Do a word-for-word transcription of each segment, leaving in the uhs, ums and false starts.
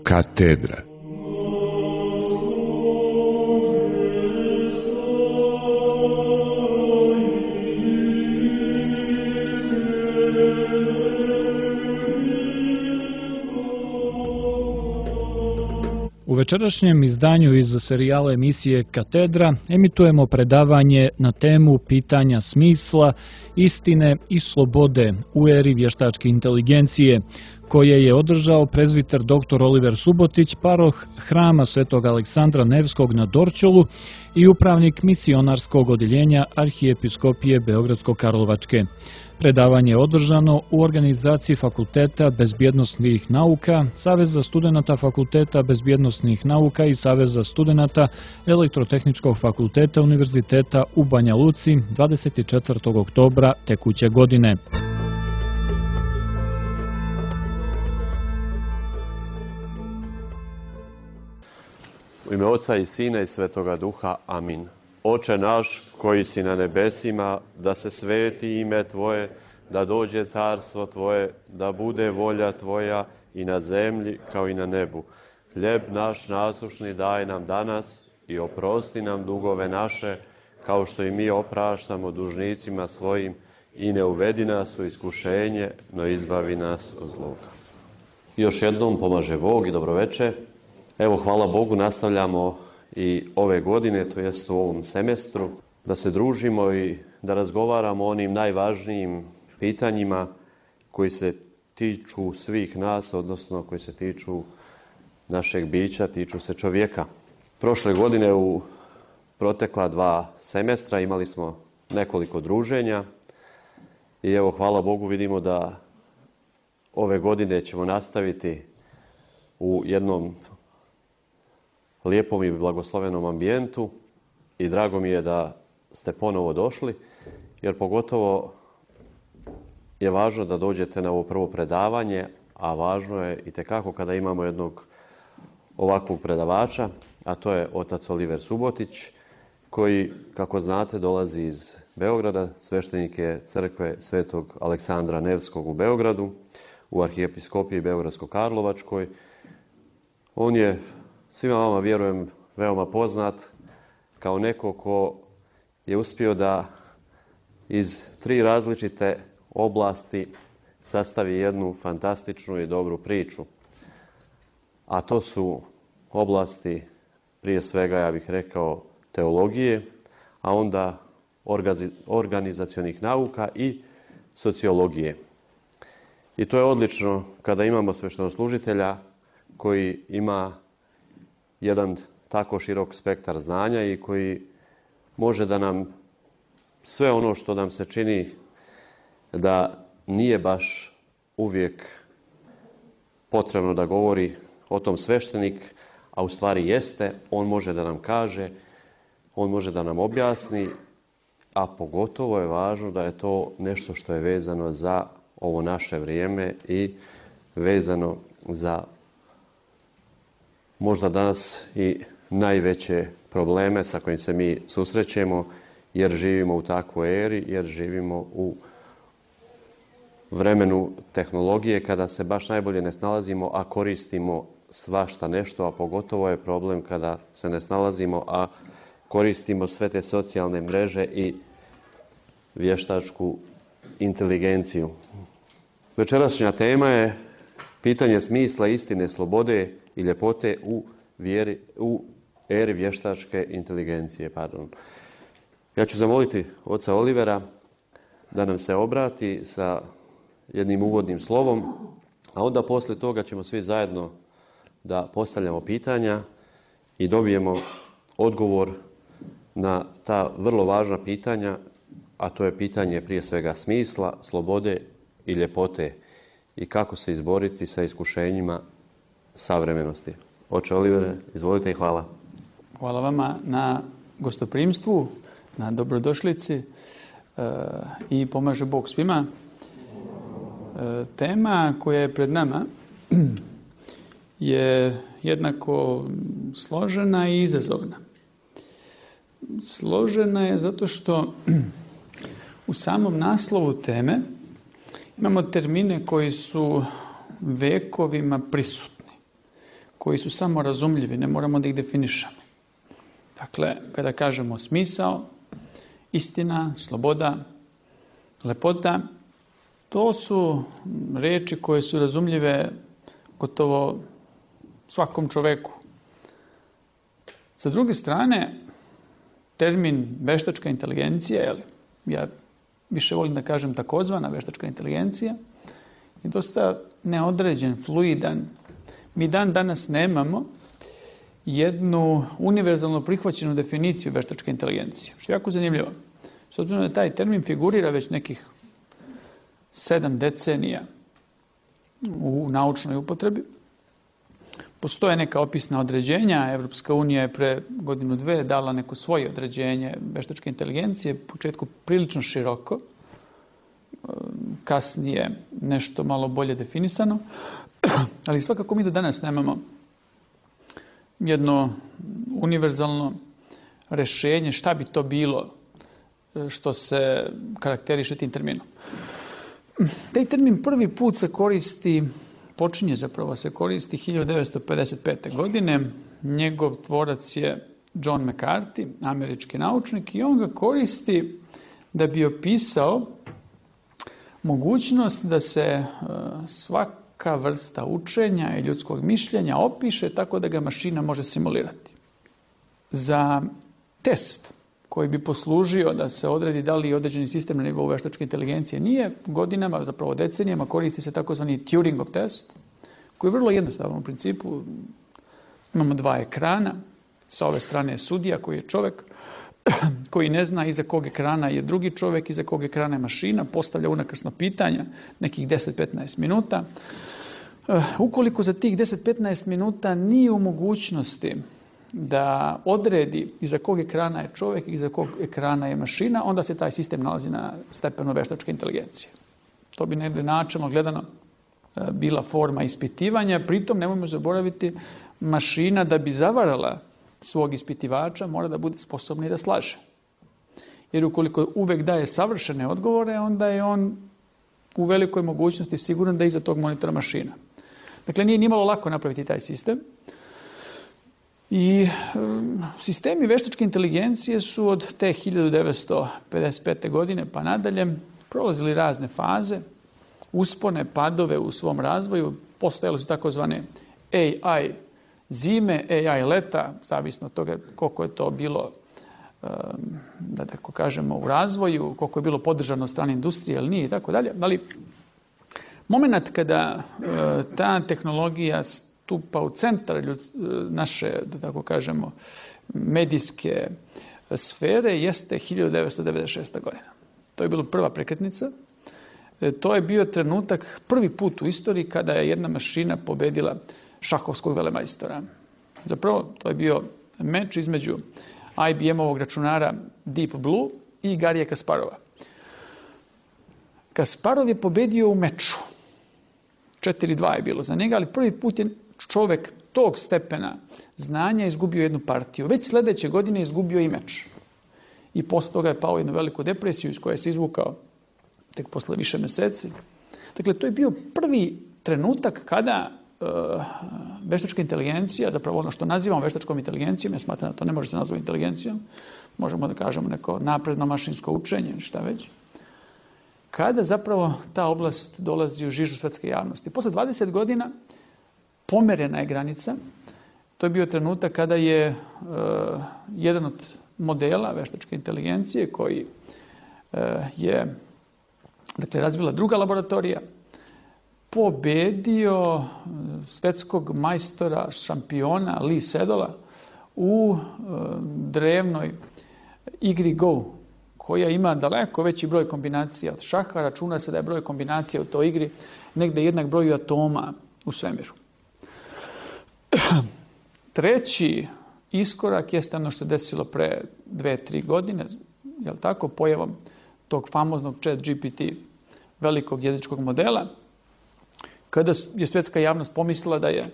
Katedra. U večerašnjem izdanju iz serijala emisije Katedra emitujemo predavanje na temu pitanja smisla, istine i slobode u eri vještačke inteligencije, koje je održao prezbiter doktor Oliver Subotić, paroh Hrama Svetog Aleksandra Nevskog na Dorćolu i upravnik misionarskog odjeljenja Arhijepiskopije Beogradsko-Karlovačke. Predavanje je održano u organizaciji Fakulteta bezbjednosnih nauka, Saveza studenata Fakulteta bezbjednosnih nauka i Saveza studenata Elektrotehničkog fakulteta Univerziteta u Banja Luci dvadeset četvrtog oktobra tekuće godine. U ime Oca i Sina i Svetoga Duha. Amin. Oče naš koji si na nebesima, da se sveti ime Tvoje, da dođe carstvo Tvoje, da bude volja Tvoja i na zemlji kao i na nebu. Hljeb naš nasušni daj nam danas i oprosti nam dugove naše, kao što i mi opraštamo dužnicima svojim, i ne uvedi nas u iskušenje, no izbavi nas od zloga. Još jednom pomaže Bog i dobroveče. Evo, hvala Bogu, nastavljamo i ove godine, to jest u ovom semestru, da se družimo i da razgovaramo o onim najvažnijim pitanjima koji se tiču svih nas, odnosno koji se tiču našeg bića, tiču se čovjeka. Prošle godine u protekla dva semestra imali smo nekoliko druženja i evo, hvala Bogu, vidimo da ove godine ćemo nastaviti u jednom lijepom i blagoslovenom ambijentu i drago mi je da ste ponovo došli, jer pogotovo je važno da dođete na ovo prvo predavanje, a važno je itekako kada imamo jednog ovakvog predavača, a to je otac Oliver Subotić, koji, kako znate, dolazi iz Beograda, sveštenik je crkve Svetog Aleksandra Nevskog u Beogradu, u Arhijepiskopiji Beogradsko-Karlovačkoj. On je svima vama, vjerujem, veoma poznat kao neko ko je uspio da iz tri različite oblasti sastavi jednu fantastičnu i dobru priču. A to su oblasti, prije svega, ja bih rekao, teologije, a onda organizacionih nauka i sociologije. I to je odlično kada imamo sveštenoslужitelja koji ima jedan tako širok spektar znanja i koji može da nam sve ono što nam se čini da nije baš uvijek potrebno da govori o tom sveštenik, a u stvari jeste, on može da nam kaže, on može da nam objasni, a pogotovo je važno da je to nešto što je vezano za ovo naše vrijeme i vezano za možda danas i najveće probleme sa kojim se mi susrećemo, jer živimo u takvoj eri, jer živimo u vremenu tehnologije kada se baš najbolje ne snalazimo, a koristimo svašta nešto, a pogotovo je problem kada se ne snalazimo, a koristimo sve te socijalne mreže i vještačku inteligenciju. Večerašnja tema je pitanje smisla, istine, slobode i ljepote u, vjeri, u eri vještačke inteligencije. Pardon. Ja ću zamoliti oca Olivera da nam se obrati sa jednim uvodnim slovom, a onda poslije toga ćemo svi zajedno da postavljamo pitanja i dobijemo odgovor na ta vrlo važna pitanja, a to je pitanje prije svega smisla, slobode i ljepote i kako se izboriti sa iskušenjima savremenosti. Oče Olivere, izvolite i hvala. Hvala vama na gostoprimstvu, na dobrodošlici e, i pomaže Bog svima. E, tema koja je pred nama je jednako složena i izazovna. Složena je zato što u samom naslovu teme imamo termine koji su vekovima prisutni, koji su samo razumljivi, ne moramo da ih definišemo. Dakle, kada kažemo smisao, istina, sloboda, lepota, to su reči koje su razumljive gotovo svakom čoveku. Sa druge strane, termin veštačka inteligencija, jel, ja više volim da kažem takozvana veštačka inteligencija, je dosta neodređen, fluidan. Mi dan danas nemamo jednu univerzalno prihvaćenu definiciju veštačke inteligencije, što je jako zanimljivo. S obzirom da taj termin figurira već nekih sedam decenija u naučnoj upotrebi. Postoje neka opisna određenja. Evropska unija je pre godinu dve dala neko svoje određenje veštačke inteligencije, u početku prilično široko, kasnije nešto malo bolje definisano, ali svakako mi do danas nemamo jedno univerzalno rešenje šta bi to bilo što se karakteriše tim terminom. Taj termin prvi put se koristi, počinje zapravo se koristi hiljadu devetsto pedeset pete. godine. Njegov tvorac je John McCarthy, američki naučnik, i on ga koristi da bi opisao mogućnost da se svaka vrsta učenja i ljudskog mišljenja opiše tako da ga mašina može simulirati. Za test koji bi poslužio da se odredi da li je određeni sistem na nivou veštačke inteligencije nije, godinama, zapravo decenijama, koristi se takozvani Turingov test, koji je vrlo jednostavan u principu. Imamo dva ekrana, sa ove strane je sudija koji je čovek, koji ne zna iza kog ekrana je drugi čovek, iza kog ekrana je mašina, postavlja unakrsno pitanja, nekih deset do petnaest minuta. Ukoliko za tih deset do petnaest minuta nije u mogućnosti da odredi iza kog ekrana je čovjek i iza kog ekrana je mašina, onda se taj sistem nalazi na stepenu veštačke inteligencije. To bi negdje načelno gledano bila forma ispitivanja, pritom nemojmo zaboraviti, mašina da bi zavarala svog ispitivača mora da bude sposobna i da slaže. Jer ukoliko uvek daje savršene odgovore, onda je on u velikoj mogućnosti siguran da je iza tog monitora mašina. Dakle, nije nimalo lako napraviti taj sistem. I sistemi veštačke inteligencije su od te hiljadu devetsto pedeset pete. godine pa nadalje prolazili razne faze, uspone, padove u svom razvoju. Postojale su takozvane A I zime, A I leta, zavisno od toga koliko je to bilo, da tako kažemo, u razvoju, koliko je bilo podržano od strane industrije ili nije i tako dalje. Ali moment kada ta tehnologija stupa u centar naše, da tako kažemo, medijske sfere jeste hiljadu devetsto devedeset šesta. godina. To je bila prva prekretnica. To je bio trenutak, prvi put u istoriji kada je jedna mašina pobedila šahovskog velemajstora. Zapravo, to je bio meč između I B M-ovog računara Deep Blue i Garija Kasparova. Kasparov je pobedio u meču. četiri dva je bilo za njega, ali prvi put je čovek tog stepena znanja izgubio jednu partiju. Već sljedeće godine je izgubio i meč. I posle toga je pao u jednu veliku depresiju iz koje se izvukao tek posle više meseci. Dakle, to je bio prvi trenutak kada uh, veštačka inteligencija, zapravo ono što nazivamo veštačkom inteligencijom, ja smatram da to ne može se nazvati inteligencijom, možemo da kažemo neko napredno mašinsko učenje, šta već, kada zapravo ta oblast dolazi u žižu svetske javnosti. Posle dvadeset godina pomerena je granica. To je bio trenutak kada je uh, jedan od modela veštačke inteligencije koji uh, je dakle, razvila druga laboratorija, pobedio svetskog majstora, šampiona Lee Sedola u uh, drevnoj igri Go, koja ima daleko veći broj kombinacija od šaha. Računa se da je broj kombinacija u toj igri negde jednak broju atoma u svemiru. Treći iskorak jeste ono što se desilo pre dve, tri godine, je li tako, pojavom tog famoznog Chat G P T velikog jezičkog modela, kada je svetska javnost pomislila da je e,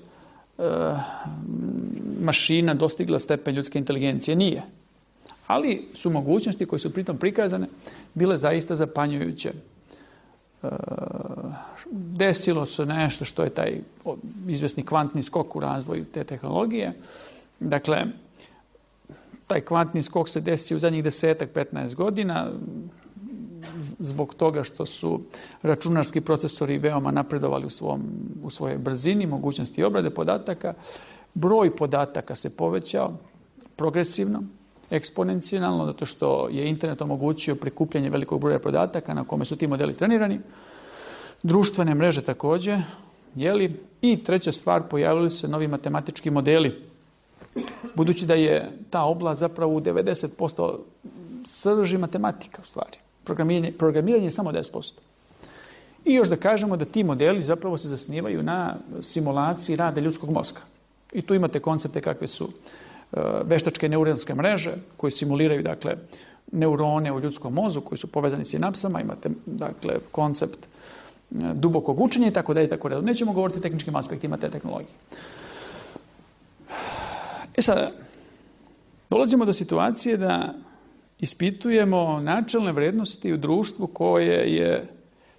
mašina dostigla stepen ljudske inteligencije. Nije. Ali su mogućnosti koje su pritom prikazane bile zaista zapanjujuće. E, desilo se nešto što je taj izvjesni kvantni skok u razvoju te tehnologije. Dakle, taj kvantni skok se desio u zadnjih desetak, petnaest godina zbog toga što su računarski procesori veoma napredovali u, svom, u svojoj brzini, mogućnosti obrade podataka. Broj podataka se povećao progresivno, eksponencijalno, zato što je internet omogućio prikupljanje velikog broja podataka na kome su ti modeli trenirani. Društvene mreže također, jeli? I treća stvar, pojavili se novi matematički modeli. Budući da je ta oblast zapravo u devedeset posto srži matematika u stvari. Programiranje, programiranje je samo deset posto. I još da kažemo da ti modeli zapravo se zasnivaju na simulaciji rada ljudskog mozga. I tu imate koncepte kakve su veštačke neuronske mreže koje simuliraju dakle neurone u ljudskom mozgu koji su povezani s sinapsama, imate dakle koncept dubokog učenja i tako dalje i tako dalje. Nećemo govoriti o tehničkim aspektima te tehnologije. E sada, dolazimo do situacije da ispitujemo načelne vrednosti u društvu koje je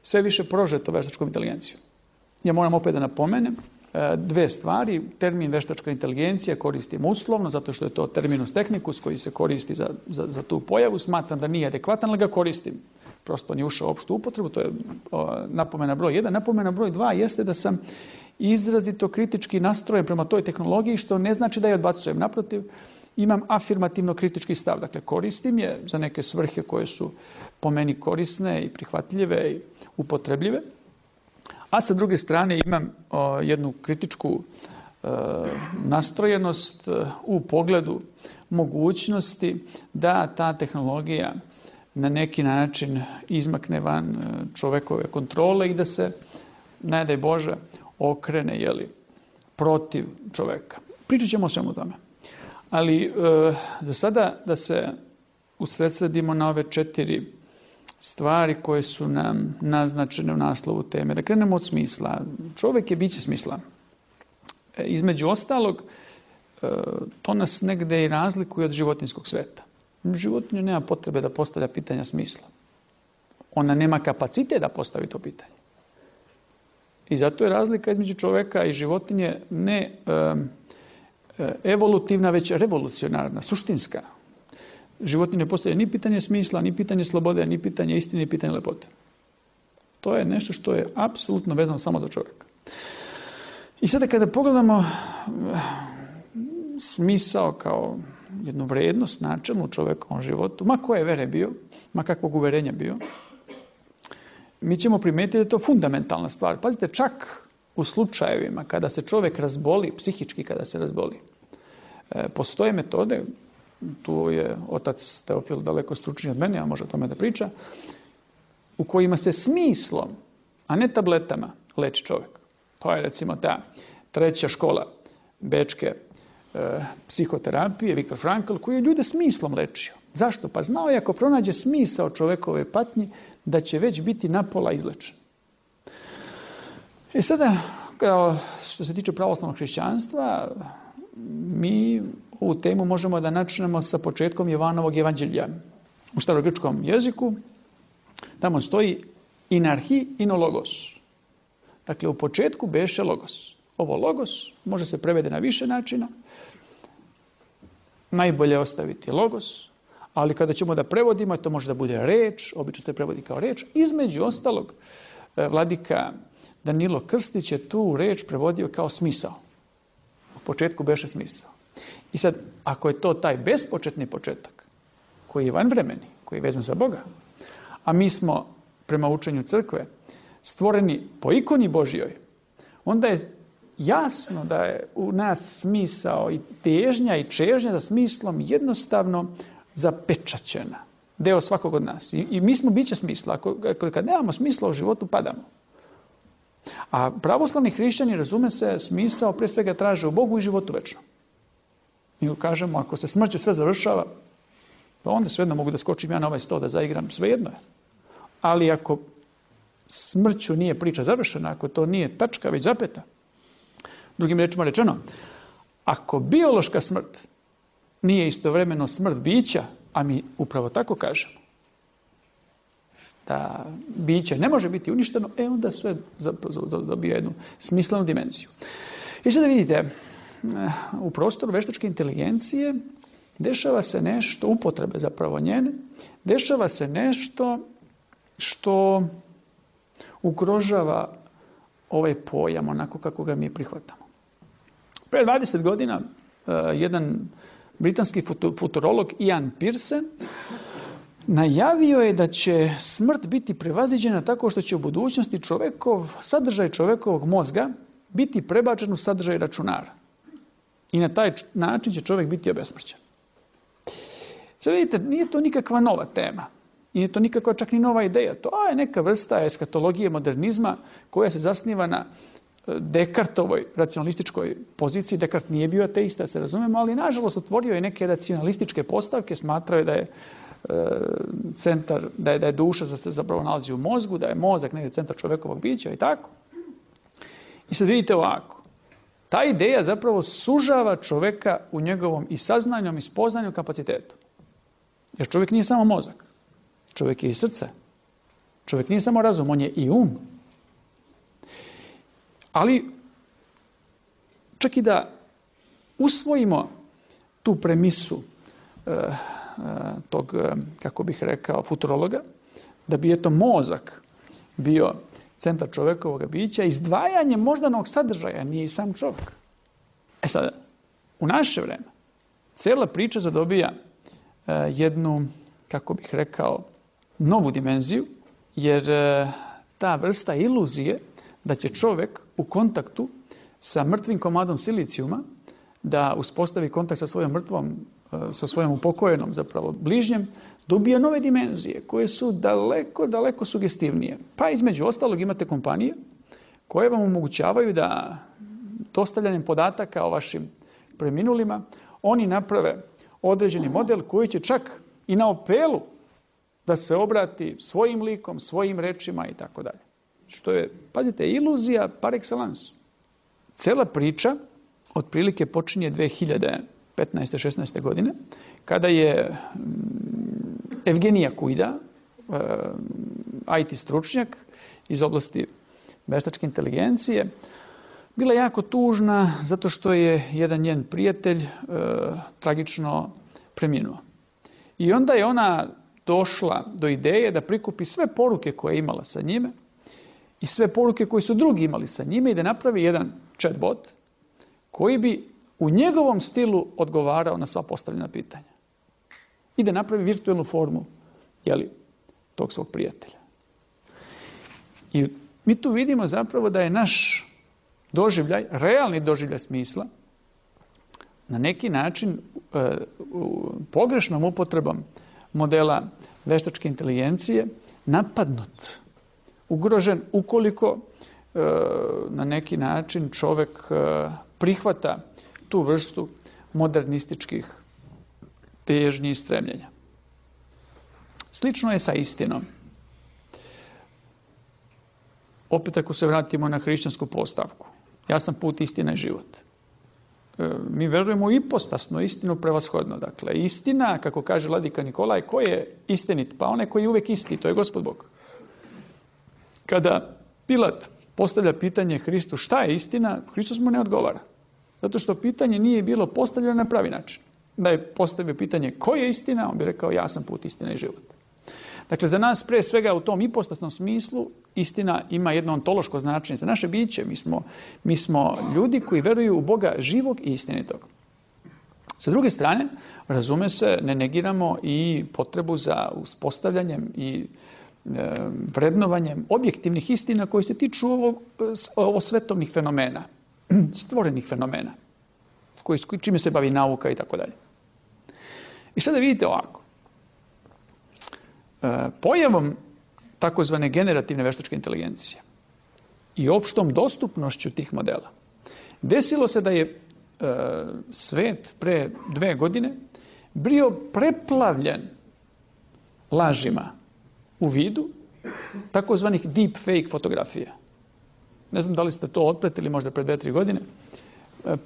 sve više prožeto veštačkom inteligencijom. Ja moram opet da napomenem dve stvari. Termin veštačka inteligencija koristim uslovno, zato što je to terminus technicus koji se koristi za, za, za tu pojavu. Smatram da nije adekvatan, ali ga koristim. Prosto nije ušao u opštu upotrebu, to je o, napomena broj jedan. Napomena broj dva jeste da sam izrazito kritički nastrojen prema toj tehnologiji, što ne znači da je odbacujem. Naprotiv, imam afirmativno kritički stav. Dakle, koristim je za neke svrhe koje su po meni korisne i prihvatljive i upotrebljive. A sa druge strane imam o, jednu kritičku e, nastrojenost e, u pogledu mogućnosti da ta tehnologija na neki način izmakne van e, čovekove kontrole i da se, ne daj Bože, okrene jeli, protiv čoveka. Pričat ćemo o svemu tome. Ali e, za sada da se usredsredimo na ove četiri stvari koje su nam naznačene u naslovu teme. Da krenemo od smisla. Čovjek je biće smisla. E, između ostalog, e, to nas negde i razlikuje od životinjskog sveta. Životinja nema potrebe da postavlja pitanja smisla. Ona nema kapacitet da postavi to pitanje. I zato je razlika između čovjeka i životinje ne e, evolutivna, već revolucionarna, suštinska. Životinje ne postavlja ni pitanje smisla, ni pitanje slobode, ni pitanje istine, ni pitanje lepote. To je nešto što je apsolutno vezano samo za čovjeka. I sada kada pogledamo smisao kao jednu vrednost načelnu u čovjekovom životu, ma koje vere bio, ma kakvog uverenja bio, mi ćemo primetiti da je to fundamentalna stvar. Pazite, čak u slučajevima kada se čovjek razboli, psihički kada se razboli, postoje metode, tu je otac Teofil daleko stručniji od mene, a može o tome da priča, u kojima se smislom, a ne tabletama, leči čovjek. To je recimo ta treća škola bečke e, psihoterapije, Viktor Frankl, koji je ljude smislom lečio. Zašto? Pa znao je ako pronađe smisao čovjekove patnji, da će već biti napola izlečen. I sada, kao što se tiče pravoslavnog hrišćanstva, mi ovu temu možemo da načnemo sa početkom Jovanovog evanđelja. U starogrčkom jeziku tamo stoji in arhi ino logos. Dakle, u početku beše logos. Ovo logos može se prevede na više načina. Najbolje ostaviti logos, ali kada ćemo da prevodimo, to može da bude reč, obično se prevodi kao reč. Između ostalog, vladika Danilo Krstić je tu reč prevodio kao smisao. U početku beše smisao. I sad, ako je to taj bespočetni početak, koji je vanvremeni, koji je vezan za Boga, a mi smo, prema učenju crkve, stvoreni po ikoni Božjoj, onda je jasno da je u nas smisao i težnja i čežnja za smislom jednostavno zapečaćena. Deo svakog od nas. I, i mi smo biće smisla. Ako, ako kad nemamo smisla u životu, padamo. A pravoslavni hrišćani, razume se, smisao prije svega traže u Bogu i životu večno. Mi kažemo, ako se smrću sve završava, pa onda svejedno mogu da skočim ja na ovaj sto da zaigram, svejedno je. Ali ako smrću nije priča završena, ako to nije tačka, već zapeta, drugim rečima rečeno, ako biološka smrt nije istovremeno smrt bića, a mi upravo tako kažemo, da biće ne može biti uništeno, e onda sve dobije jednu smislenu dimenziju. I sada vidite, u prostoru veštačke inteligencije dešava se nešto, upotrebe zapravo njene, dešava se nešto što ugrožava ovaj pojam onako kako ga mi prihvatamo. Pre dvadeset godina jedan britanski futurolog Ian Pearce najavio je da će smrt biti prevaziđena tako što će u budućnosti čovekov, sadržaj čovekovog mozga biti prebačen u sadržaj računara. I na taj način će čovjek biti obesmrćen. Sada vidite, nije to nikakva nova tema. Nije to nikakva čak ni nova ideja. To je neka vrsta eskatologije modernizma koja se zasniva na Dekartovoj racionalističkoj poziciji. Dekart nije bio ateista, da se razumemo, ali nažalost otvorio je neke racionalističke postavke, smatrao je da je centar, da je, da je duša se zapravo nalazi u mozgu, da je mozak negdje centar čovjekovog bića i tako. I sad vidite ovako. Ta ideja zapravo sužava čovjeka u njegovom i saznanjom i spoznanju kapacitetu. Jer čovjek nije samo mozak. Čovjek je i srce. Čovjek nije samo razum, on je i um. Ali čak i da usvojimo tu premisu eh, tog, kako bih rekao, futurologa, da bi eto mozak bio centar čovjekovog bića, izdvajanje moždanog sadržaja nije i sam čovjek. E sada, u naše vreme, cijela priča zadobija jednu, kako bih rekao, novu dimenziju, jer ta vrsta iluzije da će čovjek u kontaktu sa mrtvim komadom silicijuma da uspostavi kontakt sa svojom mrtvom, sa svojom upokojenom zapravo bližnjem, dobija nove dimenzije koje su daleko, daleko sugestivnije. Pa između ostalog imate kompanije koje vam omogućavaju da dostavljanjem podataka o vašim preminulima oni naprave određeni model koji će čak i na apelu da se obrati svojim likom, svojim rečima i tako dalje. Što je, pazite, iluzija par excellence. Cela priča otprilike počinje dve hiljade petnaeste šesnaeste godine, kada je Evgenija Kujda, I T stručnjak iz oblasti veštačke inteligencije, bila jako tužna zato što je jedan njen prijatelj e, tragično preminuo. I onda je ona došla do ideje da prikupi sve poruke koje je imala sa njime i sve poruke koje su drugi imali sa njime i da napravi jedan chatbot koji bi u njegovom stilu odgovarao na sva postavljena pitanja. I da napravi virtualnu formu, jeli, tog svog prijatelja. I mi tu vidimo zapravo da je naš doživljaj, realni doživljaj smisla, na neki način e, pogrešnom upotrebom modela veštačke inteligencije napadnut, ugrožen ukoliko e, na neki način čovjek e, prihvata tu vrstu modernističkih težnji i stremljenja. Slično je sa istinom. Opet ako se vratimo na hrišćansku postavku. Ja sam put, istina i život. E, mi verujemo u ipostasnu istinu prevashodno. Dakle, istina, kako kaže vladika Nikolaj, ko je istinit? Pa onaj koji je uvijek isti, to je Gospod Bog. Kada Pilat postavlja pitanje Hristu šta je istina, Hristos mu ne odgovara. Zato što pitanje nije bilo postavljeno na pravi način. Da je postavio pitanje ko je istina, on bi rekao ja sam put, istina i život. Dakle, za nas pre svega u tom ipostasnom smislu istina ima jedno ontološko značenje za naše biće. Mi smo, mi smo ljudi koji veruju u Boga živog i istinitog. Sa druge strane, razume se, ne negiramo i potrebu za uspostavljanjem i e, vrednovanjem objektivnih istina koji se tiču ovo, ovo svetovnih fenomena, stvorenih fenomena, koji, čime se bavi nauka i tako dalje. I sada vidite ovako. Pojavom takozvane generativne veštačke inteligencije i opštom dostupnošću tih modela desilo se da je e, svet pre dve godine bio preplavljen lažima u vidu takozvanih deepfake fotografija. Ne znam da li ste to otpratili možda pre dve, tri godine.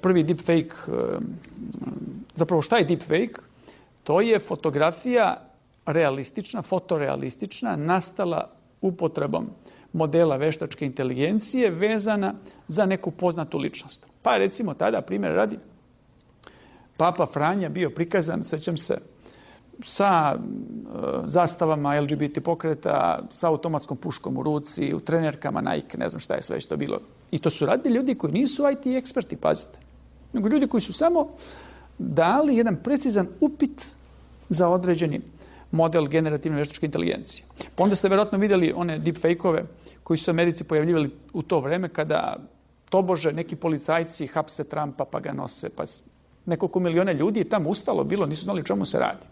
Prvi deepfake, e, zapravo šta je deepfake? To je fotografija realistična, fotorealistična, nastala upotrebom modela veštačke inteligencije vezana za neku poznatu ličnost. Pa recimo tada, primjer radi, Papa Franja bio prikazan, sećam se, sa e, zastavama L G B T pokreta, sa automatskom puškom u ruci, u trenerkama Nike, ne znam šta je sve već to bilo. I to su radili ljudi koji nisu I T eksperti, pazite. Nego ljudi koji su samo dali jedan precizan upit za određeni model generativne veštačke inteligencije. Pa onda ste verovatno vidjeli one deepfake-ove koji su u Americi pojavljivali u to vreme kada tobože neki policajci hapse Trumpa pa ga nose. Pa nekoliko miliona ljudi je tamo ustalo bilo, nisu znali čemu se radi.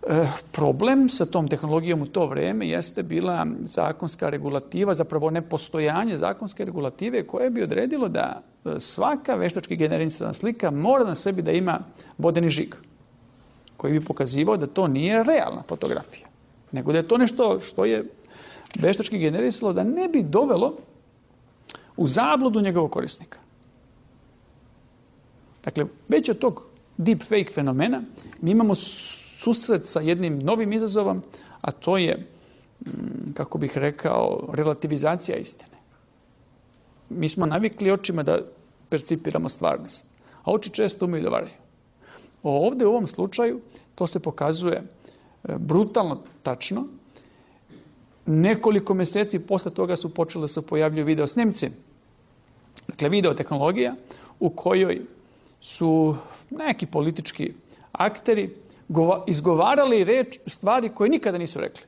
E, problem sa tom tehnologijom u to vreme jeste bila zakonska regulativa, zapravo nepostojanje zakonske regulative koje bi odredilo da svaka veštački generisana slika mora na sebi da ima vodeni žig, koji bi pokazivao da to nije realna fotografija, nego da je to nešto što je veštački generisalo da ne bi dovelo u zabludu njegovog korisnika. Dakle, već od tog deepfake fenomena mi imamo susret sa jednim novim izazovom, a to je, kako bih rekao, relativizacija istine. Mi smo navikli očima da percipiramo stvarnost, a oči često umeju da varaju. Ovdje u ovom slučaju to se pokazuje brutalno tačno. Nekoliko mjeseci posle toga su počele da se pojavljuju video snimci. Dakle, video tehnologija u kojoj su neki politički akteri izgovarali reč, stvari koje nikada nisu rekli.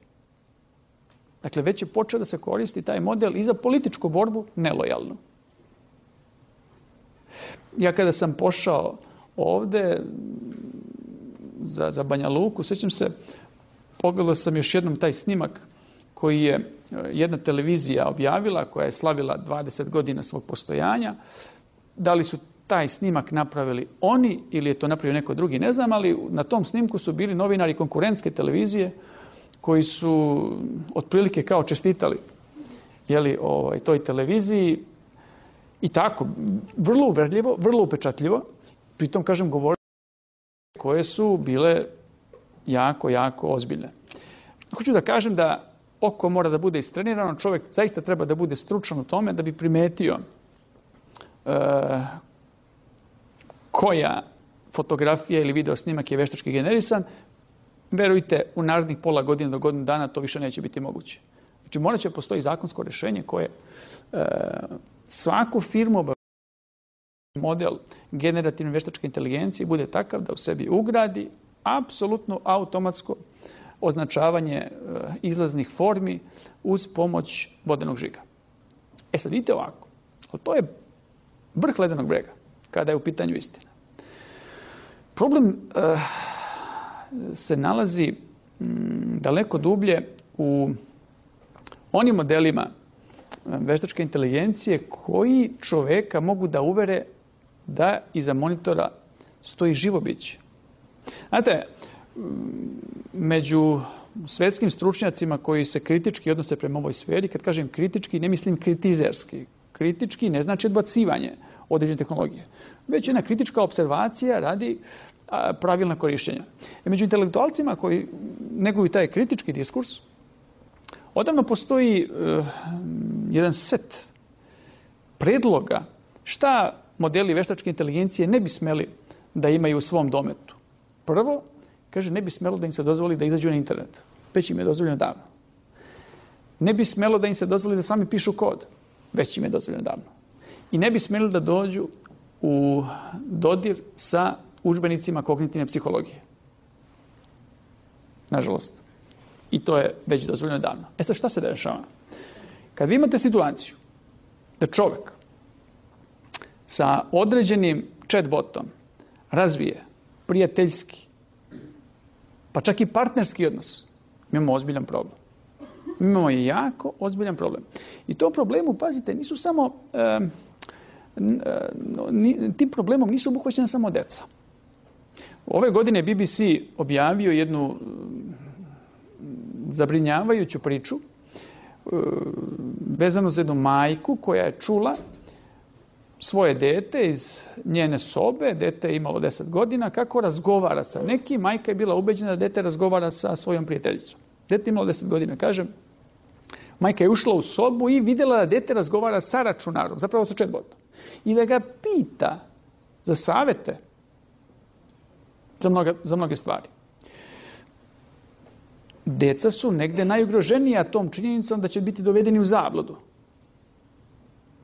Dakle, već je počeo da se koristi taj model i za političku borbu nelojalnu. Ja kada sam pošao ovde za, za Banja Luku, sjećam se, pogledao sam još jednom taj snimak koji je jedna televizija objavila, koja je slavila dvadeset godina svog postojanja. Da li su taj snimak napravili oni ili je to napravio neko drugi, ne znam, ali na tom snimku su bili novinari konkurentske televizije koji su otprilike kao čestitali jeli, ovaj, toj televiziji i tako, vrlo uverljivo, vrlo upečatljivo, pritom, kažem, govorili koje su bile jako, jako ozbiljne. Hoću da kažem da oko mora da bude istrenirano, čovjek zaista treba da bude stručan u tome da bi primetio e, koja fotografija ili video snimak je veštački generisan. Verujte, u narednih pola godine do godinu dana to više neće biti moguće. Znači, morat će postoji zakonsko rješenje koje e, svaku firmu obavlja model generativne veštačke inteligencije bude takav da u sebi ugradi apsolutno automatsko označavanje e, izlaznih formi uz pomoć vodenog žiga. E sad, vidite ovako. To je vrh ledenog brega kada je u pitanju istina. Problem e, se nalazi m, daleko dublje u onim modelima veštačke inteligencije koji čoveka mogu da uvere da iza monitora stoji živo biće. Znate, među svetskim stručnjacima koji se kritički odnose prema ovoj sferi, kad kažem kritički, ne mislim kritizerski. Kritički ne znači odbacivanje određene tehnologije, već jedna kritička observacija radi a, pravilna korištenja. E, među intelektualcima koji neguju taj kritički diskurs, odavno postoji uh, jedan set predloga šta modeli veštačke inteligencije ne bi smeli da imaju u svom dometu. Prvo, kaže, ne bi smelo da im se dozvoli da izađu na internet. Već im je dozvoljeno davno. Ne bi smelo da im se dozvoli da sami pišu kod. Već im je dozvoljeno davno. I ne bi smeli da dođu u dodir sa udžbenicima kognitivne psihologije. Nažalost. I to je već dozvoljeno davno. E sad, šta se dešava? Kad vi imate situaciju da čovjek sa određenim chatbotom razvije prijateljski, pa čak i partnerski odnos, mi imamo ozbiljan problem. Mi imamo jako ozbiljan problem. I to problemu, pazite, nisu samo, e, e, tim problemom nisu obuhvaćena samo deca. Ove godine B B C objavio jednu zabrinjavajuću priču vezanu za jednu majku koja je čula svoje dete iz njene sobe, dete je imalo deset godina, kako razgovara sa nekim. Majka je bila ubeđena da dete razgovara sa svojom prijateljicom. Dete je imalo deset godina, kažem. Majka je ušla u sobu i vidjela da dete razgovara sa računarom, zapravo sa chatbotom. I da ga pita za savete za, mnoga, za mnoge stvari. Deca su negde najugroženija tom činjenicom da će biti dovedeni u zabludu.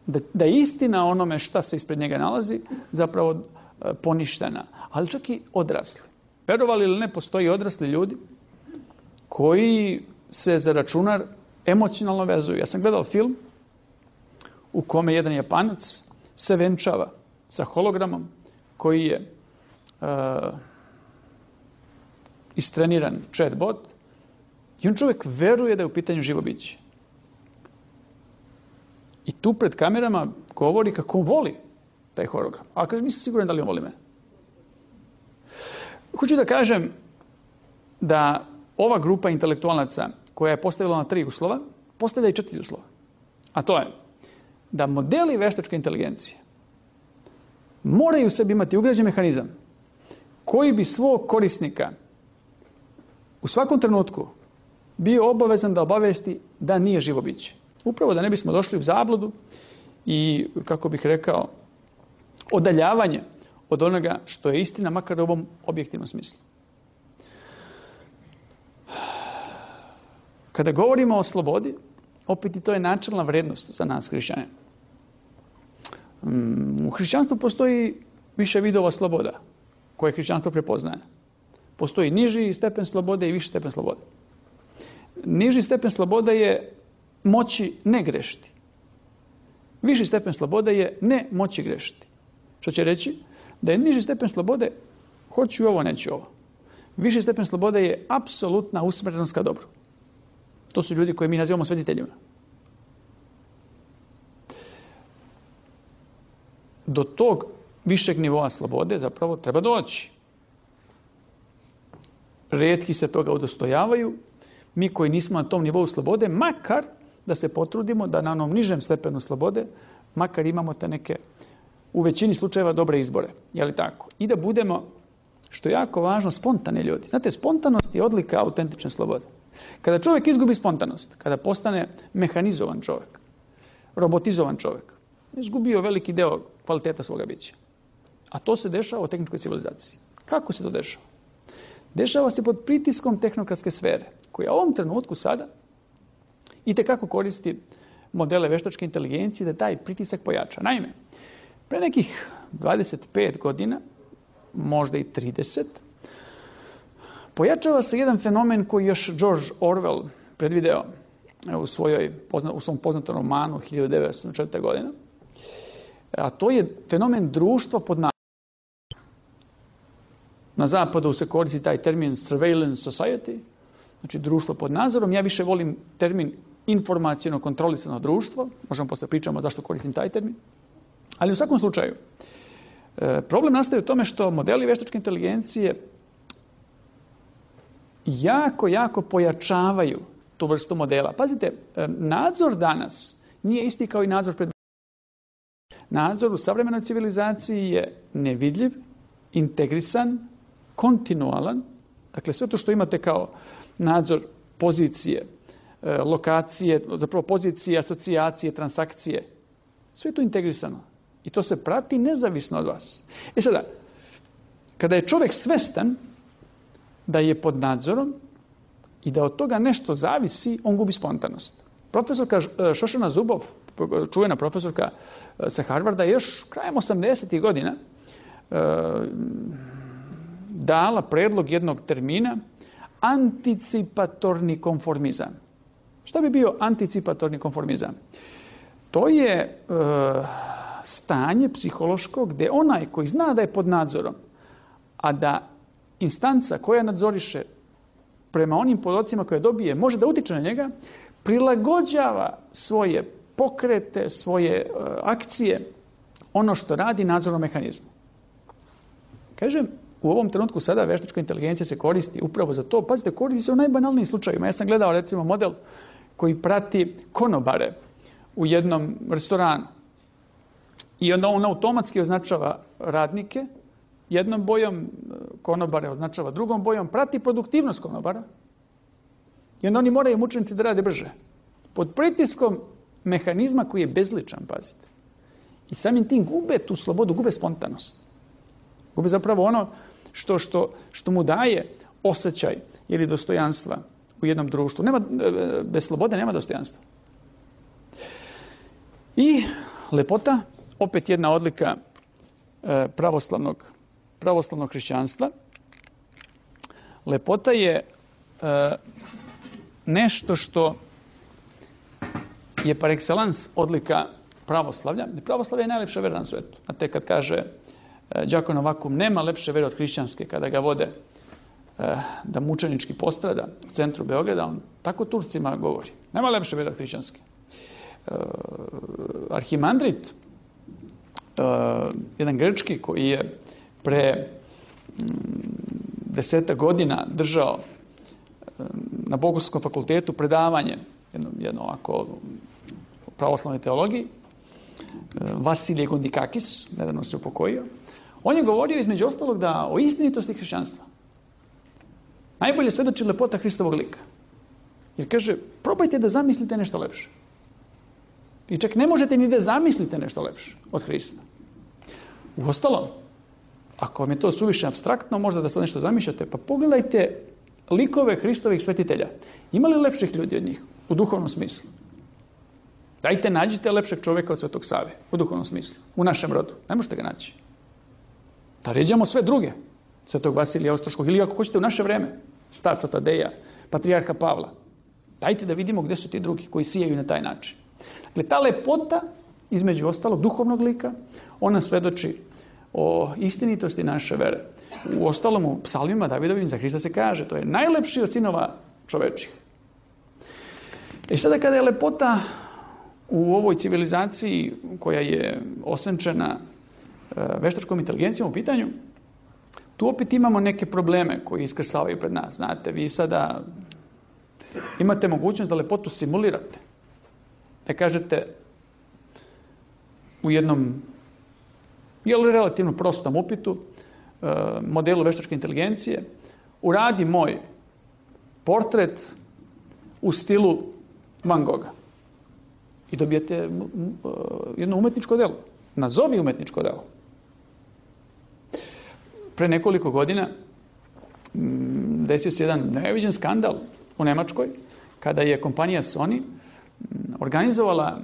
Da, da je istina onome šta se ispred njega nalazi zapravo e, poništena. Ali čak i odrasli. Verovali ili ne, postoji odrasli ljudi koji se za računar emocionalno vezuju. Ja sam gledao film u kome jedan Japanac se venčava sa hologramom koji je e, istreniran chatbot i on čovjek veruje da je u pitanju živo biće. I tu pred kamerama govori kako on voli taj hologram. A kaže, nisam siguran da li on voli mene. Hoću da kažem da ova grupa intelektualaca koja je postavila na tri uslova, postavlja i četiri uslova. A to je da modeli veštačke inteligencije moraju u sebi imati ugrađen mehanizam koji bi svog korisnika u svakom trenutku bio obavezan da obavesti da nije živo biće. Upravo da ne bismo došli u zabludu i, kako bih rekao, odaljavanje od onoga što je istina, makar u ovom objektivnom smislu. Kada govorimo o slobodi, opet i to je načelna vrednost za nas hrišćane. U hrišćanstvu postoji više vidova sloboda koje hrišćanstvo prepoznaje. Postoji niži stepen slobode i viši stepen slobode. Niži stepen slobode je moći ne grešiti. Viši stepen slobode je ne moći grešiti. Što će reći da je niži stepen slobode hoću ovo, neću ovo. Viši stepen slobode je apsolutna usmjerenost ka dobru. To su ljudi koje mi nazivamo svetiteljima. Do tog višeg nivoa slobode zapravo treba doći. Rijetki se toga udostojavaju. Mi koji nismo na tom nivou slobode, makar da se potrudimo da na onom nižem stepenu slobode, makar imamo te neke, u većini slučajeva, dobre izbore. Je li tako? I da budemo, što je jako važno, spontani ljudi. Znate, spontanost je odlika autentične slobode. Kada čovjek izgubi spontanost, kada postane mehanizovan čovjek, robotizovan čovjek, izgubio veliki deo kvaliteta svoga bića. A to se dešava u tehničkoj civilizaciji. Kako se to dešava? Dešava se pod pritiskom tehnokratske sfere, koja u ovom trenutku sada itekako koristi modele veštačke inteligencije da taj pritisak pojača. Naime, pre nekih dvadeset pet godina, možda i trideset, pojačava se jedan fenomen koji još George Orwell predvideo u, svojoj, u svom poznatom romanu hiljadu devetsto osamdeset četvrte. godine. A to je fenomen društva pod nadzorom. Na zapadu se koristi taj termin surveillance society, znači društvo pod nadzorom. Ja više volim termin informacijno kontrolisano društvo. Možemo posle pričamo zašto koristim taj termin. Ali u svakom slučaju, problem nastaje u tome što modeli veštačke inteligencije jako, jako pojačavaju tu vrstu modela. Pazite, nadzor danas nije isti kao i nadzor pred... Nadzor u savremenoj civilizaciji je nevidljiv, integrisan, kontinualan. Dakle, sve to što imate kao nadzor pozicije, lokacije, zapravo pozicije, asocijacije, transakcije, sve je to integrisano. I to se prati nezavisno od vas. E sada, kada je čovjek svestan da je pod nadzorom i da od toga nešto zavisi, on gubi spontanost. Profesorka Šošana Zubov, čuvena profesorka sa Harvarda, je još krajem osamdesetih godina dala predlog jednog termina anticipatorni konformizam. Šta bi bio anticipatorni konformizam? To je e, stanje psihološko gdje onaj koji zna da je pod nadzorom, a da instanca koja nadzoriše prema onim podacima koje dobije može da utiče na njega, prilagođava svoje pokrete, svoje e, akcije, ono što radi nadzornom mehanizmu. Kažem, u ovom trenutku sada veštačka inteligencija se koristi upravo za to. Pazite, koristi se u najbanalnijim slučajevima. Ja sam gledao recimo model koji prati konobare u jednom restoranu. I onda on automatski označava radnike jednom bojom, konobare označava drugom bojom, prati produktivnost konobara. I onda oni moraju mučenici da rade brže. Pod pritiskom mehanizma koji je bezličan, pazite. I samim tim gube tu slobodu, gube spontanost. Gube zapravo ono što, što, što mu daje osjećaj ili dostojanstva u jednom društvu. Nema, bez slobode nema dostojanstva. I lepota, opet jedna odlika pravoslavnog, pravoslavnog hrišćanstva. Lepota je nešto što je par excellence odlika pravoslavlja. Pravoslavlje je najlepša vera na svetu. Znate, kad kaže Đako Novakum, nema lepše vere od hrišćanske, kada ga vode da mučenički postrada u centru Beograda, on tako Turcima govori. Nema lepše vere od hrišćanske. Arhimandrit, jedan grčki koji je pre deseta godina držao na Bogoslovskom fakultetu predavanje, jedno, jedno ovako o pravoslavnoj teologiji, Vasilije Gondikakis, nedavno se upokojio, on je govorio između ostalog da o istinitosti hrišćanstva najbolje svedoči lepota Hristovog lika. Jer kaže, probajte da zamislite nešto lepše. I čak ne možete ni da zamislite nešto lepše od Hrista. Uostalom, ako vam je to suviše apstraktno, možda da sad nešto zamišljate, pa pogledajte likove Hristovih svetitelja. Ima li lepših ljudi od njih u duhovnom smislu? Dajte, nađite lepšeg čovjeka od Svetog Save u duhovnom smislu, u našem rodu. Ne možete ga naći. Da ređamo sve druge. Svetog Vasilija Ostroškog ili ako hoćete u naše vreme, starca Tadeja, patrijarha Pavla. Dajte da vidimo gdje su ti drugi koji sijaju na taj način. Dakle, ta lepota, između ostalog, duhovnog lika, ona svedoči o istinitosti naše vere. U ostalom, u psalmima Davidovim za Hrista se kaže, to je najlepši od sinova čovečih. I sada kada je lepota u ovoj civilizaciji koja je osenčena veštačkom inteligencijom u pitanju, tu opet imamo neke probleme koji iskrsavaju pred nas. Znate, vi sada imate mogućnost da lepotu simulirate. Da kažete u jednom jel, relativno prostom upitu, modelu veštačke inteligencije, uradi moj portret u stilu Van Gogha. I dobijete jedno umetničko delo. Nazovi umetničko delo. Pre nekoliko godina desio se jedan neviđen skandal u Nemačkoj, kada je kompanija Sony organizovala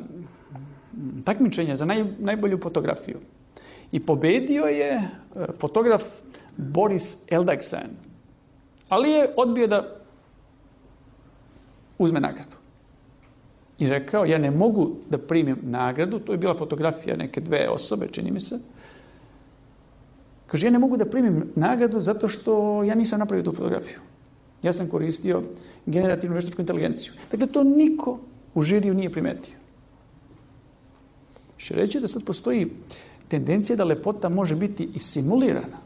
takmičenje za naj, najbolju fotografiju. I pobedio je fotograf Boris Eldagsen. Ali je odbio da uzme nagradu. I rekao, ja ne mogu da primim nagradu, to je bila fotografija neke dve osobe, čini mi se. Kaže, ja ne mogu da primim nagradu zato što ja nisam napravio tu fotografiju. Ja sam koristio generativnu veštačku inteligenciju. Dakle, to niko u žiriju nije primetio. Še reći da sad postoji tendencija da lepota može biti i simulirana.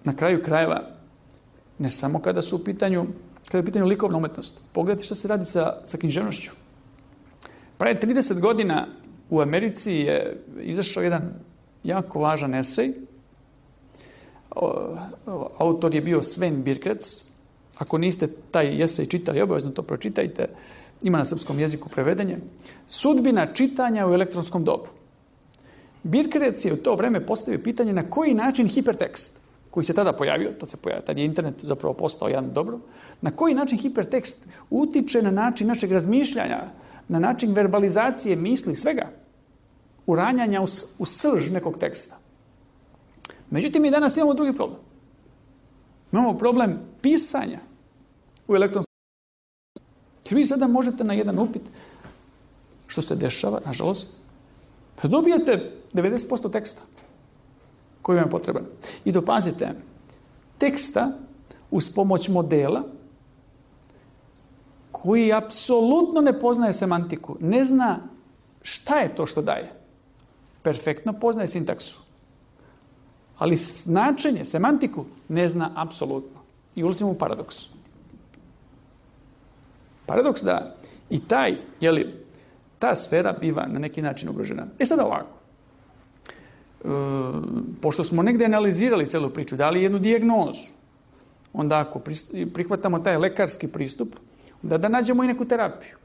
Na kraju krajeva, ne samo kada su u pitanju, kada je u pitanju likovna umetnost. Pogledajte što se radi sa, sa književnošću. Pre trideset godina u Americi je izašao jedan jako važan esej. Autor je bio Sven Birkrec. Ako niste taj esej čitali, obavezno to pročitajte. Ima na srpskom jeziku prevedenje. Sudbina čitanja u elektronskom dobu. Birkrec je u to vreme postavio pitanje na koji način hipertekst, koji se tada pojavio, tad se pojavio, tad je internet zapravo postao jedan dobro, na koji način hipertekst utiče na način našeg razmišljanja, na način verbalizacije misli, svega, uranjanja u, u srž nekog teksta. Međutim, mi danas imamo drugi problem. Imamo problem pisanja u elektronskom. Jer vi sada možete na jedan upit, što se dešava, nažalost, da dobijete devedeset posto teksta koji vam je potreban. I dopazite, teksta uz pomoć modela koji apsolutno ne poznaje semantiku, ne zna šta je to što daje. Perfektno poznaje sintaksu. Ali značenje, semantiku ne zna apsolutno. I ulazimo u paradoks. paradoks da i taj, jeli, ta sfera biva na neki način ugrožena. E sad ovako, e, pošto smo negdje analizirali celu priču, dali jednu dijagnozu, onda ako prihvatamo taj lekarski pristup, onda da nađemo i neku terapiju.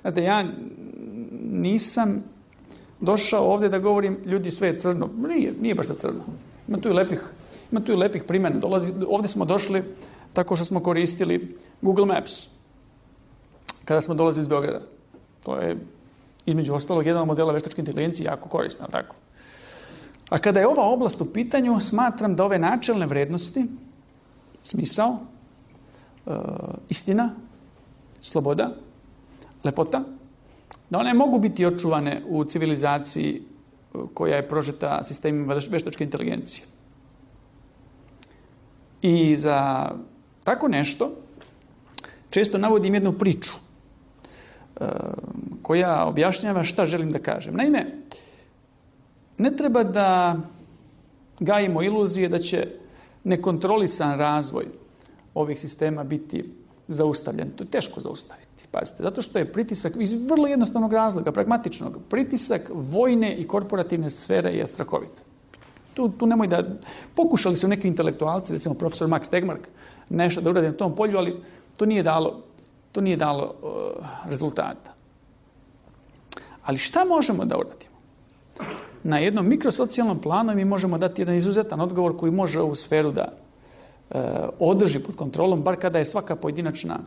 Znate, ja nisam došao ovdje da govorim ljudi sve je crno. Nije, nije baš crno. Ima tu i lepih, ima tu i lepih primjena. Dolazi, ovdje smo došli tako što smo koristili Google Maps. Kada smo dolazili iz Beograda. To je između ostalog jedan od modela veštačke inteligencije jako korisna. Tako. A kada je ova oblast u pitanju, smatram da ove načelne vrednosti, smisao, e, istina, sloboda, lepota, da one mogu biti očuvane u civilizaciji koja je prožeta sistemima veštačke inteligencije. I za tako nešto često navodim jednu priču e, koja objašnjava šta želim da kažem. Naime, ne treba da gajimo iluzije da će nekontrolisan razvoj ovih sistema biti zaustavljen. To je teško zaustaviti. Pazite, zato što je pritisak iz vrlo jednostavnog razloga, pragmatičnog. Pritisak vojne i korporativne sfere je strahovit. Tu, tu nemoj da... Pokušali su neki intelektualci, recimo profesor Max Tegmark, nešto da uradi na tom polju, ali to nije dalo, to nije dalo uh, rezultata. Ali šta možemo da uradimo? Na jednom mikrosocijalnom planu mi možemo dati jedan izuzetan odgovor koji može ovu sferu da uh, održi pod kontrolom, bar kada je svaka pojedinačna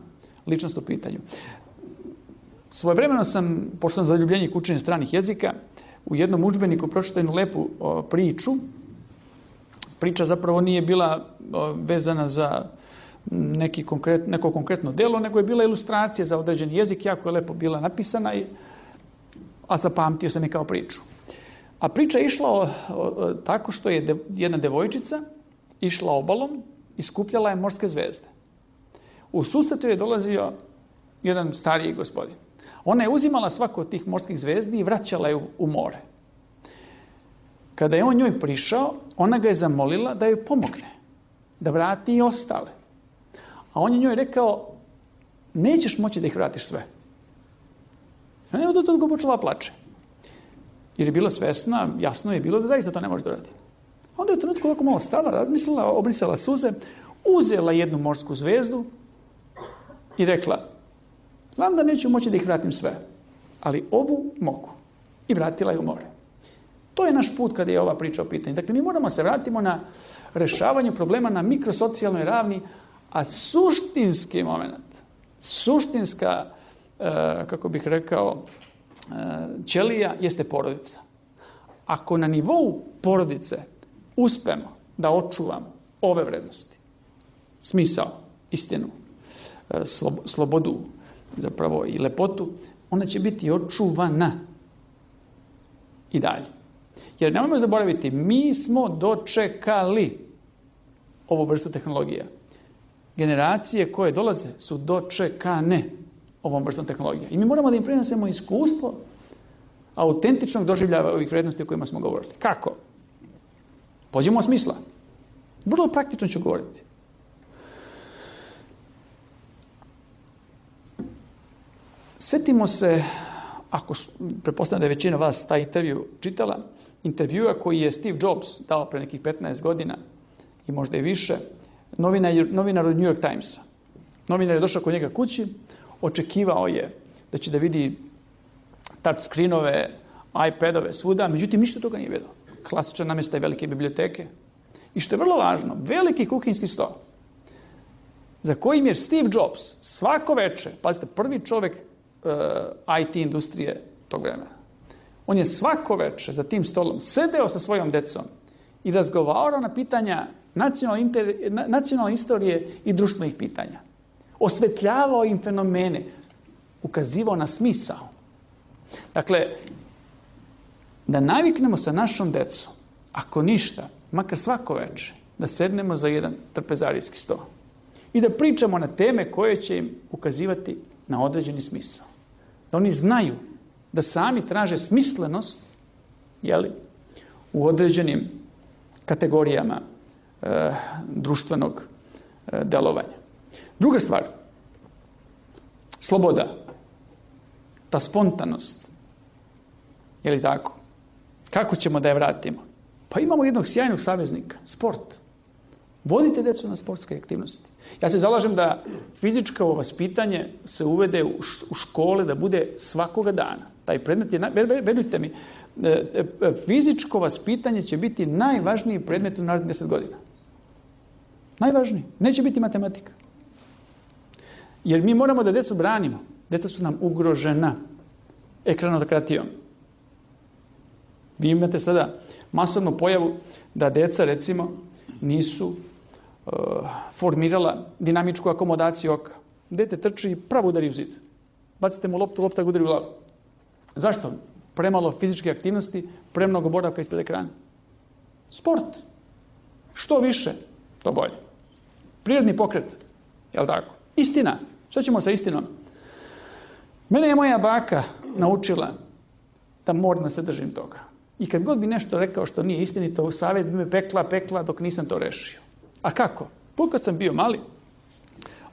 ličnost u pitanju. Svojevremeno sam, pošto sam zaljubljenik učenja stranih jezika, u jednom udžbeniku pročitao jednu lepu o, priču. Priča zapravo nije bila o, vezana za neki konkret, neko konkretno delo, nego je bila ilustracija za određen jezik, jako je lepo bila napisana, i, a zapamtio sam je kao priču. A priča je išla o, o, tako što je de, jedna devojčica išla obalom i skupljala je morske zvezde. U susretu je dolazio jedan stariji gospodin. Ona je uzimala svaku od tih morskih zvezdi i vraćala je u, u more. Kada je on njoj prišao, ona ga je zamolila da joj pomogne, da vrati i ostale. A on je njoj rekao, nećeš moći da ih vratiš sve. A ne, od toga počela plače. Jer je bila svesna, jasno je bilo da zaista to ne može da radi. Onda je u trenutku ovako malo stala, razmislila, obrisala suze, uzela jednu morsku zvezdu i rekla, znam da neću moći da ih vratim sve, ali ovu mogu. I vratila je u more. To je naš put kada je ova priča o pitanju. Dakle, mi moramo se vratimo na rešavanju problema na mikrosocijalnoj ravni, a suštinski moment, suštinska, e, kako bih rekao, e, ćelija jeste porodica. Ako na nivou porodice uspemo da očuvamo ove vrednosti, smisao, istinu, e, slobodu, zapravo i lepotu, ona će biti očuvana i dalje. Jer nemojmo zaboraviti, mi smo dočekali ovu vrstu tehnologija. Generacije koje dolaze su dočekane ovom vrstom tehnologija. I mi moramo da im prenesemo iskustvo autentičnog doživljava ovih vrednosti o kojima smo govorili. Kako? Pođemo od smisla. Vrlo praktično ću govoriti. Sjetimo se, ako pretpostavljam da je većina vas taj intervju čitala, intervjua koji je Steve Jobs dao pre nekih petnaest godina i možda i više, novinar, novinar od New York Timesa. Novinar je došao kod njega kući, očekivao je da će da vidi touch screenove, iPadove svuda, međutim ništa toga nije vidio. Klasičan namještaj velike biblioteke. I što je vrlo važno, veliki kuhinjski sto, za kojim je Steve Jobs svako veče, pazite, prvi čovjek uh, I T industrije tog vremena, on je svako veče za tim stolom sedeo sa svojom decom i razgovarao na pitanja nacionalne, inter, nacionalne istorije i društvenih pitanja. Osvetljavao im fenomene, ukazivao na smisao. Dakle, da naviknemo sa našom decom, ako ništa, makar svako veče, da sednemo za jedan trpezarijski sto i da pričamo na teme koje će im ukazivati na određeni smisao. Da oni znaju da sami traže smislenost, jeli, u određenim kategorijama e, društvenog e, delovanja. Druga stvar, sloboda, ta spontanost. Je li tako? Kako ćemo da je vratimo? Pa imamo jednog sjajnog saveznika, sport. Vodite djecu na sportske aktivnosti. Ja se zalažem da fizičko vaspitanje se uvede u škole, da bude svakoga dana. Taj predmet je, verujte mi, fizičko vaspitanje će biti najvažniji predmet u narednih deset godina. Najvažniji. Neće biti matematika. Jer mi moramo da djecu branimo. Djeca su nam ugrožena ekranokratijom. Vi imate sada masovnu pojavu da djeca, recimo, nisu uh, formirala dinamičku akomodaciju oka. Dete trči i pravo udari u zid. Bacite mu loptu, lopta ga udari u glavu. Zašto? Premalo fizičke aktivnosti, premnogo boravka ispred ekrana. Sport. Što više, to bolje. Prirodni pokret. Jel' tako? Istina. Šta ćemo sa istinom? Mene je moja baka naučila da moram da se držim toga. I kad god bi nešto rekao što nije istinito, u savjet bi me pekla, pekla dok nisam to rešio. A kako? Put kad sam bio mali,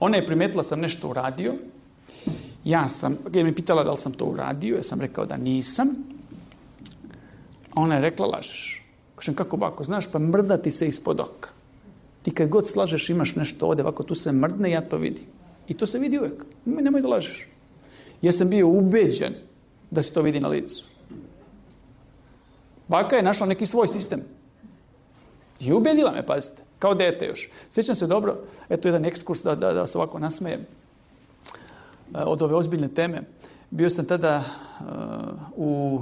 ona je primetila sam nešto uradio. Ja sam, kad je mi pitala da li sam to uradio, ja sam rekao da nisam. A ona je rekla, lažeš. Kažem, kako bako, znaš, pa mrda ti se ispod oka. Ti kad god slažeš imaš nešto ovdje, ovako tu se mrdne, ja to vidim. I to se vidi uvijek. Nemoj da lažeš. Ja sam bio ubeđen da se to vidi na licu. Baka je našla neki svoj sistem. I ubedila me, pazite, kao dete još. Sjećam se dobro, eto jedan ekskurs da, da, da se ovako nasmejem od ove ozbiljne teme. Bio sam tada uh, u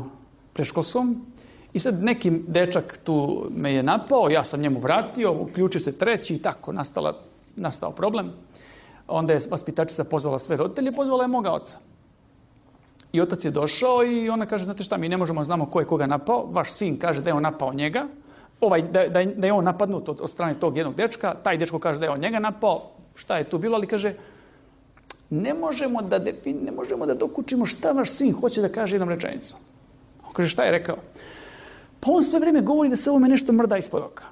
predškolskom i sad neki dečak tu me je napao, ja sam njemu vratio, uključio se treći i tako nastala, nastao problem. Onda je vaspitačica pozvala sve roditelje, pozvala je moga oca. I otac je došao i ona kaže, znate šta, mi ne možemo znamo ko je koga napao. Vaš sin kaže da je on napao njega. Ovaj, da, da, da je on napadnut od, od strane tog jednog dečka. Taj dečko kaže da je on njega napao. Šta je tu bilo? Ali kaže, ne možemo da, defin, ne možemo da dokučimo šta vaš sin hoće da kaže jednom rečenicom. On kaže, šta je rekao? Pa on sve vrijeme govori da se ovome nešto mrda ispod oka.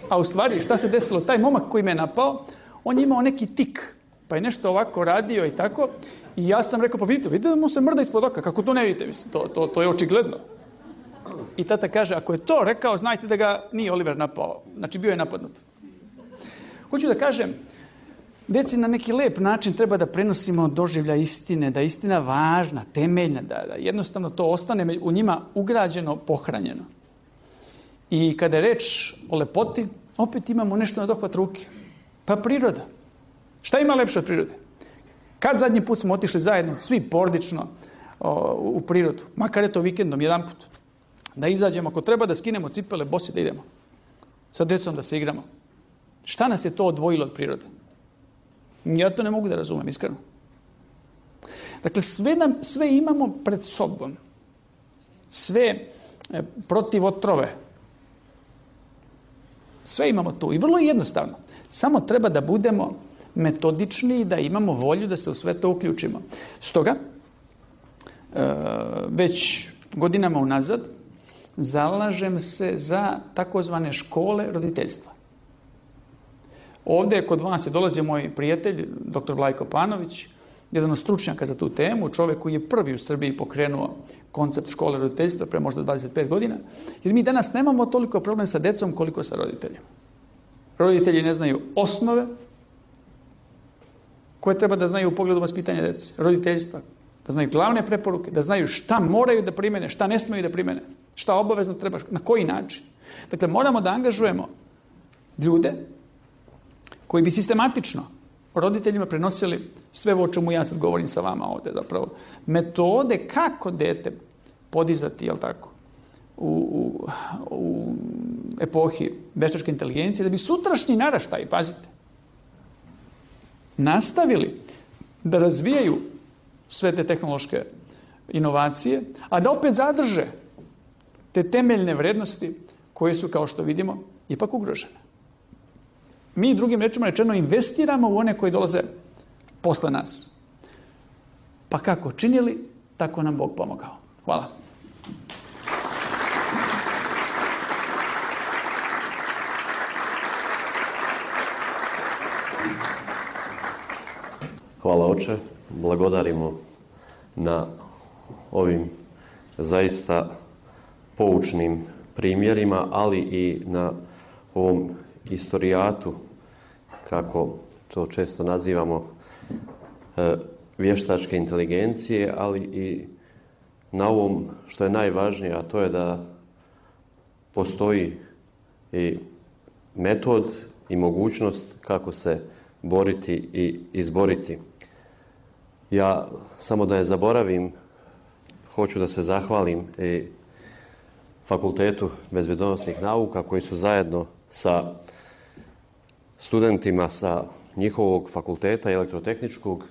A u stvari, šta se desilo? Taj momak koji me je napao, on je imao neki tik. Pa je nešto ovako radio i tako. I ja sam rekao, pa vidite, vidite da mu se mrda ispod oka. Kako to ne vidite? Mislim, to, to, to je očigledno. I tata kaže, ako je to rekao, znajte da ga nije Oliver napao. Znači, bio je napadnut. Hoću da kažem, deci na neki lep način treba da prenosimo doživlja istine, da je istina važna, temeljna, da, da jednostavno to ostane u njima ugrađeno, pohranjeno. I kada je reč o lepoti, opet imamo nešto na dohvat ruke. Pa priroda. Šta ima lepše od prirode? Kad zadnji put smo otišli zajedno, svi porodično, o, u prirodu, makar je to vikendom, jedan put, da izađemo, ako treba da skinemo cipele, bosi da idemo. Sa djecom da se igramo. Šta nas je to odvojilo od prirode? Ja to ne mogu da razumem, iskreno. Dakle, sve, nam, sve imamo pred sobom. Sve e, protiv otrove. Sve imamo tu. I vrlo je jednostavno. Samo treba da budemo metodični i da imamo volju da se u sve to uključimo. Stoga, e, već godinama unazad, zalažem se za takozvane škole roditeljstva. Ovdje kod vas je dolazio moj prijatelj, doktor Vlajko Panović, jedan od stručnjaka za tu temu, čovjek koji je prvi u Srbiji pokrenuo koncept škole roditeljstva pre možda dvadeset pet godina, jer mi danas nemamo toliko problem sa decom koliko sa roditeljima. Roditelji ne znaju osnove koje treba da znaju u pogledu vaspitanja dece, roditeljstva, da znaju glavne preporuke, da znaju šta moraju da primene, šta ne smiju da primene, šta obavezno treba, na koji način. Dakle, moramo da angažujemo ljude koji bi sistematično roditeljima prenosili sve o čemu ja sad govorim sa vama ovdje zapravo. Metode kako dete podizati, jel tako, u, u, u epohi veštačke inteligencije, da bi sutrašnji naraštaj, pazite, nastavili da razvijaju sve te tehnološke inovacije, a da opet zadrže te temeljne vrednosti koje su, kao što vidimo, ipak ugrožene. Mi, drugim rečima rečeno, investiramo u one koji dolaze posle nas. Pa kako činili, tako nam Bog pomogao. Hvala. Hvala Oče, blagodarimo na ovim zaista poučnim primjerima, ali i na ovom istorijatu, kako to često nazivamo, vještačke inteligencije, ali i na ovom što je najvažnije, a to je da postoji i metod i mogućnost kako se boriti i izboriti. Ja, samo da je zaboravim, hoću da se zahvalim i Fakultetu bezbjednosnih nauka koji su zajedno sa studentima sa njihovog fakulteta elektrotehničkog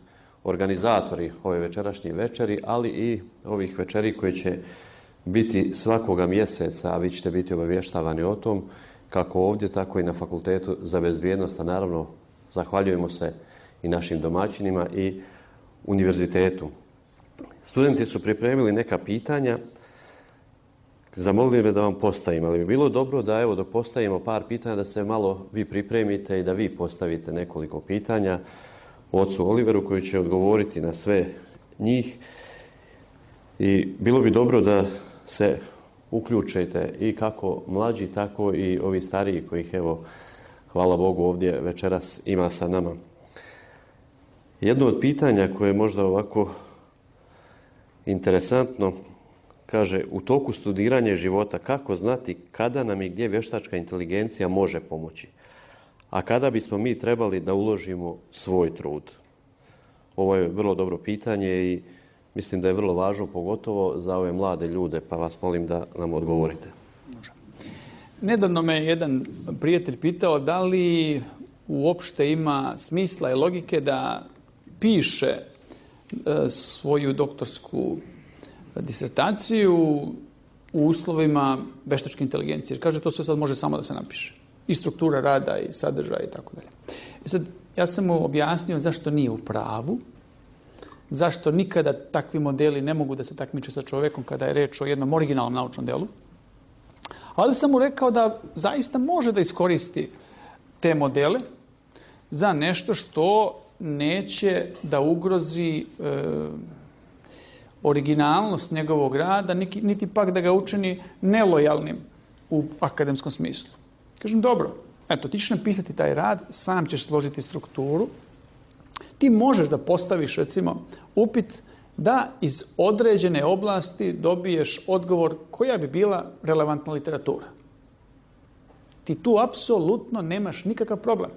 organizatori ove večerašnje večeri, ali i ovih večeri koje će biti svakoga mjeseca, a vi ćete biti obavještavani o tom, kako ovdje, tako i na Fakultetu za bezbjednost, a naravno zahvaljujemo se i našim domaćinima i univerzitetu. Studenti su pripremili neka pitanja, zamolili me da vam postavim, ali bi bilo dobro da, evo, dok postavimo par pitanja, da se malo vi pripremite i da vi postavite nekoliko pitanja ocu Oliveru koji će odgovoriti na sve njih. I bilo bi dobro da se uključite i kako mlađi, tako i ovi stariji kojih, evo, hvala Bogu, ovdje večeras ima sa nama. Jedno od pitanja koje je možda ovako interesantno, kaže, u toku studiranja života kako znati kada nam i gdje vještačka inteligencija može pomoći, a kada bismo mi trebali da uložimo svoj trud? Ovo je vrlo dobro pitanje i mislim da je vrlo važno, pogotovo za ove mlade ljude, pa vas molim da nam odgovorite. Nedavno me jedan prijatelj pitao da li uopšte ima smisla i logike da piše svoju doktorsku disertaciju u uslovima vještačke inteligencije. Jer kaže, to sve sad može samo da se napiše. I struktura rada, i sadržaj, i tako dalje. I sad, ja sam mu objasnio zašto nije u pravu, zašto nikada takvi modeli ne mogu da se takmiče sa čovjekom kada je reč o jednom originalnom naučnom delu. Ali sam mu rekao da zaista može da iskoristi te modele za nešto što neće da ugrozi e, originalnost njegovog rada, niti pak da ga učini nelojalnim u akademskom smislu. Kažem, dobro, eto, ti ćeš napisati taj rad, sam ćeš složiti strukturu, ti možeš da postaviš, recimo, upit da iz određene oblasti dobiješ odgovor koja bi bila relevantna literatura. Ti tu apsolutno nemaš nikakav problem.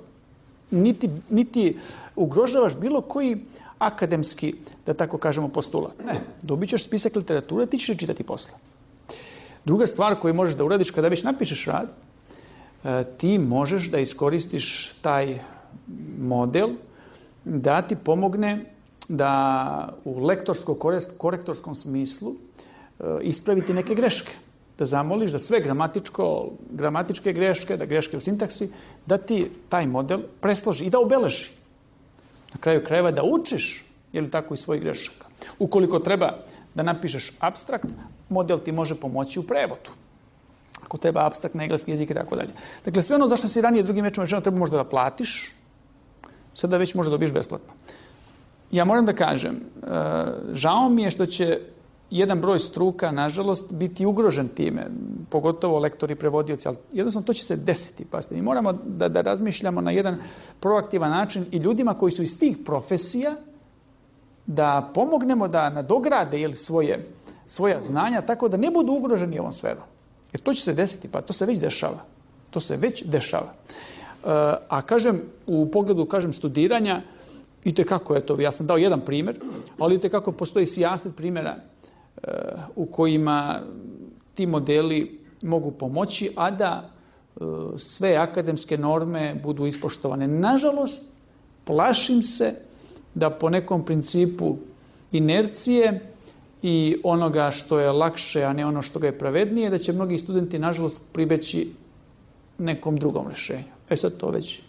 Niti, niti ugrožavaš bilo koji akademski, da tako kažemo, postulat. Ne, dobit ćeš spisak literature, ti ćeš čitati posle. Druga stvar koju možeš da uradiš kada već napišeš rad, ti možeš da iskoristiš taj model da ti pomogne da u lektorsko-korektorskom smislu ispraviti neke greške. Da zamoliš da sve gramatičko, gramatičke greške, da greške u sintaksi, da ti taj model presloži i da obeleži. Na kraju krajeva da učiš, je li tako, i svojih grešaka. Ukoliko treba da napišeš apstrakt, model ti može pomoći u prevodu. Ako treba apstrakt na engleski jezik i tako dalje. Dakle, sve ono zašto si ranije drugim rečima rečeno treba možda da platiš, sada već možda dobiješ besplatno. Ja moram da kažem, žao mi je što će jedan broj struka, nažalost, biti ugrožen time, pogotovo lektori, prevodioci, ali jednostavno to će se desiti. Pazite, mi moramo da, da razmišljamo na jedan proaktivan način i ljudima koji su iz tih profesija da pomognemo da nadograde jel, svoje, svoja znanja tako da ne budu ugroženi ovom sferom. Jer to će se desiti, pa to se već dešava. To se već dešava. A kažem, u pogledu, kažem, studiranja, i tekako, eto, ja sam dao jedan primjer, ali i tekako postoji sijaset primjera u kojima ti modeli mogu pomoći, a da sve akademske norme budu ispoštovane. Nažalost, plašim se da po nekom principu inercije i onoga što je lakše, a ne ono što ga je pravednije, da će mnogi studenti, nažalost, pribeći nekom drugom rješenju. E sad to već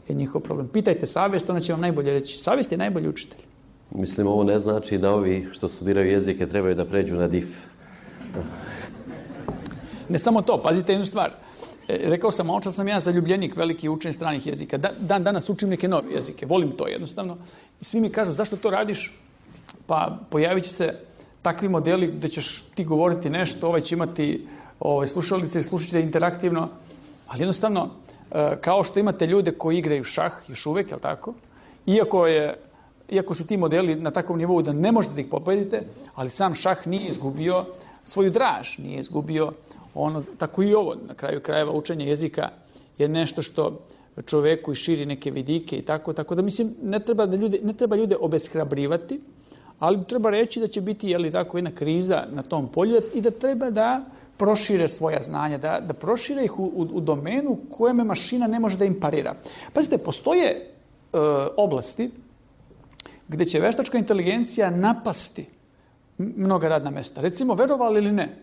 je njihov problem. Pitajte savjest, ona će vam najbolje reći. Savjest je najbolji učitelj. Mislim, ovo ne znači da ovi što studiraju jezike trebaju da pređu na dif. Ne samo to, pazite jednu stvar. Rekao sam, malo čas sam ja zaljubljenik, veliki učenje stranih jezika. Dan danas učim neke nove jezike, volim to jednostavno. I svi mi kažu, zašto to radiš? Pa pojavit će se takvi modeli gdje ćeš ti govoriti nešto, ovaj će imati ovaj, slušalice i slušat ćete interaktivno. Ali jednostavno, kao što imate ljude koji igraju šah još uvijek, jel tako? Iako, je, iako su ti modeli na takvom nivou da ne možete da ih pobedite, ali sam šah nije izgubio svoju draž, nije izgubio ono, tako i ovo, na kraju krajeva učenje jezika je nešto što čoveku i širi neke vidike i tako, tako da mislim ne treba, da ljude, ne treba ljude obeshrabrivati, ali treba reći da će biti jeli, tako, jedna kriza na tom polju i da treba da prošire svoja znanja, da, da prošire ih u, u, u domenu kojeme mašina ne može da im parira. Pazite, postoje e, oblasti gdje će veštačka inteligencija napasti mnoga radna mesta. Recimo, verovali ili ne,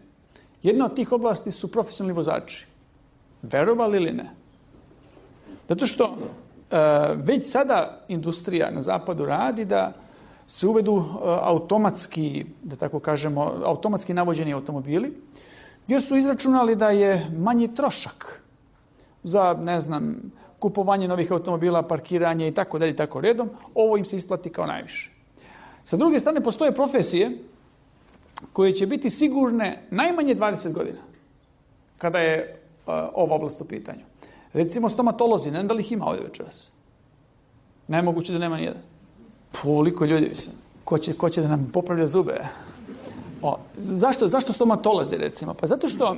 jedna od tih oblasti su profesionalni vozači. Verovali ili ne? Zato što e, već sada industrija na zapadu radi da se uvedu e, automatski, da tako kažemo, automatski navođeni automobili, jer su izračunali da je manji trošak za, ne znam, kupovanje novih automobila, parkiranje i tako dalje, tako redom, ovo im se isplati kao najviše. Sa druge strane, postoje profesije koje će biti sigurne najmanje dvadeset godina, kada je uh, ova oblast u pitanju. Recimo stomatolozi, ne znam da li ih ima ovdje večeras. Nemoguće da nema nijedan. Koliko ljudi mislim. Ko će, ko će da nam popravlja zube? O, zašto, zašto stomatolozi, recimo? Pa zato što e,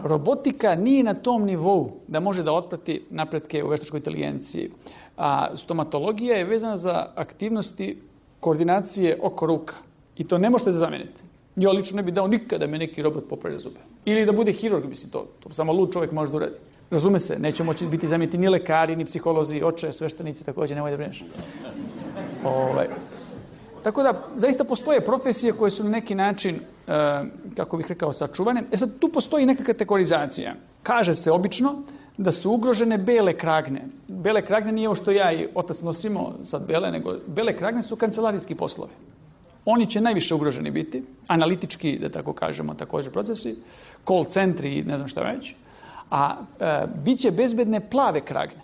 robotika nije na tom nivou da može da otprati napretke u veštačkoj inteligenciji. A stomatologija je vezana za aktivnosti koordinacije oko ruka. I to ne možete da zamenite. Ja lično ne bih dao nikada da me neki robot popravlja zube. Ili da bude hirurg, mislim, to, to samo lud čovjek može da uradi. Razume se, neće moći biti zameniti ni lekari, ni psiholozi, oče, sveštenici, također, nemoj da brineš. Ovaj. Tako da, zaista postoje profesije koje su na neki način, e, kako bih rekao, sačuvane. E sad, tu postoji neka kategorizacija. Kaže se obično da su ugrožene bele kragne. Bele kragne nije ovo što ja i otac nosimo, sad bele, nego bele kragne su kancelarijski poslovi. Oni će najviše ugroženi biti, analitički, da tako kažemo, također procesi, call centri i ne znam šta već, a e, bit će bezbedne plave kragne.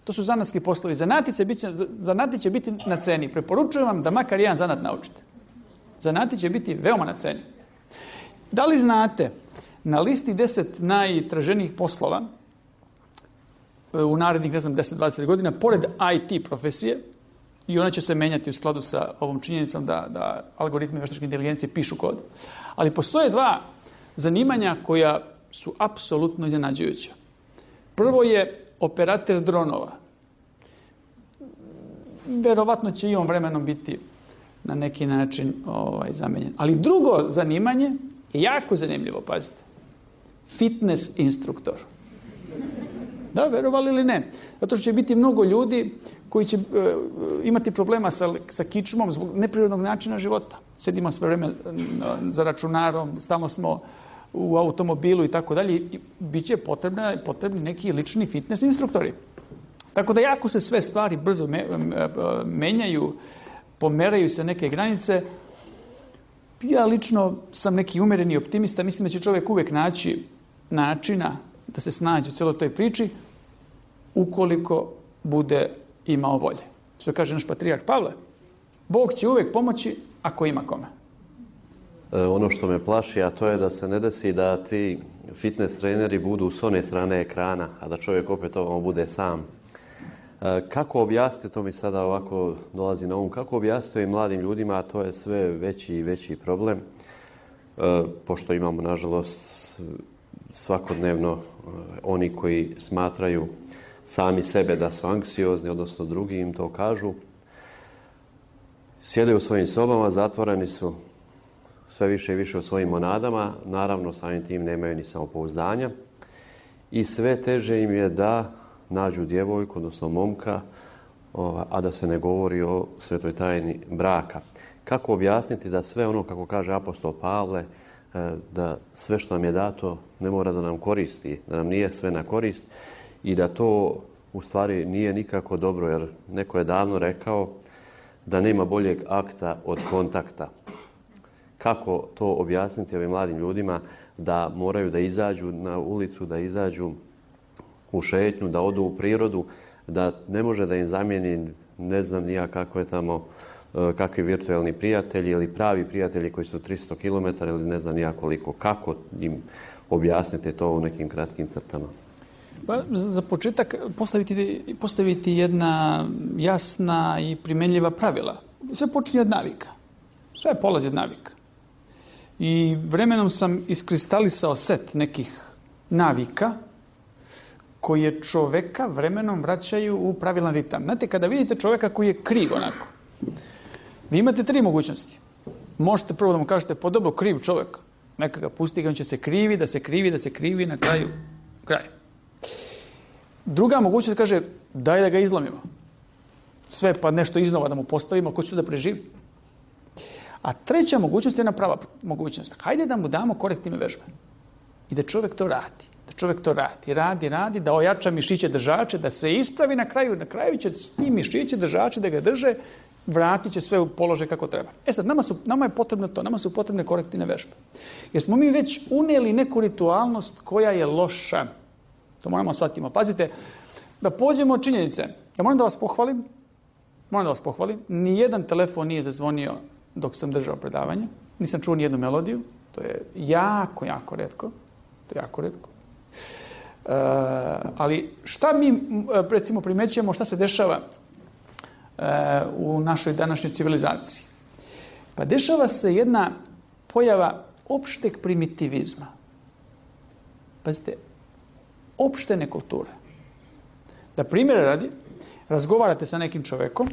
To su zanatski poslovi. Zanati će, biti, zanati će biti na ceni. Preporučujem vam da makar jedan zanat naučite. Zanati će biti veoma na ceni. Da li znate, na listi deset najtraženijih poslova u narednih, ne znam, deset do dvadeset godina, pored I T profesije, i ona će se menjati u skladu sa ovom činjenicom da, da algoritmi veštačke inteligencije pišu kod. Ali postoje dva zanimanja koja su apsolutno iznenađujuća. Prvo je operater dronova. Verovatno će i on vremenom biti na neki način ovaj, zamenjen. Ali drugo zanimanje je jako zanimljivo, pazite. Fitness instruktor. Da, verovali ili ne? Zato što će biti mnogo ljudi koji će e, imati problema sa, sa kičmom zbog neprirodnog načina života. Sedimo sve vreme za računarom, stalno smo u automobilu i tako dalje. Bit će potrebni, potrebni neki lični fitness instruktori. Tako da jako se sve stvari brzo me, menjaju, pomeraju se neke granice. Ja lično sam neki umereni optimista. Mislim da će čovjek uvijek naći načina da se snađe u cijeloj toj priči ukoliko bude imao volje. Što kaže naš patrijarh Pavle, Bog će uvijek pomoći ako ima kome. E, ono što me plaši, a to je da se ne desi da ti fitness treneri budu s one strane ekrana, a da čovjek opet ovamo bude sam. E, kako objasniti, to mi sada ovako dolazi na um, kako objasniti mladim ljudima, a to je sve veći i veći problem, e, pošto imamo, nažalost, svakodnevno oni koji smatraju sami sebe da su anksiozni, odnosno drugi im to kažu. Sjede u svojim sobama, zatvoreni su sve više i više u svojim monadama, naravno samim tim nemaju ni samopouzdanja i sve teže im je da nađu djevojku, odnosno momka, a da se ne govori o svetoj tajni braka. Kako objasniti da sve ono, kako kaže apostol Pavle, da sve što nam je dato ne mora da nam koristi, da nam nije sve na korist i da to u stvari nije nikako dobro, jer neko je davno rekao da nema boljeg akta od kontakta. kako to objasniti ovim mladim ljudima da moraju da izađu na ulicu, da izađu u šetnju, da odu u prirodu, da ne može da im zamijeni ne znam nija kako je tamo, kakvi virtualni prijatelji ili pravi prijatelji koji su tristo kilometara ili ne znam nija koliko. Kako im objasniti to u nekim kratkim crtama? Pa, za početak postaviti, postaviti jedna jasna i primenljiva pravila. Sve počinje od navika. Sve polazi od navika. I vremenom sam iskristalisao set nekih navika koje čoveka vremenom vraćaju u pravilan ritam. Znate, kada vidite čoveka koji je kriv onako, vi imate tri mogućnosti. Možete prvo da mu kažete, po dobro, kriv čovjek. Neka ga pusti, on će se krivi, da se krivi, da se krivi, na kraju, kraj. Druga mogućnost kaže, daj da ga izlomimo. Sve pa nešto iznova da mu postavimo, ko će da preživi. A treća mogućnost je jedna prava mogućnost. Hajde da mu damo korektivne vežbe. I da čovjek to radi. Da čovjek to radi, radi, radi, da ojača mišiće držače, da se ispravi na kraju. Na kraju će ti mišiće držače da ga drže, vratit će sve u položaj kako treba. E sad, nama, su, nama je potrebno to, nama su potrebne korektivne vežbe. Jer smo mi već unijeli neku ritualnost koja je loša. To moramo shvatiti. Pazite, da pođemo od činjenice. Ja moram da vas pohvalim, moram da vas pohvalim, nijedan telefon nije zazvonio dok sam držao predavanje. Nisam čuo nijednu melodiju. To je jako, jako retko. To je jako retko. E, ali šta mi, recimo, primećujemo, šta se dešava e, u našoj današnjoj civilizaciji? Pa dešava se jedna pojava opšteg primitivizma. Pazite, opšte nekulture. Da primjera radi, razgovarate sa nekim čovekom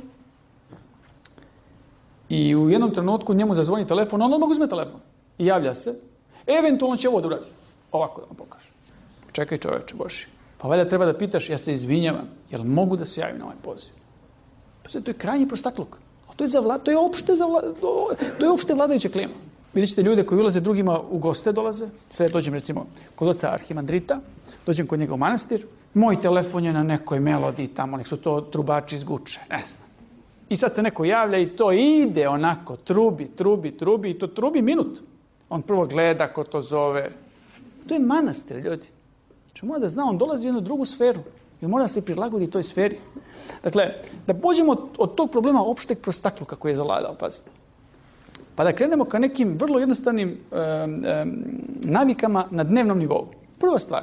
i u jednom trenutku njemu zazvoni telefon, on odmah uzme telefon i javlja se. Eventualno će ovo da uradi. Ovako da vam pokažem. Čekaj čoveče Boži. Pa valjda treba da pitaš, ja se izvinjavam, jel mogu da se javim na ovaj poziv? Pa to je krajnji prostakluk. To je, za vla, to je, opšte, za vla, to je opšte vladajuća klima. Vidjet ćete ljude koji ulaze drugima u goste dolaze. Sve dođem recimo kod oca Arhimandrita, dođem kod njega u manastir, moj telefon je na nekoj melodiji tamo, nek su to trubači iz Guče, ne znam. I sad se neko javlja i to ide onako, trubi, trubi, trubi i to trubi minut. On prvo gleda ko to zove. To je manastir, ljudi. Znači mora da zna, on dolazi u jednu drugu sferu. I mora da se prilagodi toj sferi. Dakle, da pođemo od, od tog problema opšteg prostakluka koji je zavladao, pazite. Pa da krenemo ka nekim vrlo jednostavnim um, um, navikama na dnevnom nivou. Prva stvar.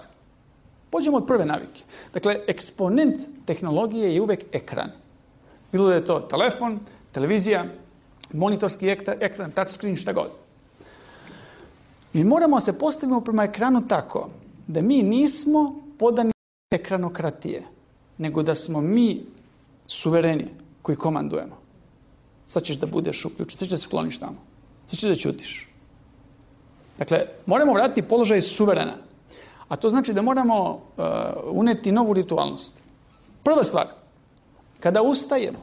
Pođemo od prve navike. Dakle, eksponent tehnologije je uvek ekran. Bilo da je to telefon, televizija, monitorski ekran, touchscreen, šta god. Mi moramo se postaviti prema ekranu tako da mi nismo podani ekranokratije, nego da smo mi suvereni koji komandujemo. Sad ćeš da budeš uključen, sad ćeš da se skloniš tamo, sad ćeš da ćutiš. Dakle, moramo vratiti položaj suverena. A to znači da moramo uh, uneti novu ritualnost. Prva stvar, kada ustajemo,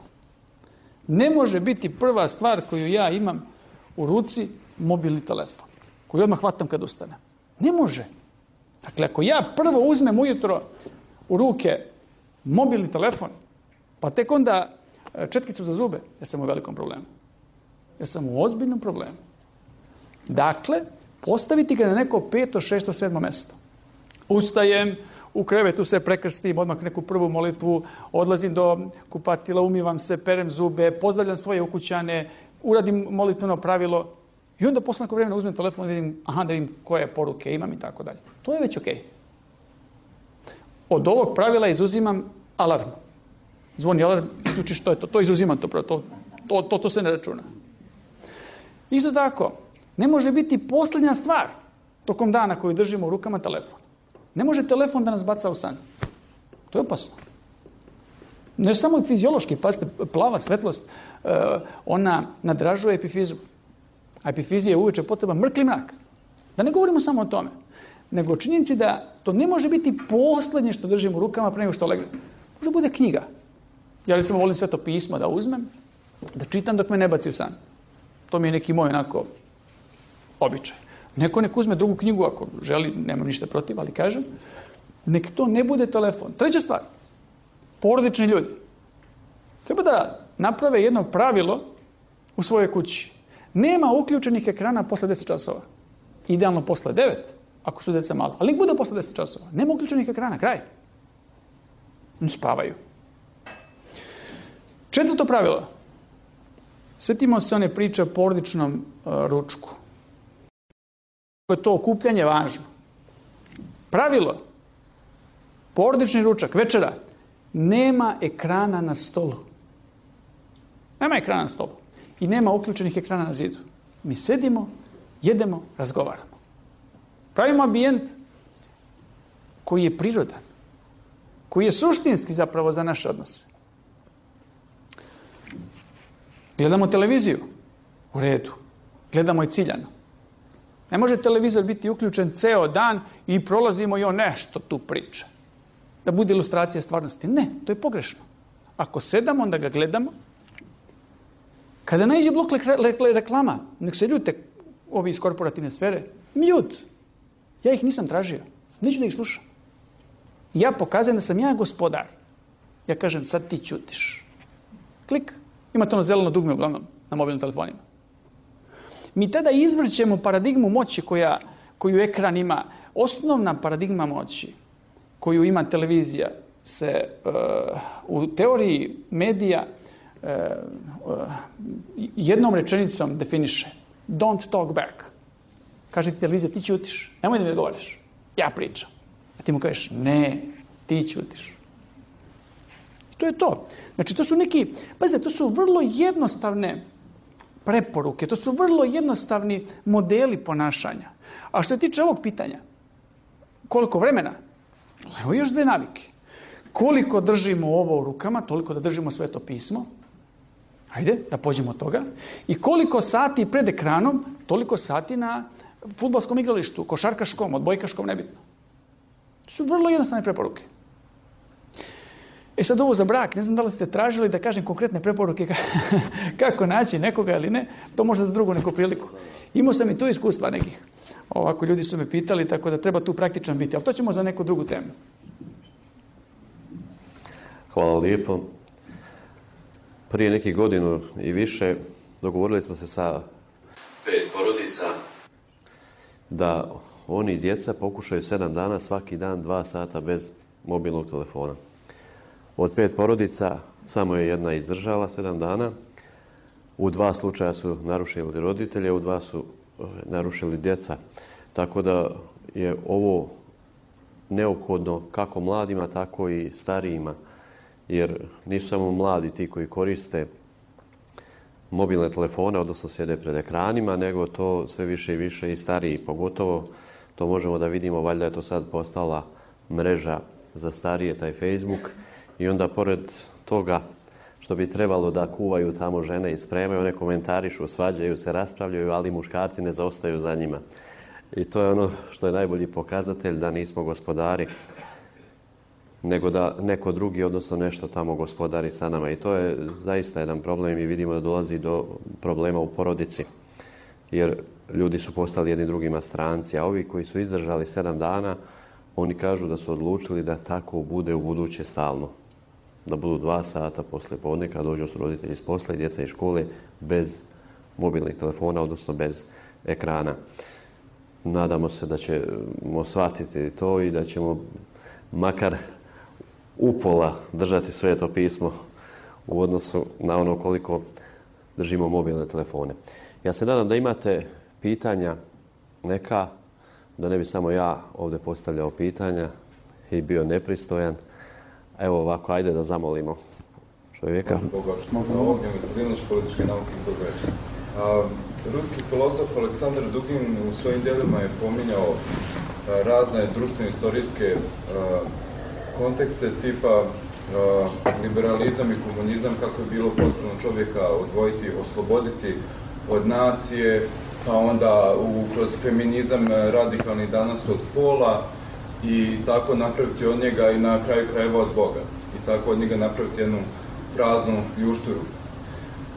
ne može biti prva stvar koju ja imam u ruci mobilni telefon, koji odmah hvatam kad ustanem. Ne može. Dakle, ako ja prvo uzmem ujutro u ruke mobilni telefon, pa tek onda četkicu za zube, ja sam u velikom problemu. Ja sam u ozbiljnom problemu. Dakle, postaviti ga na neko peto, šesto, sedmo mesto. Ustajem, u krevetu se prekrstim, odmah neku prvu molitvu, odlazim do kupatila, umivam se, perem zube, pozdravljam svoje ukućane, uradim molitveno pravilo i onda posle neko vremena uzmem telefon i vidim, aha, da vidim koje poruke imam i tako dalje. To je već okej. Od ovog pravila izuzimam alarm. Zvoni alarm, isključiš, to je to. To izuzimam to, to, to, to, to se ne računa. Isto tako, ne može biti posljednja stvar tokom dana koju držimo u rukama telefon. Ne može telefon da nas baca u san. To je opasno. Ne samo i fiziološki, pazite, plava svetlost, ona nadražuje epifizu. A epifizija je uveče potreba mrkli mrak. Da ne govorimo samo o tome, nego činjenici da to ne može biti posljednje što držimo u rukama pre nego što legne. Može bude knjiga. Ja recimo volim Sveto pismo da uzmem, da čitam dok me ne baci u san. To mi je neki moj onako običaj. Neko nek uzme drugu knjigu ako želi, nemam ništa protiv, ali kažem, nek to ne bude telefon. Treća stvar, porodični ljudi. Treba da naprave jedno pravilo u svojoj kući. Nema uključenih ekrana posle deset časova. Idealno posle devet, ako su deca malo. Ali nek bude posle deset časova. Nema uključenih ekrana, kraj. Oni spavaju. Četvrto pravilo. Sjetimo se one priče o porodičnom uh, ručku. Je to okupljanje važno. Pravilo. Porodični ručak, večera. Nema ekrana na stolu. Nema ekrana na stolu. I nema uključenih ekrana na zidu. Mi sedimo, jedemo, razgovaramo. Pravimo ambijent koji je prirodan. Koji je suštinski zapravo za naše odnose. Gledamo televiziju. U redu. Gledamo je ciljano. Ne može televizor biti uključen ceo dan i prolazimo i on nešto tu priča. Da bude ilustracija stvarnosti. Ne, to je pogrešno. Ako sedamo, onda ga gledamo. Kada naiđe blok reklama, nek se ljute ovi iz korporativne sfere, mute. Ja ih nisam tražio. Neću da ih slušam. Ja pokazujem da sam ja gospodar. Ja kažem, sad ti ćutiš. Klik. Imate ono zeleno dugme uglavnom na mobilnim telefonima. Mi tada izvrćemo paradigmu moći koja, koju ekran ima. Osnovna paradigma moći koju ima televizija se uh, u teoriji medija uh, uh, jednom rečenicom definiše. Don't talk back. Kaže ti televizija, ti ćutiš. Nemoj da mi odgovoriš. Ja pričam. A ti mu kažeš, ne, ti ćutiš. To je to. Znači, to su neki, pazite, to su vrlo jednostavne preporuke, to su vrlo jednostavni modeli ponašanja. A što se tiče ovog pitanja, koliko vremena? Evo još dve navike. Koliko držimo ovo u rukama, toliko da držimo Sveto pismo. Ajde, da pođemo od toga. I koliko sati pred ekranom, toliko sati na fudbalskom igralištu, košarkaškom, odbojkaškom, nebitno. To su vrlo jednostavne preporuke. E sad ovo za brak, ne znam da li ste tražili da kažem konkretne preporuke kako naći nekoga ili ne, to možda za drugu neku priliku. Imao sam i tu iskustva nekih. Ovako ljudi su me pitali, tako da treba tu praktičan biti, ali to ćemo za neku drugu temu. Hvala lijepo. Prije nekih godinu i više dogovorili smo se sa pet porodica da oni djeca pokušaju sedam dana svaki dan dva sata bez mobilnog telefona. Od pet porodica samo je jedna izdržala sedam dana. U dva slučaja su narušili roditelje, u dva su narušili djeca. Tako da je ovo neophodno kako mladima, tako i starijima. Jer nisu samo mladi ti koji koriste mobilne telefone, odnosno sjede pred ekranima, nego to sve više i više i stariji. Pogotovo to možemo da vidimo, valjda je to sad postala mreža za starije, taj Facebook. I onda pored toga što bi trebalo da kuvaju tamo žene i spremaju, one komentarišu, svađaju se, raspravljaju, ali muškarci ne zaostaju za njima. I to je ono što je najbolji pokazatelj da nismo gospodari, nego da neko drugi, odnosno nešto tamo gospodari sa nama. I to je zaista jedan problem i vidimo da dolazi do problema u porodici. Jer ljudi su postali jedni drugima stranci, a ovi koji su izdržali sedam dana, oni kažu da su odlučili da tako bude u buduće stalno. Da budu dva sata posle podne kad dođu su roditelji iz posla i djeca iz škole bez mobilnih telefona, odnosno bez ekrana. Nadamo se da ćemo shvatiti to i da ćemo makar upola držati Sveto pismo u odnosu na ono koliko držimo mobilne telefone. Ja se nadam da imate pitanja neka, da ne bi samo ja ovdje postavljao pitanja i bio nepristojan. Evo ovako, ajde da zamolimo čovjeka. Ognjen Veselinović, političke nauke i progresa. Ruski filozof Aleksandar Dugin u svojim djelima je pominjao a, razne društveno-istorijske kontekste tipa a, liberalizam i komunizam, kako je bilo potrebno čovjeka odvojiti, osloboditi od nacije, pa onda u, kroz feminizam radikalni danas od pola, i tako napraviti od njega i na kraju krajeva od Boga. I tako od njega napraviti jednu praznu ljušturu.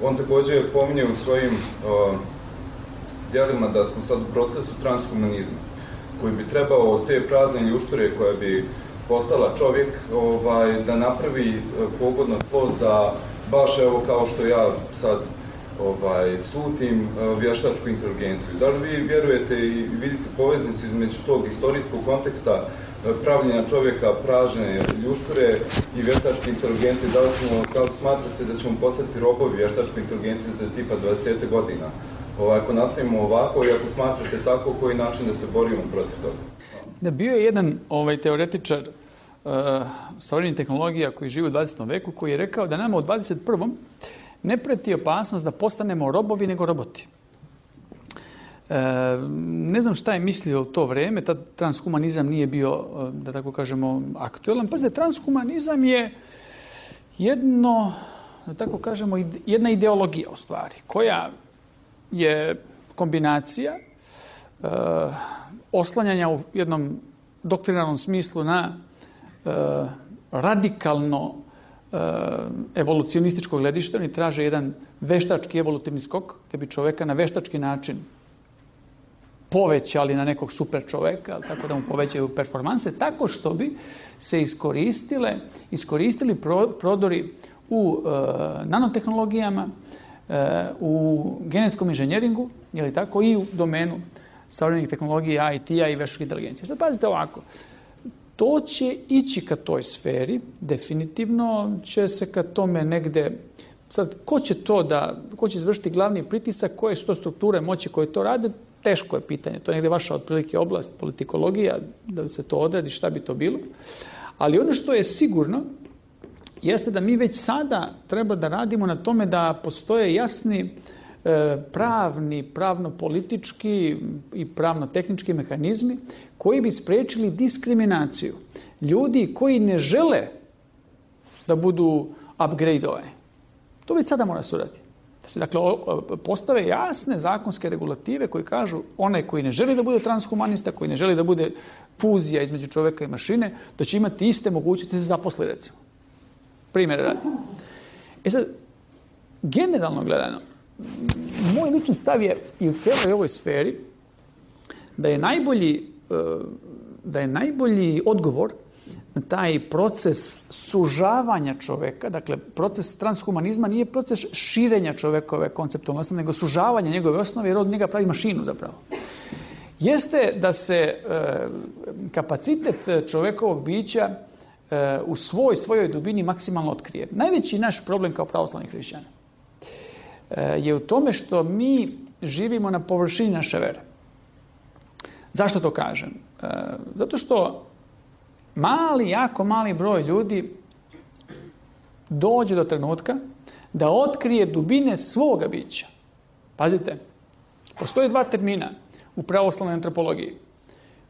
On također pominje u svojim o, djelima da smo sad u procesu transkomunizma, koji bi trebao te prazne ljušture koja bi postala čovjek ovaj, da napravi pogodno tlo za baš evo kao što ja sad ovaj, slutim vještačku inteligenciju. Da li vi vjerujete i vidite poveznicu između tog istorijskog konteksta pravljenja čovjeka, pražne ljušture i vještačke inteligencije? Da li, smo, da li smatrate da ćemo postati robovi vještačke inteligencije za tipa dvadeset godina? Ovaj, ako nastavimo ovako i ako smatrate tako, koji način da se borimo protiv toga? Da, bio je jedan ovaj, teoretičar uh, savremenih tehnologija koji živi u dvadesetom veku, koji je rekao da nama u dvadeset prvom ne preti opasnost da postanemo robovi nego roboti. E, ne znam šta je mislio u to vrijeme, tad transhumanizam nije bio, da tako kažemo, aktualan. Pazite, transhumanizam je jedno, da tako kažemo, jedna ideologija u stvari, koja je kombinacija e, oslanjanja u jednom doktrinarnom smislu na e, radikalno evolucionističkog gledišta. Oni traže jedan veštački evolutivni skok, gdje bi čoveka na veštački način povećali na nekog super čoveka, tako da mu povećaju performanse, tako što bi se iskoristile, iskoristili prodori u e, nanotehnologijama, e, u genetskom inženjeringu, je tako, i u domenu savremenih tehnologija, I T-a i veštačke inteligencije. Sad pazite ovako, to će ići ka toj sferi, definitivno će se ka tome negde. Sad, ko će to da, ko će izvršiti glavni pritisak, koje su to strukture moći koje to rade, teško je pitanje. To je negde vaša otprilike oblast, politikologija, da se to odredi, šta bi to bilo. Ali ono što je sigurno, jeste da mi već sada treba da radimo na tome da postoje jasni pravni, pravno-politički i pravno-tehnički mehanizmi koji bi spriječili diskriminaciju ljudi koji ne žele da budu upgradeovani. To već sada mora se uraditi. Da se dakle postave jasne zakonske regulative koji kažu onaj koji ne želi da bude transhumanista, koji ne želi da bude fuzija između čovjeka i mašine, da će imati iste mogućnosti da se zaposli, recimo. Primjer radi. E sad, generalno gledano, moj lični stav je i u cijeloj ovoj sferi da je najbolji, da je najbolji odgovor na taj proces sužavanja čoveka, dakle proces transhumanizma nije proces širenja čovekove konceptualne osnove, nego sužavanja njegove osnove, jer od njega pravi mašinu zapravo. Jeste da se kapacitet čovekovog bića u svoj, svojoj dubini maksimalno otkrije. Najveći naš problem kao pravoslavnih hrišćana je u tome što mi živimo na površini naše vere. Zašto to kažem? Zato što mali, jako mali broj ljudi dođe do trenutka da otkrije dubine svoga bića. Pazite, postoje dva termina u pravoslavnoj antropologiji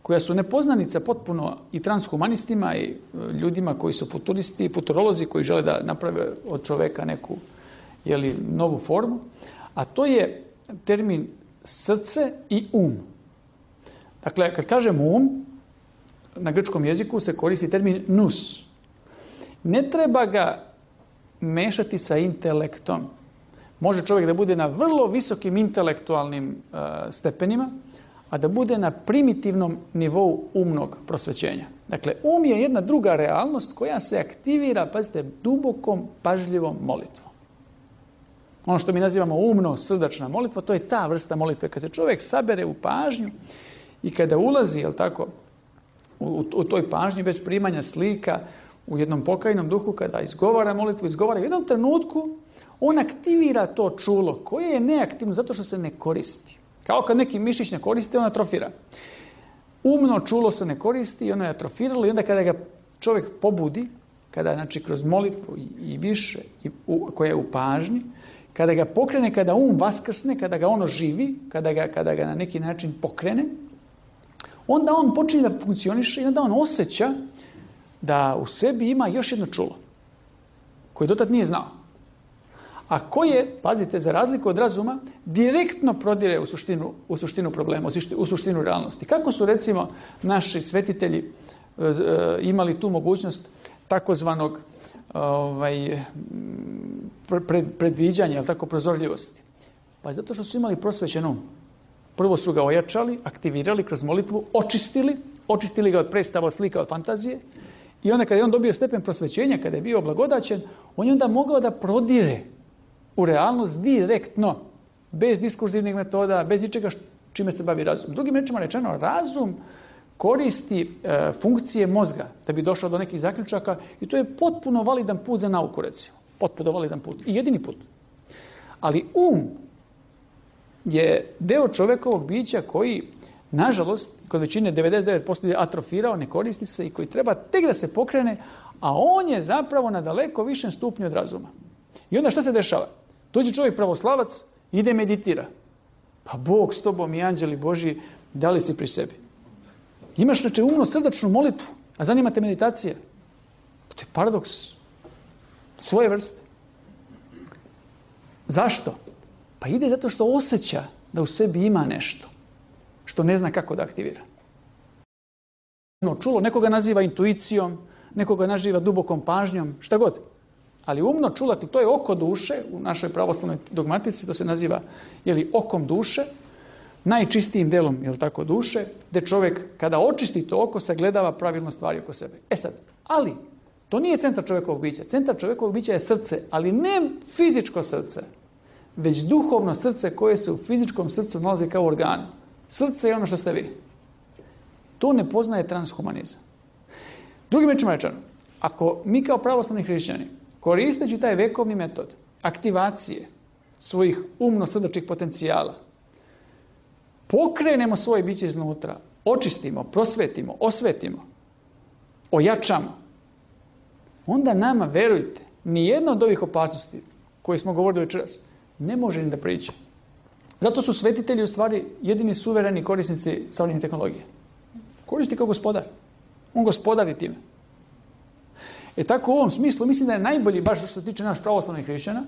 koja su nepoznanica potpuno i transhumanistima i ljudima koji su futuristi, futurolozi koji žele da naprave od čoveka neku jeli, novu formu, a to je termin srce i um. Dakle, kad kažem um, na grčkom jeziku se koristi termin nous. Ne treba ga mešati sa intelektom. Može čovjek da bude na vrlo visokim intelektualnim uh, stepenima, a da bude na primitivnom nivou umnog prosvećenja. Dakle, um je jedna druga realnost koja se aktivira, pazite, dubokom, pažljivom molitvom. Ono što mi nazivamo umno srdačna molitva, to je ta vrsta molitve. Kad se čovjek sabere u pažnju i kada ulazi, jel tako, u, u toj pažnji bez primanja slika, u jednom pokajnom duhu, kada izgovara molitvu, izgovara u jednom trenutku, on aktivira to čulo koje je neaktivno zato što se ne koristi. Kao kad neki mišić ne koristi, on atrofira. Umno čulo se ne koristi i ono je atrofiralo i onda kada ga čovjek pobudi, kada znači kroz molitvu i, i više, i u, koja je u pažnji, kada ga pokrene, kada um vaskrsne, kada ga ono živi, kada ga, kada ga na neki način pokrene, onda on počinje da funkcioniše i onda on osjeća da u sebi ima još jedno čulo koje dotad nije znao. A koje, pazite, za razliku od razuma, direktno prodire u suštinu, u suštinu problema, u suštinu realnosti. Kako su, recimo, naši svetitelji imali tu mogućnost takozvanog ovaj, pred, predviđanja, ali tako, prozorljivosti? Pa zato što su imali prosvećen um. Prvo su ga ojačali, aktivirali kroz molitvu, očistili, očistili ga od predstava, od slika, od fantazije. I onda kada je on dobio stepen prosvećenja, kada je bio blagodaćen, on je onda mogao da prodire u realnost direktno, bez diskurzivnih metoda, bez ničega čime se bavi razum. Drugim rečima rečeno, razum koristi e, funkcije mozga da bi došao do nekih zaključaka i to je potpuno validan put za nauku, recimo. Potpuno validan put. I jedini put. Ali um je deo čovekovog bića koji, nažalost, kod većine devedeset devet posto je atrofirao, ne koristi se i koji treba tek da se pokrene, a on je zapravo na daleko višem stupnju od razuma. I onda šta se dešava? Dođe čovjek pravoslavac, ide meditira. Pa Bog s tobom i anđeli Božji, da li si pri sebi? Imaš znači umno srdačnu molitvu, a zanima te meditacija. To je paradoks svoje vrste. Zašto? Pa ide zato što osjeća da u sebi ima nešto što ne zna kako da aktivira. Čulo, nekoga naziva intuicijom, nekoga naziva dubokom pažnjom, šta god. Ali umno čulati, to je oko duše, u našoj pravoslavnoj dogmatici to se naziva jeli, okom duše, najčistijim delom jel tako, duše, gdje čovjek kada očisti to oko sagledava pravilno stvari oko sebe. E sad, ali to nije centar čovjekovog bića. Centar čovjekovog bića je srce, ali ne fizičko srce, već duhovno srce koje se u fizičkom srcu nalazi kao organ. Srce je ono što ste vi. To ne poznaje transhumanizam. Drugim rečima rečeno, ako mi kao pravoslavni hrišćani, koristeći taj vekovni metod aktivacije svojih umno-srdačnih potencijala, pokrenemo svoje biće iznutra, očistimo, prosvetimo, osvetimo, ojačamo, onda nama, verujte, nijedna od ovih opasnosti koje smo govorili večeras ne može ni da priđe. Zato su svetitelji u stvari jedini suvereni korisnici savremene tehnologije. Koristi kao gospodar. On gospodari time. E tako u ovom smislu mislim da je najbolji, baš što se tiče naš pravoslavnih hrišćana,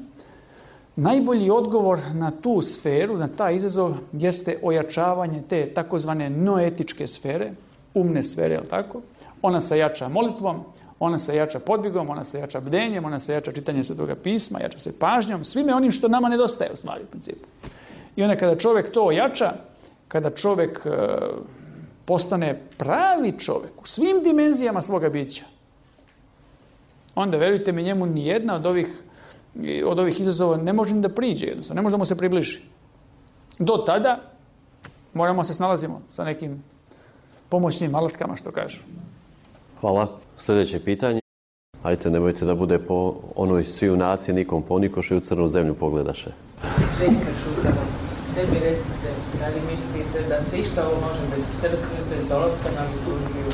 najbolji odgovor na tu sferu, na taj izazov, jeste ojačavanje te takozvane noetičke sfere, umne sfere, je li tako? Ona se jača molitvom, ona se jača podvigom, ona se jača bdenjem, ona se jača čitanjem Svetoga pisma, jača se pažnjom, svime onim što nama nedostaje u stvari u principu. I onda kada čovjek to ojača, kada čovjek e, postane pravi čovjek u svim dimenzijama svoga bića, onda, verujte mi, njemu nijedna od ovih, od ovih izazova ne može ni da priđe jednostavno, ne može da mu se približi. Do tada moramo se snalazimo sa nekim pomoćnim alatkama, što kažu. Hvala. Sljedeće pitanje. Ajte, nemojte da bude po onoj svi u naciji, nikom ponikoše i u crnu zemlju pogledaše. Željka Šutava, sebi recite, da li mislite da se išta ovo može bez crkve, bez dolaska na liturgiju,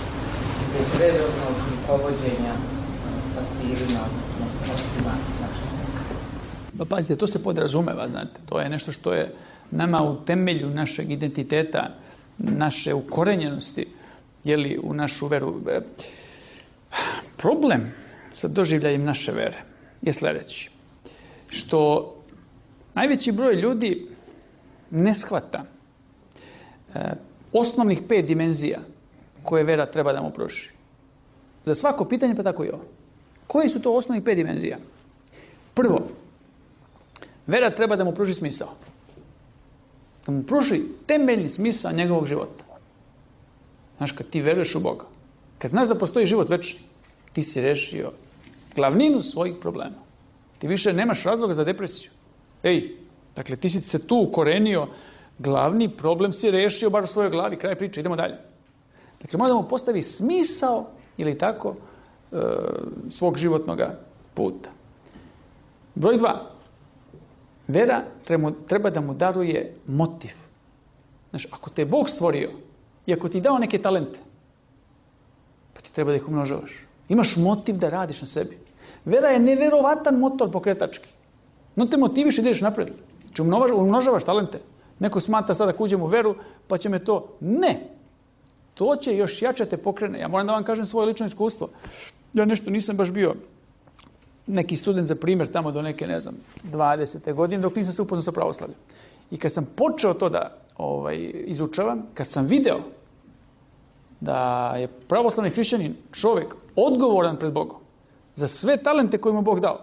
bez redovnog povođenja pastirima, odnosno mostima našeg? Pa pazite, to se podrazumeva, znate. To je nešto što je nama u temelju našeg identiteta, naše ukorenjenosti, jeli, u našu veru. Problem sa doživljajem naše vere je sljedeći. Što najveći broj ljudi ne shvata e, osnovnih pet dimenzija koje vera treba da mu pruži. Za svako pitanje, pa tako i ovo. Koji su to osnovnih pet dimenzija? Prvo, vera treba da mu pruži smisao. Da mu pruži temeljni smisao njegovog života. Znaš, kad ti veruješ u Boga, kad znaš da postoji život večni, ti si rešio glavninu svojih problema. Ti više nemaš razloga za depresiju. Ej, dakle, ti si se tu ukorenio, glavni problem si rešio bar u svojoj glavi, kraj priče, idemo dalje. Dakle, mora da mu postavi smisao, ili tako, e, svog životnog puta. Broj dva. Vera treba, treba da mu daruje motiv. Znaš, ako te je Bog stvorio i ako ti dao neke talente, pa ti treba da ih umnožavaš. Imaš motiv da radiš na sebi. Vera je neverovatan motor pokretački. No te motiviš i ideš napred. Če umnožavaš talente. Neko smatra sada da uđem u veru, pa će me to... Ne! To će još jače te pokrene. Ja moram da vam kažem svoje lično iskustvo. Ja nešto nisam baš bio neki student za primjer tamo do neke, ne znam, dvadesete godine, dok nisam se upoznao sa pravoslavljem. I kad sam počeo to da ovaj, izučavam, kad sam video da je pravoslavni hrišćanin čovjek odgovoran pred Bogom za sve talente koje mu Bog dao,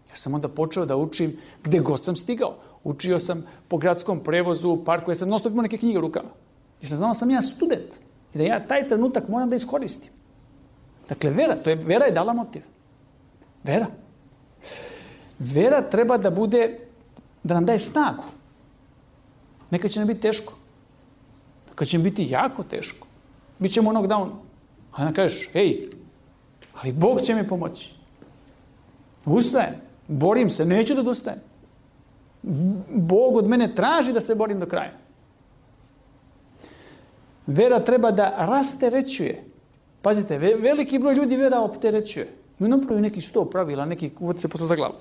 ja sam onda počeo da učim gde god sam stigao. Učio sam po gradskom prevozu, u parku, ja sam non stop imao neke knjige u rukama. I sam znao da sam ja student i da ja taj trenutak moram da iskoristim. Dakle, vera, to je, vera je dala motiv. Vera. Vera treba da bude da nam daje snagu. Nekad će nam biti teško. Nekad će nam biti jako teško. Bićemo onog down. A onda kažeš, hej, ali Bog će mi pomoći. Ustajem, borim se, neću da odustajem. Bog od mene traži da se borim do kraja. Vera treba da rasterećuje. Pazite, veliki broj ljudi vera opterećuje. I napravi neki sto pravila, neki uvod se posla za glavu.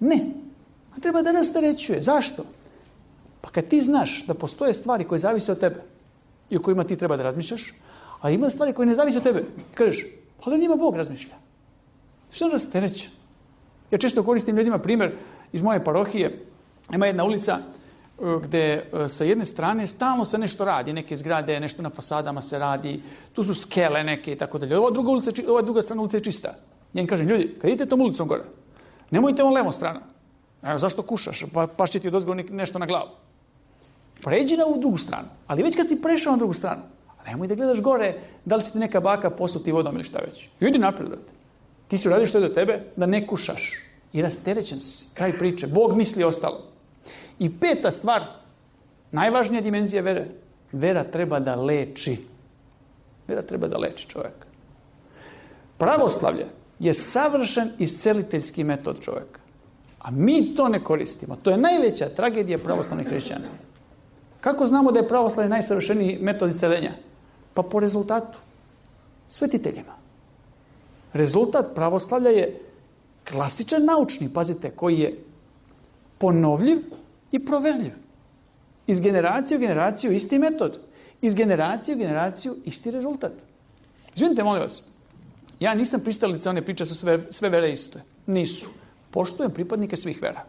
Ne. A treba da rasterećuje. Zašto? Pa kad ti znaš da postoje stvari koje zavise od tebe i o kojima ti treba da razmišljaš, a ima stvari koje ne zavise od tebe, kažeš, pa da njima Bog razmišlja. Što rastereće? Ja često koristim ljudima primjer iz moje parohije. Ima jedna ulica gde sa jedne strane stalno se nešto radi, neke zgrade, nešto na fasadama se radi, tu su skele neke i tako dalje. Ova druga ulica, ova druga strana ulica je čista. Ja im kažem, ljudi, kad idete tom ulicom gore, nemojte on levom stranom. Evo, zašto kušaš? Pa, pa će ti odozgo nešto na glavu. Pređi na ovu drugu stranu. Ali već kad si prešao na drugu stranu, nemoj da gledaš gore da li će ti neka baka posuti vodom ili šta već. Idi naprijed, brate. Ti si uradio što je do tebe da ne kušaš. I rasterećen si. Kraj priče. Bog misli ostalo. I peta stvar, najvažnija dimenzija vere, vera treba da leči. Vera treba da leči čovjeka. Pravoslavlje je savršen isceliteljski metod čovjeka. A mi to ne koristimo. To je najveća tragedija pravoslavnih hrišćana. Kako znamo da je pravoslavlje najsavršeniji metod isceljenja? Pa po rezultatu. Svetiteljima. Rezultat pravoslavlja je klasičan naučni, pazite, koji je ponovljiv i proverljiv. Iz generacije u generaciju isti metod. Iz generacije u generaciju isti rezultat. Izvinite, molim vas, ja nisam pristalica one priče su sve, sve vere iste. Nisu. Poštujem pripadnike svih vera.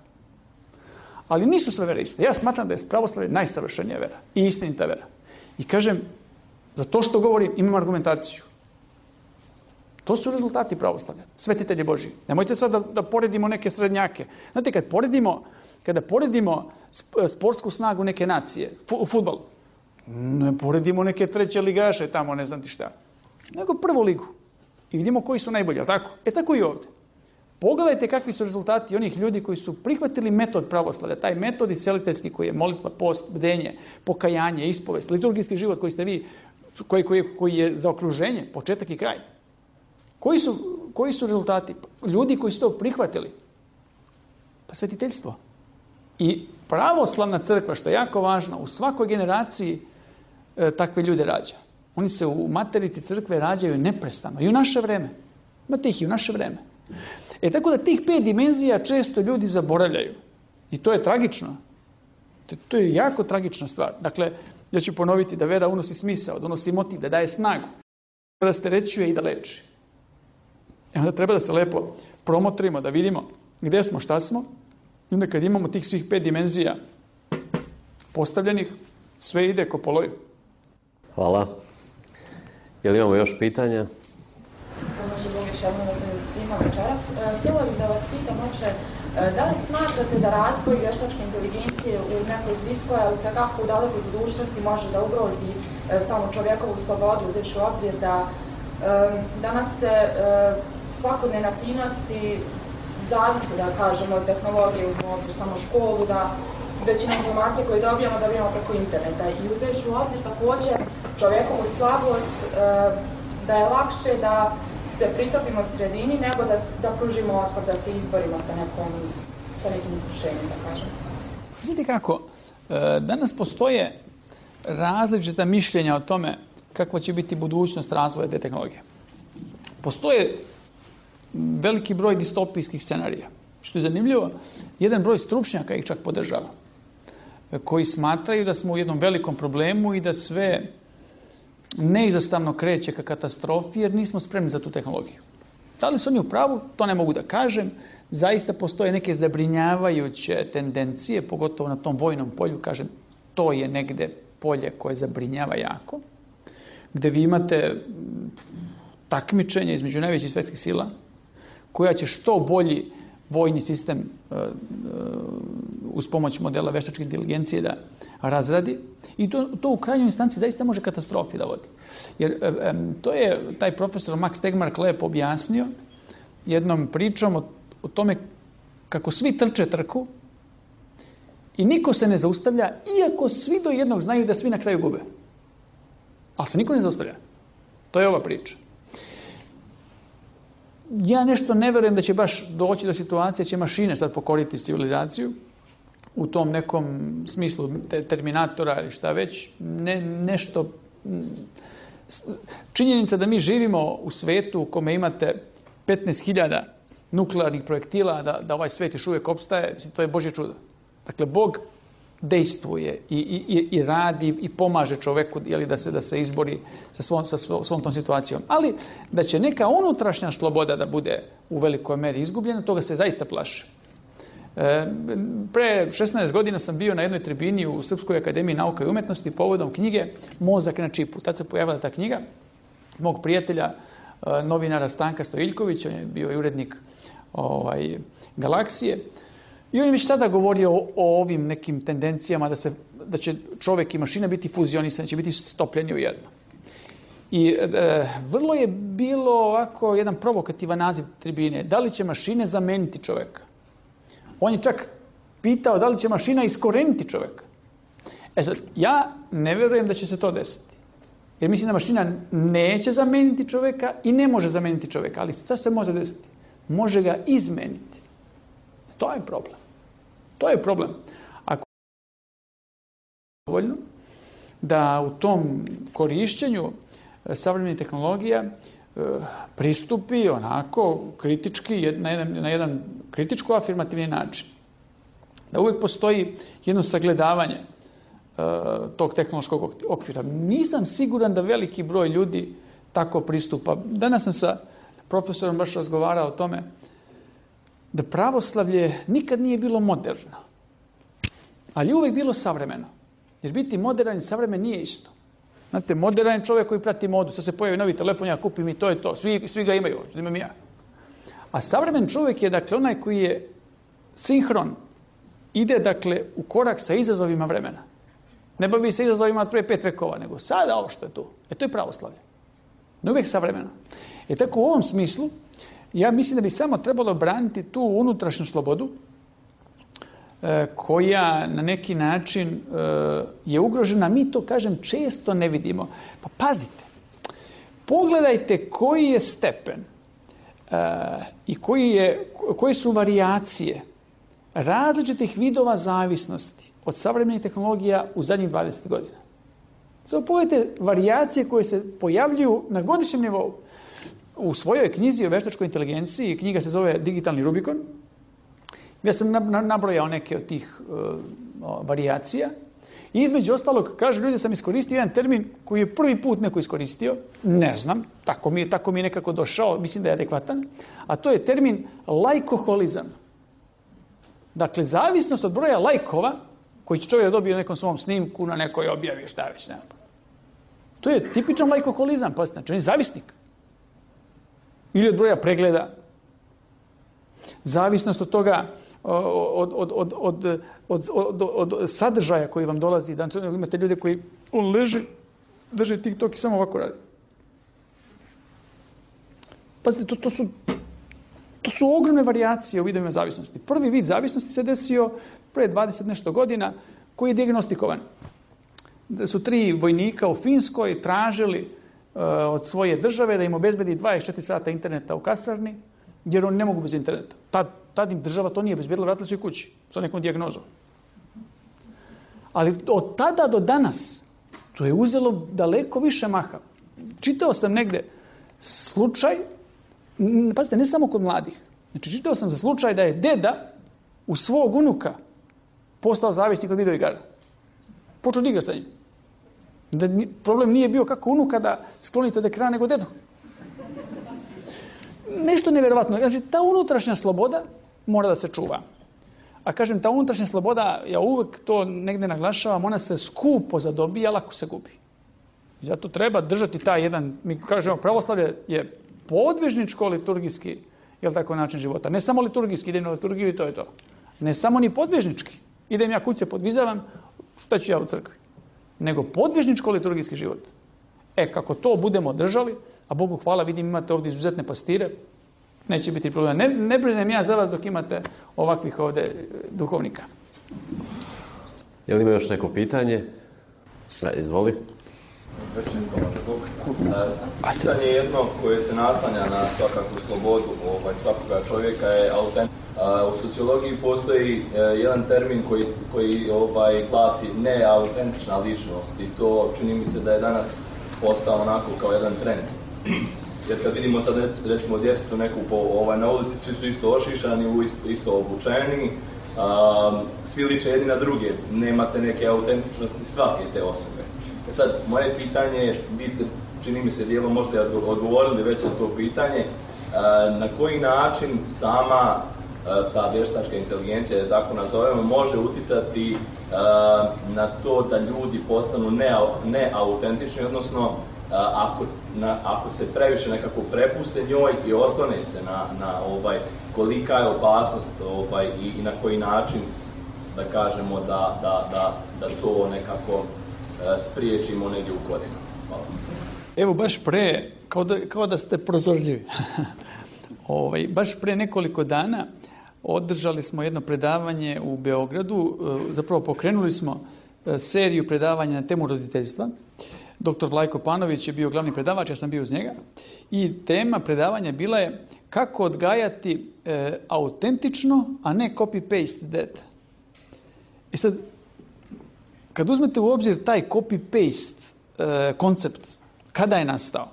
Ali nisu sve vere iste. Ja smatram da je pravoslavlje najsavršenija vera i istinita vera. I kažem, za to što govorim imam argumentaciju. To su rezultati pravoslavlja. Svetitelji Božji. Nemojte sad da, da poredimo neke srednjake. Znate, kad poredimo, kada poredimo sportsku snagu neke nacije, u fudbalu, ne poredimo neke treće ligaše tamo, ne znam ti šta, nego prvu ligu. I vidimo koji su najbolji, ali tako? E tako i ovdje. Pogledajte kakvi su rezultati onih ljudi koji su prihvatili metod pravoslavlja, taj metod isceliteljski koji je molitva, post, bdenje, pokajanje, ispovest, liturgijski život koji ste vi, koji, koji, koji je za okruženje, početak i kraj. Koji su, koji su rezultati? Ljudi koji su to prihvatili. Pa svetiteljstvo. I pravoslavna crkva, što je jako važno, u svakoj generaciji e, takve ljude rađa. Oni se u materici crkve rađaju neprestano. I u naše vreme. Imate ih i u naše vreme. E tako da tih pet dimenzija često ljudi zaboravljaju. I to je tragično. To, to je jako tragična stvar. Dakle, ja ću ponoviti da vera unosi smisao, da unosi motiv, da daje snagu, da rasterećuje i da leči. I onda treba da se lepo promotrimo, da vidimo gdje smo, šta smo. I onda kad imamo tih svih pet dimenzija postavljenih, sve ide ko po loju. Hvala. Je li imamo još pitanja? Pomoći Bog još jednom da se svima večeras. Htjela bih da vas pitam, oče, da li smatrate da razvoj vještačke inteligencije u nekoj bliskoj, ali kako u dalekoj budućnosti može da ugrozi samo čovjekovu slobodu, uzevši u obzir da danas se svakodnevne aktivnosti zavisi, da kažemo, od tehnologije, uzmemo samo školu, da većina informacije koje dobijamo, dobijamo preko interneta. I uzevši u obzir također čovjekovu slabost, da je lakše da se pritopimo sredini nego da, da pružimo otpor, da se izborimo sa, nekom, sa nekim iskušenjem, da kažem. Znate kako, danas postoje različita mišljenja o tome kakva će biti budućnost razvoja te tehnologije. Postoje veliki broj distopijskih scenarija. Što je zanimljivo, jedan broj stručnjaka ih čak podržava, koji smatraju da smo u jednom velikom problemu i da sve neizostavno kreće ka katastrofi jer nismo spremni za tu tehnologiju. Da li su oni u pravu? To ne mogu da kažem. Zaista postoje neke zabrinjavajuće tendencije, pogotovo na tom vojnom polju, kažem, to je negde polje koje zabrinjava jako, gde vi imate takmičenje između najvećih svjetskih sila, koja će što bolji vojni sistem uh, uh, uz pomoć modela veštačke inteligencije da razradi. I to, to u krajnjoj instanci zaista može katastrofi da vodi. Jer um, to je taj profesor Max Tegmark lepo objasnio jednom pričom o, o tome kako svi trče trku I niko se ne zaustavlja, iako svi do jednog znaju da svi na kraju gube. Ali se niko ne zaustavlja. To je ova priča. Ja nešto ne verujem da će baš doći do situacije, će mašine sad pokoriti civilizaciju u tom nekom smislu Terminatora ili šta već. Ne, nešto... Činjenica da mi živimo u svetu u kome imate petnaest hiljada nuklearnih projektila, da, da ovaj svet još uvijek opstaje, to je Božje čudo. Dakle, Bog dejstvuje i, i, i radi i pomaže čoveku jeli, da, se, da se izbori sa svom, sa svom tom situacijom. Ali da će neka unutrašnja sloboda da bude u velikoj meri izgubljena, toga se zaista plaši. E, pre šesnaest godina sam bio na jednoj tribini u Srpskoj akademiji nauka i umetnosti povodom knjige Mozak na čipu. Tad se pojavila ta knjiga mog prijatelja, e, novinara Stanka Stojiljkovića, on je bio i urednik ovaj, Galaksije. I on je već tada govorio o, o ovim nekim tendencijama da, se, da će čovjek i mašina biti fuzionisani, će biti stopljeni u jedno. I e, vrlo je bilo ovako jedan provokativan naziv tribine. Da li će mašine zameniti čovjeka? On je čak pitao da li će mašina iskoreniti čovjeka. E sad, ja ne vjerujem da će se to desiti. Jer mislim da mašina neće zameniti čovjeka i ne može zameniti čovjeka. Ali šta se može desiti? Može ga izmeniti. To je problem. To je problem. Ako je dovoljno da u tom korišćenju savremenih tehnologija pristupi onako kritički, na jedan, na jedan kritičko afirmativni način. Da uvijek postoji jedno sagledavanje tog tehnološkog okvira. Nisam siguran da veliki broj ljudi tako pristupa. Danas sam sa profesorom baš razgovarao o tome da pravoslavlje nikad nije bilo moderno, ali je uvijek bilo savremeno. Jer biti modern i savremen nije isto. Znate, modern je čovjek koji prati modu. Sad se pojavi novi telefon, ja kupim i to je to. Svi, svi ga imaju, što imam ja. A savremen čovjek je, dakle, onaj koji je sinhron, ide, dakle, u korak sa izazovima vremena. Ne bavi se izazovima od prije pet vekova, nego sada ovo što je tu. E, to je pravoslavlje. Ne uvijek savremeno. E, tako u ovom smislu, ja mislim da bi samo trebalo braniti tu unutrašnju slobodu e, koja na neki način e, je ugrožena. Mi to, kažem, često ne vidimo. Pa pazite, pogledajte koji je stepen e, i koji je, koje su varijacije različitih vidova zavisnosti od savremenih tehnologija u zadnjih dvadeset godina. Samo pogledajte varijacije koje se pojavljuju na godišnjem nivou. U svojoj knjizi o veštačkoj inteligenciji, knjiga se zove Digitalni Rubikon, ja sam nabrojao neke od tih uh, varijacija. I između ostalog, kažu ljudi, sam iskoristio jedan termin koji je prvi put neko iskoristio, ne znam, tako mi je, tako mi je nekako došao, mislim da je adekvatan, a to je termin lajkoholizam. Dakle, zavisnost od broja lajkova koji će čovjek dobiti u nekom svom snimku, na nekoj objavi, šta već, ne. To je tipičan lajkoholizam, pa znači on je zavisnik. Ili od broja pregleda. Zavisnost od toga, od, od, od, od, od, od, od sadržaja koji vam dolazi. Da imate ljude koji, on leži, drži TikTok i samo ovako radi. Pazite, to, to, su, to su ogromne varijacije u vidovima zavisnosti. Prvi vid zavisnosti se desio pre dvadeset nešto godina, koji je diagnostikovan. Da su tri vojnika u Finskoj tražili od svoje države da im obezbedi dvadeset četiri sata interneta u kasarni, jer oni ne mogu bez interneta. Tad, tad im država to nije obezbedila, vratili su i kući sa nekom dijagnozom. Ali od tada do danas to je uzelo daleko više maha. Čitao sam negde slučaj, pazite, ne samo kod mladih. Znači, čitao sam za slučaj da je deda u svog unuka postao zavisnik od videoigara. Počeo da igra sa njim. Da problem nije bio kako unuka da sklonite od ekrana nego dedu. Nešto nevjerovatno. Znači, ta unutrašnja sloboda mora da se čuva. A kažem, ta unutrašnja sloboda, ja uvek to negde naglašavam, ona se skupo zadobija, lako se gubi. I zato treba držati taj jedan, mi kažemo, pravoslavlje je podvižničko liturgijski, jel tako, način života. Ne samo liturgijski, idem na liturgiju i to je to. Ne samo ni podvižnički. Idem ja kuće podvizavam, šta ću ja u crkvi. Nego podvižničko liturgijski život. E, kako to budemo držali, a Bogu hvala, vidim, imate ovdje izuzetne pastire, neće biti problema. Ne, ne brinem ja za vas dok imate ovakvih ovdje duhovnika. Je li ima još neko pitanje? E, izvoli. Pitanje jedno koje se naslanja na svakakvu slobodu ovaj, svakoga čovjeka je autentičnost. U sociologiji postoji jedan termin koji, koji ovaj, glasi neautentična ličnost i to čini mi se da je danas postao onako kao jedan trend. Jer kad vidimo sad recimo djecu neku po, ovaj, na ulici, svi su isto ošišani, isto, isto obučeni, a, svi liče jedni na druge, nemate neke autentičnosti svake te osobe. E sad, moje pitanje je, vi ste, čini mi se, dijelom možete odgovorili već na to pitanje, a, na koji način sama a, ta vještačka inteligencija, da tako nazovemo, može uticati a, na to da ljudi postanu neautentični, odnosno Ako, na, ako se previše nekako prepuste njoj i oslone se na, na ovaj, kolika je opasnost ovaj, i, i na koji način da kažemo da, da, da, da to nekako uh, spriječimo negdje u korijenu. Hvala. Evo baš pre, kao da, kao da ste prozorljivi, ovaj, baš pre nekoliko dana održali smo jedno predavanje u Beogradu, zapravo pokrenuli smo seriju predavanja na temu roditeljstva. Doktor Vlajko Panović je bio glavni predavač, ja sam bio uz njega. I tema predavanja bila je kako odgajati e, autentično, a ne copy-paste dete. I sad, kad uzmete u obzir taj copy-paste e, koncept, kada je nastao?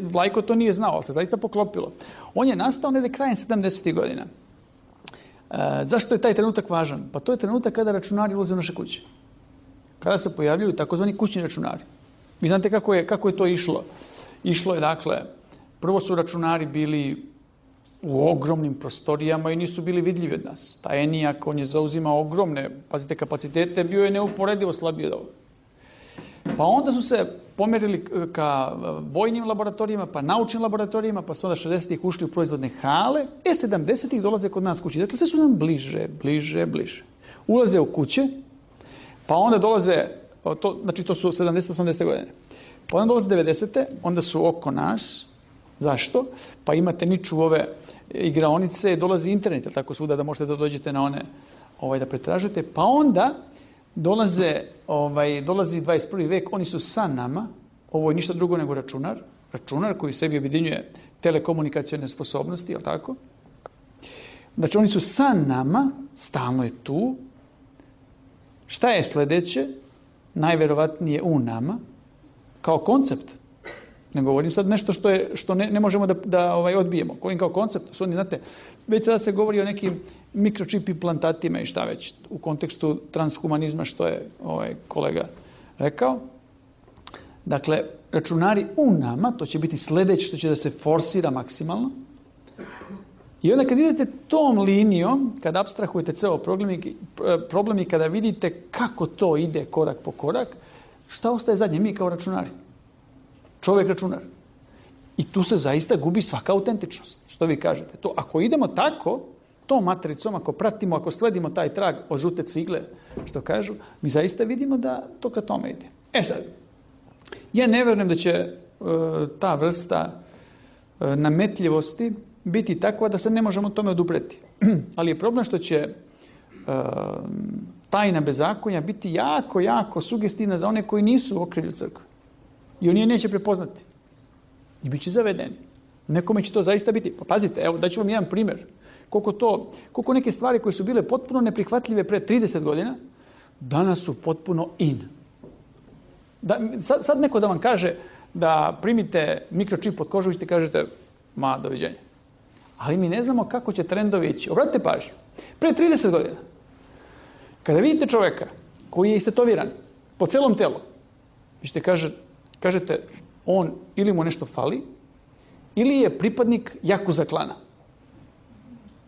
Vlajko to nije znao, ali se zaista poklopilo. On je nastao negdje krajem sedamdesetih godina. E, zašto je taj trenutak važan? Pa to je trenutak kada računari ulaze u naše kuće. Kada se pojavljuju takozvani kućni računari. Vi znate kako je, kako je to išlo. Išlo je, dakle, prvo su računari bili u ogromnim prostorijama i nisu bili vidljivi od nas. Ta ENIAC, on je zauzimao ogromne, pazite, kapacitete, bio je neuporedivo slabiji od ovoga. Pa onda su se pomerili ka vojnim laboratorijima, pa naučnim laboratorijima, pa su onda šezdesetih ušli u proizvodne hale, e sedamdesetih dolaze kod nas kući. Dakle, sve su nam bliže, bliže, bliže. Ulaze u kuće, pa onda dolaze, to, znači to su sedamdesete osamdesete godine, pa onda dolaze devedesete onda su oko nas. Zašto? Pa imate niču ove igraonice, dolazi internet, tako svuda da možete da dođete na one, ovaj, da pretražite, pa onda dolaze, ovaj, dolazi dvadeset prvi vek, oni su sa nama, ovo je ništa drugo nego računar, računar koji sebi objedinjuje telekomunikacione sposobnosti, je li tako? Znači oni su sa nama, stalno je tu. Šta je sljedeće? Najverovatnije u nama, kao koncept. Ne govorim sad nešto što, je, što ne, ne možemo da, da ovaj, odbijemo. Govorim kao koncept. Su oni, znate, već sada se govori o nekim mikročip implantatima i šta već u kontekstu transhumanizma, što je ovaj kolega rekao. Dakle, računari u nama, to će biti sljedeće što će da se forsira maksimalno. I onda kad idete tom linijom, kad apstrahujete ceo problem i, problem i kada vidite kako to ide korak po korak, šta ostaje zadnje? Mi kao računari. Čovjek računar. I tu se zaista gubi svaka autentičnost. Što vi kažete? To, ako idemo tako, tom matricom, ako pratimo, ako sledimo taj trag od žute cigle, što kažu, mi zaista vidimo da to ka tome ide. E sad, ja ne vjerujem da će e, ta vrsta e, nametljivosti biti takva da se ne možemo tome odupreti. Ali je problem što će e, tajna bezakonja biti jako, jako sugestivna za one koji nisu u okrilju crkve. I oni je neće prepoznati. I bit će zavedeni. Nekome će to zaista biti. Pa pazite, evo daću vam jedan primjer. Koliko, to, koliko neke stvari koje su bile potpuno neprihvatljive pre trideset godina, danas su potpuno in. Da, sad, sad neko da vam kaže da primite mikročip pod kožu i ste kažete, ma, doviđenja. Ali mi ne znamo kako će trendovi ići. Obratite pažnju. Pre trideset godina, kada vidite čovjeka koji je istetoviran po celom telu, vi ćete kaže, kažete, on ili mu nešto fali, ili je pripadnik Jakuza klana.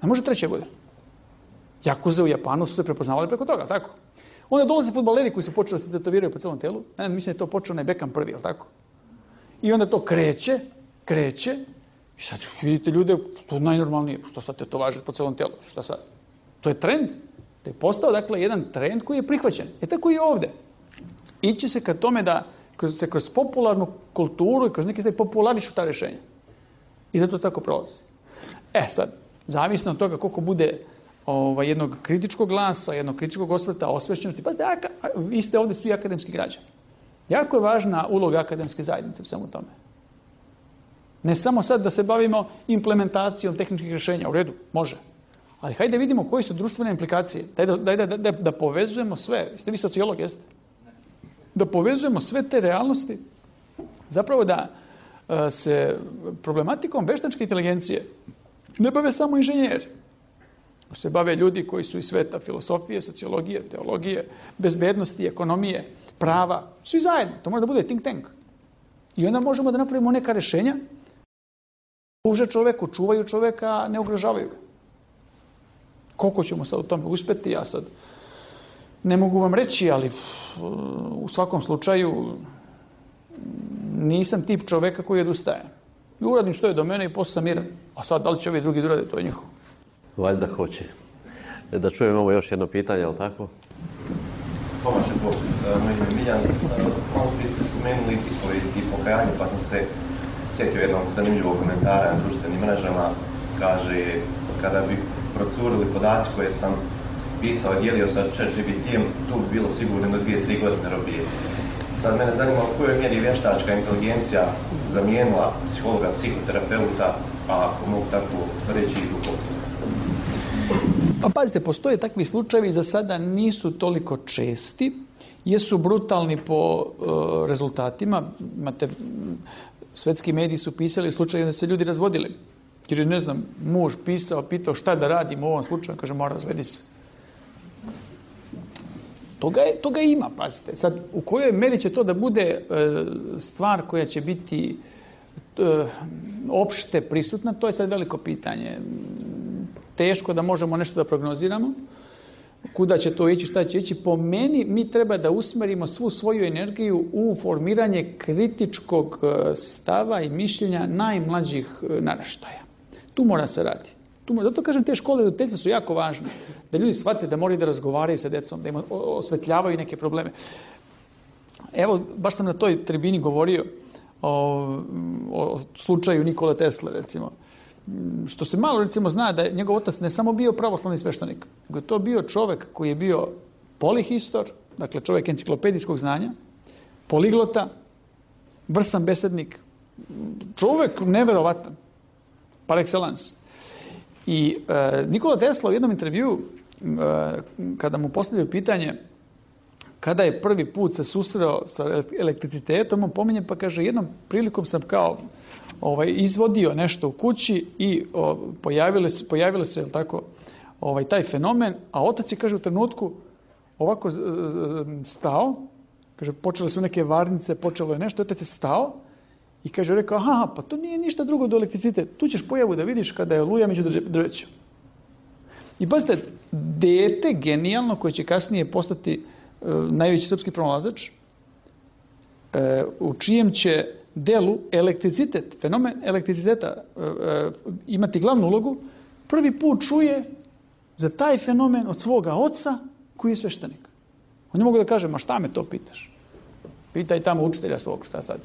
Ne može treće bude. Jakuze u Japanu su se prepoznavali preko toga, tako? Onda dolaze fudbaleri koji su počeli da se tetoviraju po celom telu. Ne, mislim da je to počeo onaj Beckham prvi, je li tako? I onda to kreće, kreće. I sad vidite ljude, to je najnormalnije. Što sad tetovaže po celom telu? Šta sad? To je trend. To je postao, dakle, jedan trend koji je prihvaćen. E tako i ovdje. Ići se ka tome da kroz, se kroz popularnu kulturu i kroz neke stvari popularišu ta rješenja. I zato tako prolazi. E sad, zavisno od toga koliko bude ovaj, jednog kritičkog glasa, jednog kritičkog osvrta, osvešćenosti. Pazite, aka, vi ste ovdje svi akademski građani. Jako je važna uloga akademske zajednice u svemu tome. Ne samo sad da se bavimo implementacijom tehničkih rješenja, u redu, može. Ali hajde vidimo koji su društvene implikacije. Daj da, daj da, da, da povezujemo sve. Jeste vi sociolog, jeste? Da povezujemo sve te realnosti. Zapravo da uh, se problematikom veštačke inteligencije ne bave samo inženjeri. Se bave ljudi koji su iz sveta filosofije, sociologije, teologije, bezbednosti, ekonomije, prava. Svi zajedno. To mora da bude think tank. I onda možemo da napravimo neka rješenja. Služe čoveku, čuvaju čoveka, ne ugrožavaju ga. Koliko ćemo sad u tome uspjeti, ja sad ne mogu vam reći, ali u svakom slučaju nisam tip čoveka koji odustaje. I uradim što je do mene i posle sam miran. A sad, da li će ovi drugi da urade, to je njihovo. Valjda hoće. Da čujemo ovo još jedno pitanje, je li tako? Tomače Bog, moj ime je Miljan. Malo prije ste spomenuli ispovijesti i pokajanje, pa sam se sjetio jednog zanimljivog komentara na društvenim mrežama. Kaže, kada bi procurili podaci koje sam pisao i dijelio sa ChatGPT-em, tu bi bilo sigurno do dvije, tri godine robije. Sad mene zanima u kojoj mjeri vještačka inteligencija zamijenila psihologa, psihoterapeuta, a ako mogu tako reći i duhovno. Pa pazite, postoje takvi slučajevi, za sada nisu toliko česti, jesu brutalni po uh, rezultatima. Imate, svetski mediji su pisali slučaje da se ljudi razvodili. Jer je, ne znam, muž pisao, pitao šta da radim u ovom slučaju, kaže, mora razvedi se. Toga, je, toga ima, pazite. Sad, u kojoj meri će to da bude e, stvar koja će biti e, opšte prisutna, to je sad veliko pitanje. Teško da možemo nešto da prognoziramo. Kuda će to ići, šta će ići. Po meni, mi treba da usmerimo svu svoju energiju u formiranje kritičkog stava i mišljenja najmlađih naraštaja. Tu mora se radi. Tu mora, zato kažem, te škole roditeljstva su jako važne. Da ljudi shvate da moraju da razgovaraju sa decom, da im osvetljavaju neke probleme. Evo, baš sam na toj tribini govorio o, o slučaju Nikole Tesle, recimo. Što se malo, recimo, zna da je njegov otac ne samo bio pravoslavni sveštenik, nego je to bio čovek koji je bio polihistor, dakle čovek enciklopedijskog znanja, poliglota, vrsan besednik, čovek neverovatan, par excellence. I e, Nikola Tesla u jednom intervju, e, kada mu postavljaju pitanje kada je prvi put se susreo sa elektricitetom, on pominje pa kaže, jednom prilikom sam kao ovaj, izvodio nešto u kući i o, pojavile se, pojavile se tako, ovaj, taj fenomen, a otac je, kaže, u trenutku ovako stao, kaže, počele su neke varnice, počelo je nešto, otac je stao i kaže, rekao, aha, pa to nije ništa drugo do elektricitet, tu ćeš pojavu da vidiš kada je oluja među drvećem. I pazite, dete genijalno koje će kasnije postati e, najveći srpski pronalazač, e, u čijem će delu elektricitet, fenomen elektriciteta e, e, imati glavnu ulogu, prvi put čuje za taj fenomen od svoga oca koji je sveštenik. On ne mogu da kaže, ma šta me to pitaš? Pitaj tamo učitelja svog, šta sad?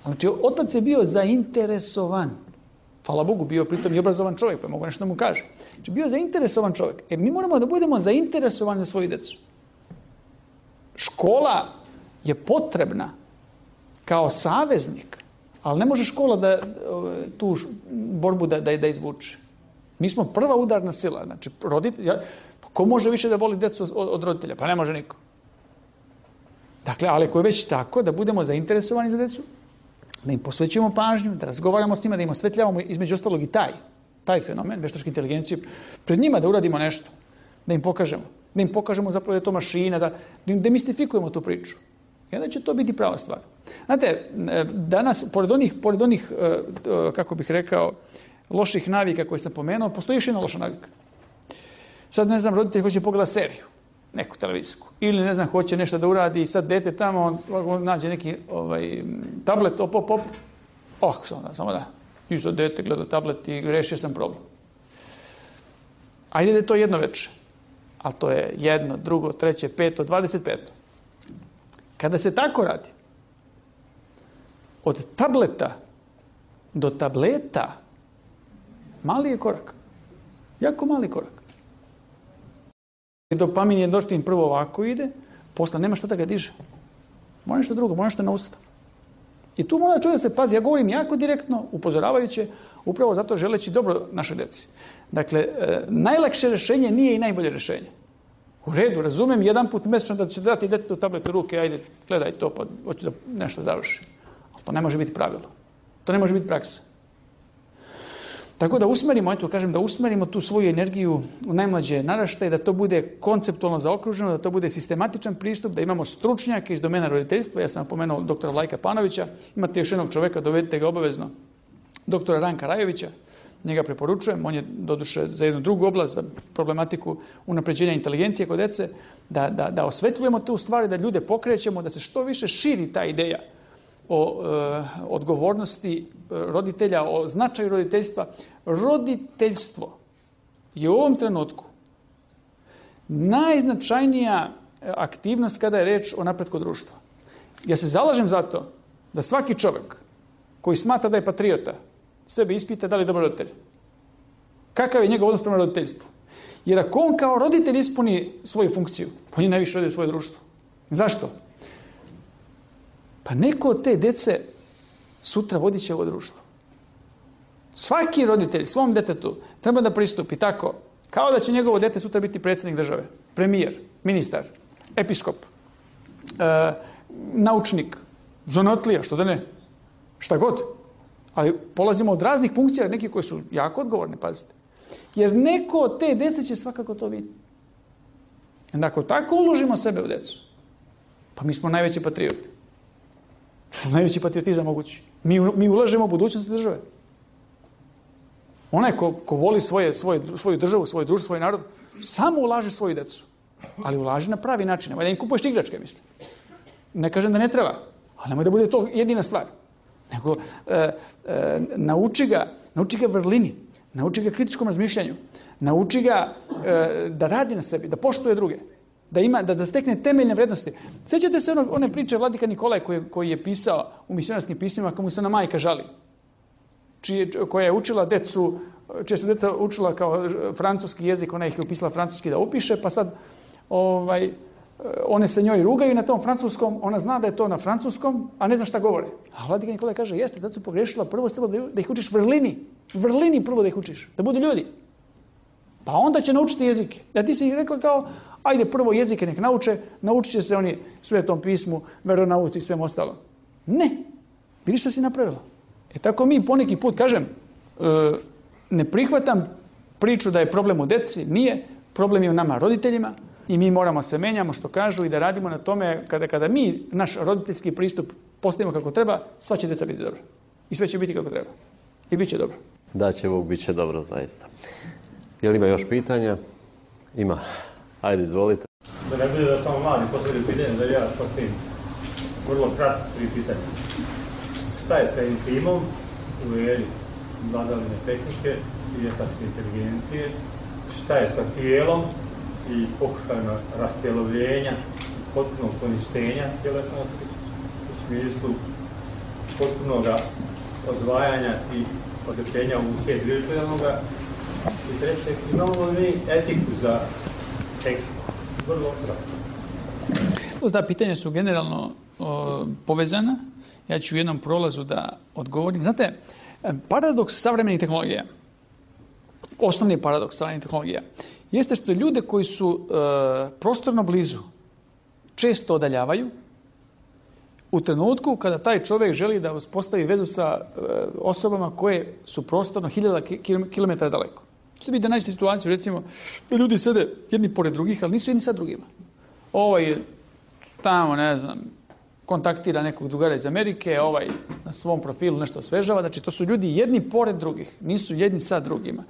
Znači, otac je bio zainteresovan. Hvala Bogu, bio pritom i obrazovan čovjek, pa mogu nešto da mu kaže. Znači, bio zainteresovan čovjek. Jer mi moramo da budemo zainteresovani za svoju decu. Škola je potrebna kao saveznik, ali ne može škola da tu borbu da, da, da izvuče. Mi smo prva udarna sila. Znači, roditelj, ja, ko može više da voli decu od, od roditelja? Pa ne može niko. Dakle, ali ako je već tako, da budemo zainteresovani za decu, da im posvećujemo pažnju, da razgovaramo s njima, da im osvetljavamo između ostalog i taj, taj fenomen veštačke inteligencije, pred njima da uradimo nešto, da im pokažemo, da im pokažemo zapravo da je to mašina, da, da im demistifikujemo tu priču. I onda će to biti prava stvar. Znate, danas, pored onih, pored onih kako bih rekao, loših navika koje sam pomenuo, postoji još jedna loša navika. Sad, ne znam, roditelj hoće pogledati seriju, neku televizijsku. Ili, ne znam, hoće nešto da uradi i sad dete tamo, on, on nađe neki ovaj, tablet, op, op, op. Oh, samo da, samo da. I sad dete gleda tablet i rešio sam problem. Ajde da je to jedno večer. Ali to je jedno, drugo, treće, peto, dvadeset peto. Kada se tako radi, od tableta do tableta, mali je korak. Jako mali korak. Dopamin i endorfin prvo ovako ide, posle nema šta da ga diže. Mora nešto drugo, mora nešto na usta. I tu mora čovjek da se pazi. Ja govorim jako direktno, upozoravajuće, upravo zato želeći dobro naše deci. Dakle, e, najlakše rješenje nije i najbolje rješenje. U redu, razumem, jedan put mesečno da će dati djetetu tablet u ruke, ajde, gledaj to, pa hoću da nešto završi. Ali to ne može biti pravilo. To ne može biti praksa. Tako da usmerimo, eto kažem, da usmerimo tu svoju energiju u najmlađe naraštaje, da to bude konceptualno zaokruženo, da to bude sistematičan pristup, da imamo stručnjake iz domena roditeljstva. Ja sam pomenuo doktora Vlajka Panovića, imate još jednog čoveka, dovedite ga obavezno, doktora Ranka Rajovića, njega preporučujem, on je doduše za jednu drugu oblast, za problematiku unapređenja inteligencije kod dece, da, da, da osvetljujemo tu stvari, da ljude pokrećemo, da se što više širi ta ideja o e, odgovornosti roditelja, o značaju roditeljstva. Roditeljstvo je u ovom trenutku najznačajnija aktivnost kada je reč o napretku društva. Ja se zalažem za to da svaki čovjek koji smatra da je patriota sebe ispita da li je dobar roditelj. Kakav je njegov odnos prema roditeljstvu? Jer ako on kao roditelj ispuni svoju funkciju, on je najviše radi svoje društvo. Zašto? Pa neko od te dece sutra vodit će ovo društvo. Svaki roditelj svom detetu treba da pristupi tako, kao da će njegovo dete sutra biti predsjednik države, premijer, ministar, episkop, e, naučnik, zanotlija, što da ne, šta god. Ali polazimo od raznih funkcija, neki koji su jako odgovorni, pazite. Jer neko od te dece će svakako to vidjeti. I ako tako uložimo sebe u decu, pa mi smo najveći patrioti. Najveći patriotizam mogući. Mi, mi ulažemo u budućnost države. Onaj ko, ko voli svoje, svoje, svoju državu, svoje društvo, svoj narod, samo ulaže svoju decu. Ali ulaže na pravi način. Nemoj da im kupuješ igračke, mislim. Ne kažem da ne treba, ali nemoj da bude to jedina stvar. Nego e, e, nauči ga, nauči ga vrlini, nauči ga kritičkom razmišljanju, nauči ga e, da radi na sebi, da poštuje druge, da ima, da, da stekne temeljne vrednosti. Sjećate se ono, one priče Vladika Nikolaj koji, koji je pisao u misionarskim pismima kako mu se ona majka žali, čije, koja je učila decu, čije su deca učila kao francuski jezik, ona ih je upisala francuski da upiše, pa sad ovaj, one se njoj rugaju na tom francuskom, ona zna da je to na francuskom, a ne zna šta govore. A Vladika Nikolaj kaže, jeste, da su pogrešila, prvo ste da ih učiš vrlini, vrlini prvo da ih učiš, da budu ljudi. Pa onda će naučiti jezike. Ja ti si ih rekla kao, ajde prvo jezike nek nauče, naučit će se oni Svetom pismu, veronauci i svem ostalo. Ne, vidiš što si napravila. E tako mi poneki put, kažem, ne prihvatam priču da je problem u deci, nije, problem je u nama roditeljima i mi moramo se menjamo što kažu i da radimo na tome kada, kada mi naš roditeljski pristup postavimo kako treba, sva će deca biti dobro. I sve će biti kako treba. I bit će dobro. Da će Bog, bit će dobro zaista. Je li ima još pitanja? Ima. Ajde, izvolite. Da ne bude da samo mladi postavljaju pitanje, da ja postavim vrlo kratko tri pitanja. Šta je sa intimom u eri vladavine tehnike i vještačke inteligencije? Šta je sa tijelom i pokušajima rastjelovljenja i potpunog poništenja tjelesnosti u smislu potpunog odvajanja i odrećenja u svijet virtualnoga? I treće, imamo li etiku za tekst? Vrlo kratko. Ta pitanja su generalno o, povezana. Ja ću u jednom prolazu da odgovorim. Znate, paradoks savremenih tehnologija, osnovni paradoks savremenih tehnologija, jeste što ljude koji su e, prostorno blizu često odaljavaju u trenutku kada taj čovjek želi da uspostavi vezu sa e, osobama koje su prostorno hiljada kilometara daleko. Što bi da naći situaciju, recimo, da ljudi sede jedni pored drugih, ali nisu jedni sa drugima. Ovaj tamo, ne znam, kontaktira nekog drugara iz Amerike, ovaj na svom profilu nešto osvežava. Znači, to su ljudi jedni pored drugih, nisu jedni sa drugima.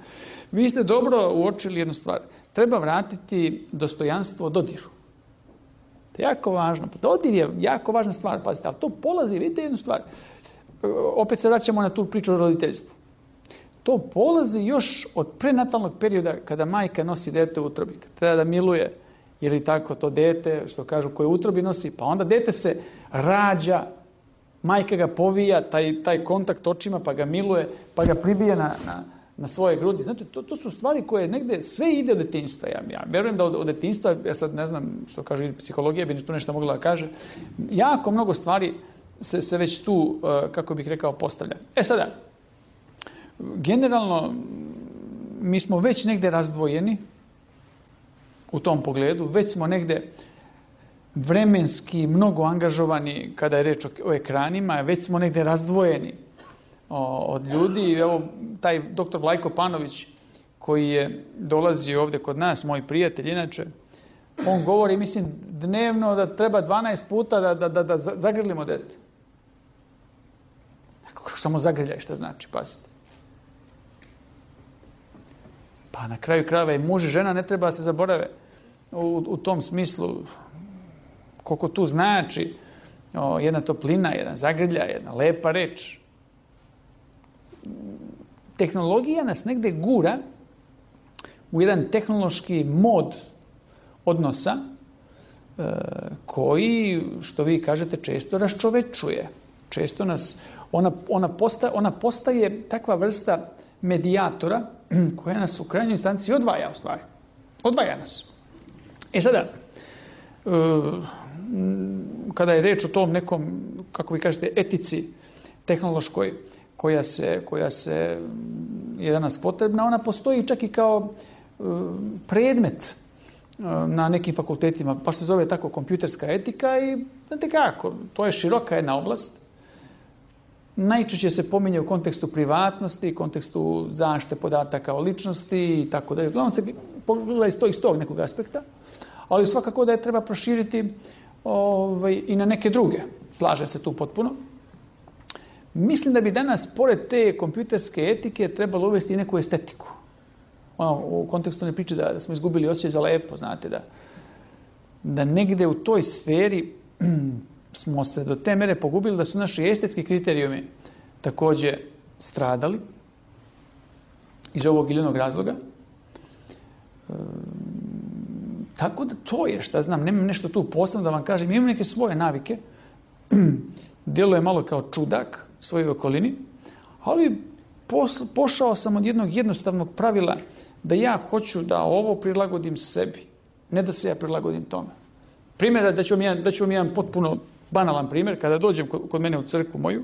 Vi ste dobro uočili jednu stvar. Treba vratiti dostojanstvo dodiru. To je jako važno. Dodir je jako važna stvar, pazite, ali to polazi, vidite jednu stvar. Opet se vraćamo na tu priču o roditeljstvu. To polazi još od prenatalnog perioda kada majka nosi dete u utrobi. Treba da miluje, ili tako to dete, što kažu, koje u utrobi nosi, pa onda dete se rađa, majka ga povija, taj, taj kontakt očima, pa ga miluje, pa ga pribije na, na, na svoje grudi. Znači, to, to su stvari koje negde, sve ide od detinjstva. Ja, ja verujem da od, od detinjstva, ja sad ne znam što kaže psihologija, bi tu nešto mogla da kaže, jako mnogo stvari se, se već tu, kako bih rekao, postavlja. E sada, generalno, mi smo već negde razdvojeni u tom pogledu, već smo negde vremenski mnogo angažovani kada je reč o, o ekranima, već smo negde razdvojeni od ljudi. Evo, taj doktor Vlajko Panović, koji je dolazio ovdje kod nas, moj prijatelj inače, on govori, mislim, dnevno da treba dvanaest puta da, da, da, da zagrlimo dete. Samo zagrljaj, šta znači, pazite. Pa na kraju krajeva i muž i žena ne treba da se zaborave u, u tom smislu koliko tu znači o, jedna toplina, jedan zagrljaj, jedna lepa reč. Tehnologija nas negde gura u jedan tehnološki mod odnosa e, koji, što vi kažete, često raščovečuje. Često nas, ona, ona, posta, ona postaje takva vrsta medijatora koja nas u krajnjoj instanci odvaja, u stvari. Odvaja nas. E sada, e, kada je reč o tom nekom, kako vi kažete, etici tehnološkoj, koja se, koja se je danas potrebna, ona postoji čak i kao e, predmet e, na nekim fakultetima, pa se zove tako kompjuterska etika i znate kako, to je široka jedna oblast. Najčešće se pominje u kontekstu privatnosti, kontekstu zaštite podataka o ličnosti i tako dalje. Uglavnom se pogleda iz tog, iz tog nekog aspekta, ali svakako da je treba proširiti ovaj, i na neke druge. Slažem se tu potpuno. Mislim da bi danas, pored te kompjuterske etike, trebalo uvesti i neku estetiku. Ono, u kontekstu ne priče da, da smo izgubili osjećaj za lepo, znate, da, da negde u toj sferi smo se do te mere pogubili da su naši estetski kriterijumi također stradali iz ovog ili onog razloga. E, tako da to je, šta znam, nemam nešto tu posebno da vam kažem, imam neke svoje navike, djeluje malo kao čudak svojoj okolini, ali posl, pošao sam od jednog jednostavnog pravila da ja hoću da ovo prilagodim sebi, ne da se ja prilagodim tome. Primjer, da ću vam jedan, da ću vam jedan potpuno banalan primjer, kada dođem kod mene u crkvu moju,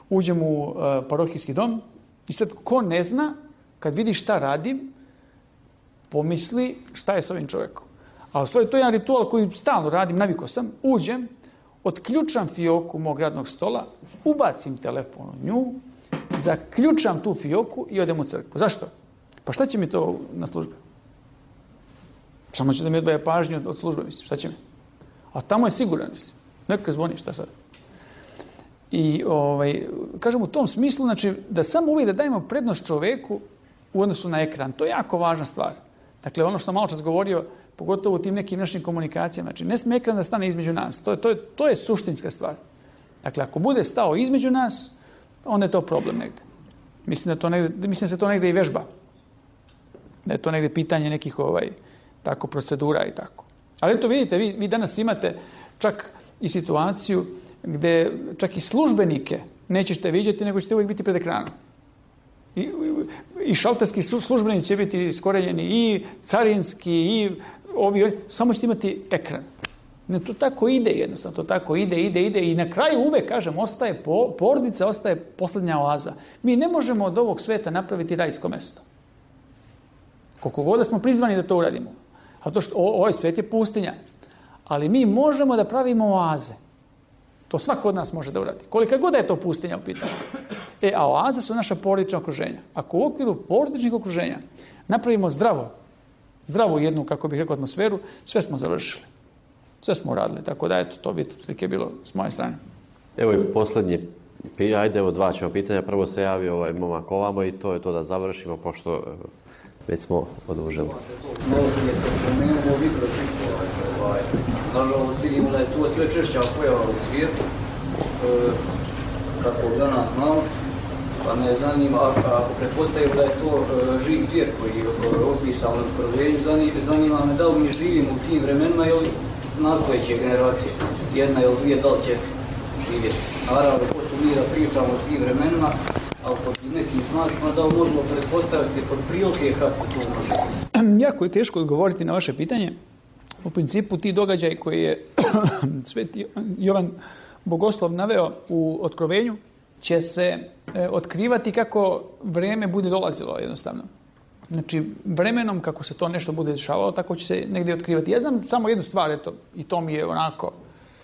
uđem u uh, parohijski dom i sad ko ne zna, kad vidi šta radim, pomisli šta je s ovim čovjekom. A u stvari to je jedan ritual koji stalno radim, navikao sam, uđem, otključam fioku mog radnog stola, ubacim telefon u nju, zaključam tu fioku i odem u crkvu. Zašto? Pa šta će mi to na službi? Samo će da mi odvaja pažnju od, od službe, mislim, šta će mi? A tamo je siguran, mislim. Neka zvoni, šta sad? I, ovaj, kažem, u tom smislu, znači, da samo uvijek da dajemo prednost čoveku u odnosu na ekran. To je jako važna stvar. Dakle, ono što sam malo čas govorio, pogotovo u tim nekim našim komunikacijama, znači, ne sme ekran da stane između nas. To je, to je, to je suštinska stvar. Dakle, ako bude stao između nas, onda je to problem negde. Mislim da, to negde, mislim da se to negde i vežba. Da je to negde pitanje nekih ovaj, tako procedura i tako. Ali eto vidite, vi, vi danas imate čak i situaciju gdje čak i službenike nećete vidjeti, nego ćete uvijek biti pred ekranom. I, i, i šalterski službenici će biti iskorenjeni, i carinski, i ovi, samo ćete imati ekran. Ne, to tako ide jednostavno, to tako ide, ide, ide i na kraju uvek, kažem, ostaje, po, porodica ostaje posljednja oaza. Mi ne možemo od ovog sveta napraviti rajsko mesto. Koliko god da smo prizvani da to uradimo. A to što ovaj svet je pustinja. Ali mi možemo da pravimo oaze. To svako od nas može da uradi. Kolika god je to pustinja u pitanju. E, a oaze su naša porodična okruženja. Ako u okviru porodičnih okruženja napravimo zdravo, zdravu jednu, kako bih rekao, atmosferu, sve smo završili. Sve smo uradili. Tako da, eto, to bi slike bilo s moje strane. Evo i posljednji, ajde, evo dva ćemo pitanja. Prvo se javio ovaj momak ovamo i to je to da završimo, pošto već smo odužili. Malo prije ste spomenuli o mikročipova. Nažalost, vidimo da je to sve češća pojava u svijetu. E, kako danas znamo, pa me zanima, ako pretpostavimo da je to e, živ svijet koji je opisan u prvenju, zanima me da li mi živimo u tim vremenima ili nastojeće generacije, jedna ili dvije, da li će živjeti. Naravno, ko su mi mi da pričamo o tim vremenima, ali pod nekim značima da možemo pretpostaviti pod prilike kad se to može. Jako je teško odgovoriti na vaše pitanje. U principu ti događaj koji je Sveti Jovan Bogoslov naveo u Otkrovenju će se e, otkrivati kako vreme bude dolazilo jednostavno. Znači, vremenom kako se to nešto bude dešavalo, tako će se negdje otkrivati. Ja znam samo jednu stvar, eto, i to mi je onako,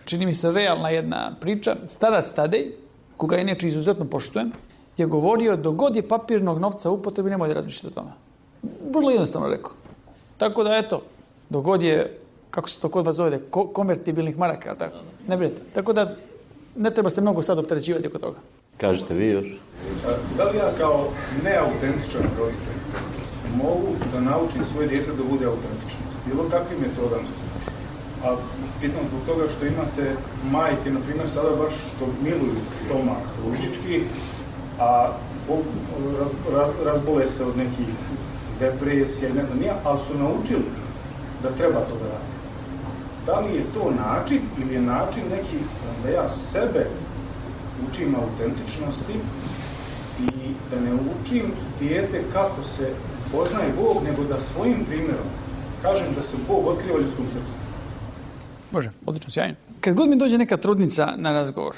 čini mi se realna jedna priča. Starac Tadej, koga inače izuzetno poštujem, je govorio dok god je papirnog novca u upotrebi, nemoj da razmišljati o tome. Vrlo jednostavno rekao. Tako da, eto, dok god je, kako se to kod vas zove, ko- konvertibilnih maraka, tako, ne brinite. Tako da, ne treba se mnogo sad opterećivati oko toga. Kažete vi još? Da li ja kao neautentičan roditelj mogu da naučim svoje dijete da bude autentično? Bilo kakvim metodama? A pitam zbog toga što imate majke, na primjer, sada baš što miluju stomak ružički, a raz, raz, razbole se od nekih depresija, ne znam nija, ali su naučili da treba to da radi. Da li je to način ili je način neki da ja sebe učim autentičnosti i da ne učim dijete kako se poznaje Bog, nego da svojim primjerom kažem da se Bog otkriva ljudskom srcu. Može, odlično, sjajno. Kad god mi dođe neka trudnica na razgovor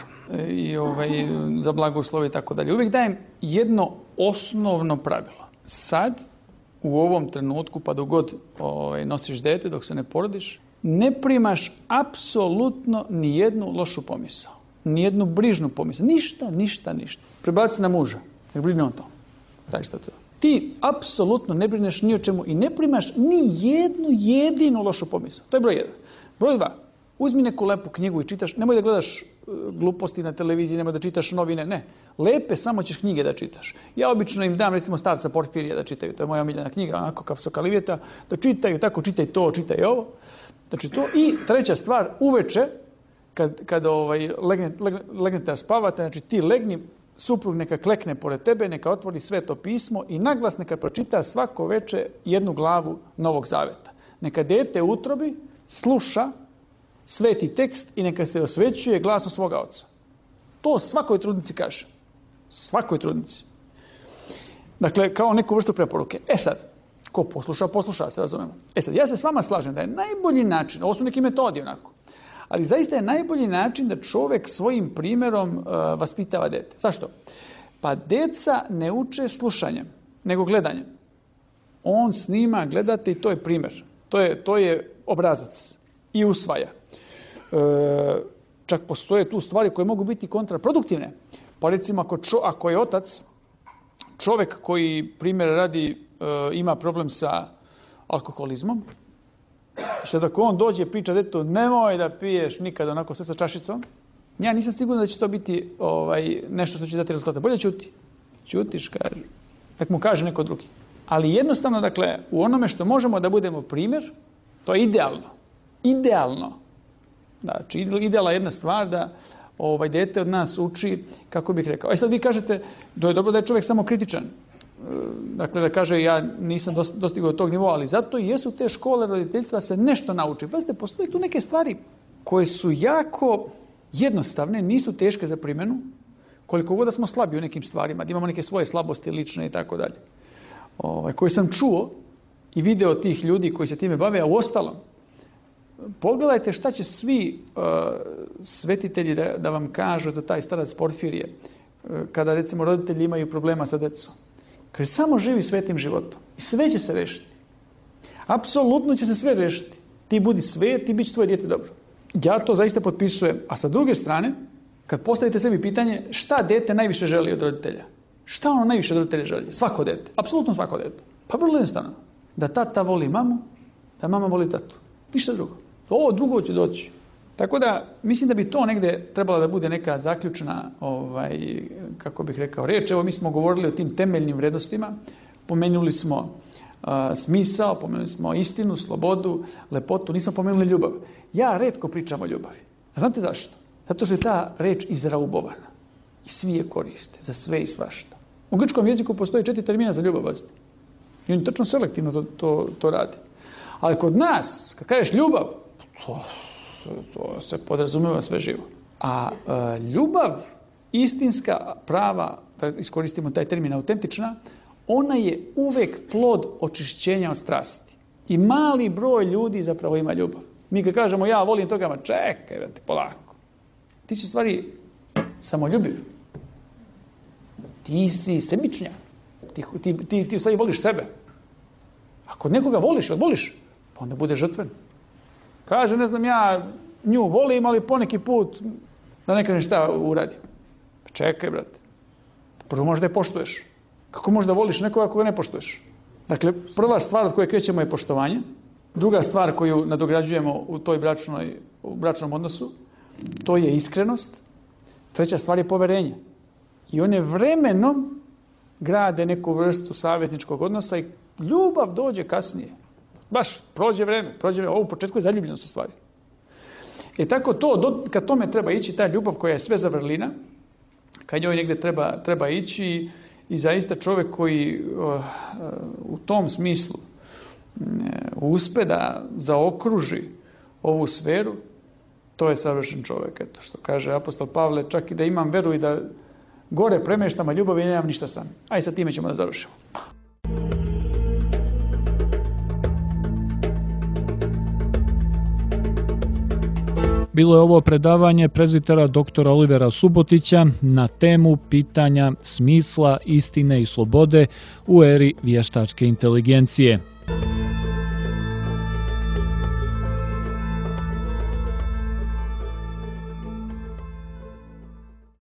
i ovaj, za blagoslov i tako dalje, uvijek dajem jedno osnovno pravilo. Sad, u ovom trenutku, pa dok god ovaj, nosiš dete, dok se ne porodiš, ne primaš apsolutno ni jednu lošu pomisao. Ni jednu brižnu pomisao. Ništa, ništa, ništa. Prebaci na muža. Nek brine on to. Daj šta to. Ti apsolutno ne brineš ni o čemu i ne primaš ni jednu jedinu lošu pomisao. To je broj jedan. Broj dva. Uzmi neku lepu knjigu i čitaš. Nemoj da gledaš gluposti na televiziji, nemoj da čitaš novine. Ne. Lepe samo ćeš knjige da čitaš. Ja obično im dam recimo starca Porfirija da čitaju. To je moja omiljena knjiga, onako kao Sokalivjeta. Da čitaju, tako čitaj to, čitaj ovo. Znači to. I treća stvar, uveče, kad, kad ovaj, legnete, legnete da spavate, znači ti legni, suprug neka klekne pored tebe, neka otvori Sveto pismo i naglas neka pročita svako veče jednu glavu Novog Zaveta. Neka dete u utrobi sluša sveti tekst i neka se osvećuje glasom svoga oca. To svakoj trudnici kaže. Svakoj trudnici. Dakle, kao neku vrstu preporuke. E sad, ko posluša, posluša, se razumemo. E sad, ja se s vama slažem da je najbolji način, ovo su neki metodi onako, ali zaista je najbolji način da čovjek svojim primjerom uh, vaspitava dete. Zašto? Pa deca ne uče slušanjem, nego gledanjem. On snima, gledate i to je primjer. To je, to je obrazac i usvaja. E, čak postoje tu stvari koje mogu biti kontraproduktivne. Pa recimo ako, čo, ako je otac, čovjek koji primjer radi e, ima problem sa alkoholizmom, sad ako on dođe i priča detetu nemoj da piješ nikada onako sve sa čašicom, ja nisam siguran da će to biti ovaj, nešto što će dati rezultate. Bolje ćuti. Ćutiš, kaže. Tak mu kaže neko drugi. Ali jednostavno, dakle, u onome što možemo da budemo primjer, to je idealno. Idealno. Znači, idealna jedna stvar da ovaj dete od nas uči, kako bih rekao. E sad vi kažete, da je dobro da je čovjek samo kritičan. Dakle, da kaže, ja nisam dostigao tog nivoa, ali zato i jesu te škole roditeljstva se nešto nauči. Pazite, postoje tu neke stvari koje su jako jednostavne, nisu teške za primjenu, koliko god da smo slabi u nekim stvarima, da imamo neke svoje slabosti lične i tako dalje. Ovaj, koji sam čuo i video tih ljudi koji se time bave, a u ostalom, pogledajte šta će svi uh, svetitelji da, da vam kažu da taj starac Porfirije, uh, kada recimo roditelji imaju problema sa decom. Kaže, samo živi svetim životom i sve će se rešiti. Apsolutno će se sve rešiti. Ti budi svet i bit će tvoje dijete dobro. Ja to zaista potpisujem. A sa druge strane, kad postavite sebi pitanje šta dete najviše želi od roditelja? Šta ono najviše od roditelja želi? Svako dete. Apsolutno svako dete. Pa vrlo jednostavno. Da tata voli mamu, da mama voli tatu. Ništa drugo. Ovo drugo će doći. Tako da, mislim da bi to negde trebala da bude neka zaključna, ovaj, kako bih rekao, reč. Evo, mi smo govorili o tim temeljnim vrednostima. Pomenuli smo uh, smisao, pomenuli smo istinu, slobodu, lepotu. Nismo pomenuli ljubav. Ja retko pričam o ljubavi. A znate zašto? Zato što je ta reč izraubovana. I svi je koriste. Za sve i svašta. U grčkom jeziku postoji četiri termina za ljubav. I on tačno selektivno to, to, to radi. Ali kod nas, kad kažeš ljubav, to, to se podrazumeva sve živo. A e, ljubav istinska, prava, da iskoristimo taj termin autentična, ona je uvek plod očišćenja od strasti. I mali broj ljudi zapravo ima ljubav. Mi kad kažemo ja volim toga, ma čekaj, vrati, polako. Ti si u stvari samoljubiv. Ti si sebičnjak. Ti, ti, ti, ti u stvari voliš sebe. Ako nekoga voliš, voliš, pa onda bude žrtven. Kaže, ne znam, ja nju volim, ali poneki put da ne kažem šta uradi. Pa čekaj, brate. Prvo možda je poštuješ. Kako možda voliš nekoga ako ga ne poštuješ? Dakle, prva stvar od koje krećemo je poštovanje. Druga stvar koju nadograđujemo u toj bračnoj, u bračnom odnosu, to je iskrenost. Treća stvar je poverenje. I one vremenom grade neku vrstu savjetničkog odnosa i ljubav dođe kasnije. Baš, prođe vreme, prođe vreme. Ovo u početku je zaljubljenost u stvari. E tako to, kad tome treba ići, ta ljubav koja je sve za vrlina, kad njoj negdje treba, treba ići i zaista čovjek koji uh, u tom smislu uh, uspe da zaokruži ovu sferu, to je savršen čovjek. Eto, što kaže apostol Pavle, čak i da imam veru i da gore premeštam, a ljubavi nemam ništa sam. Aj sa time ćemo da završimo. Bilo je ovo predavanje prezbitera doktora Olivera Subotića na temu pitanja smisla, istine i slobode u eri vještačke inteligencije.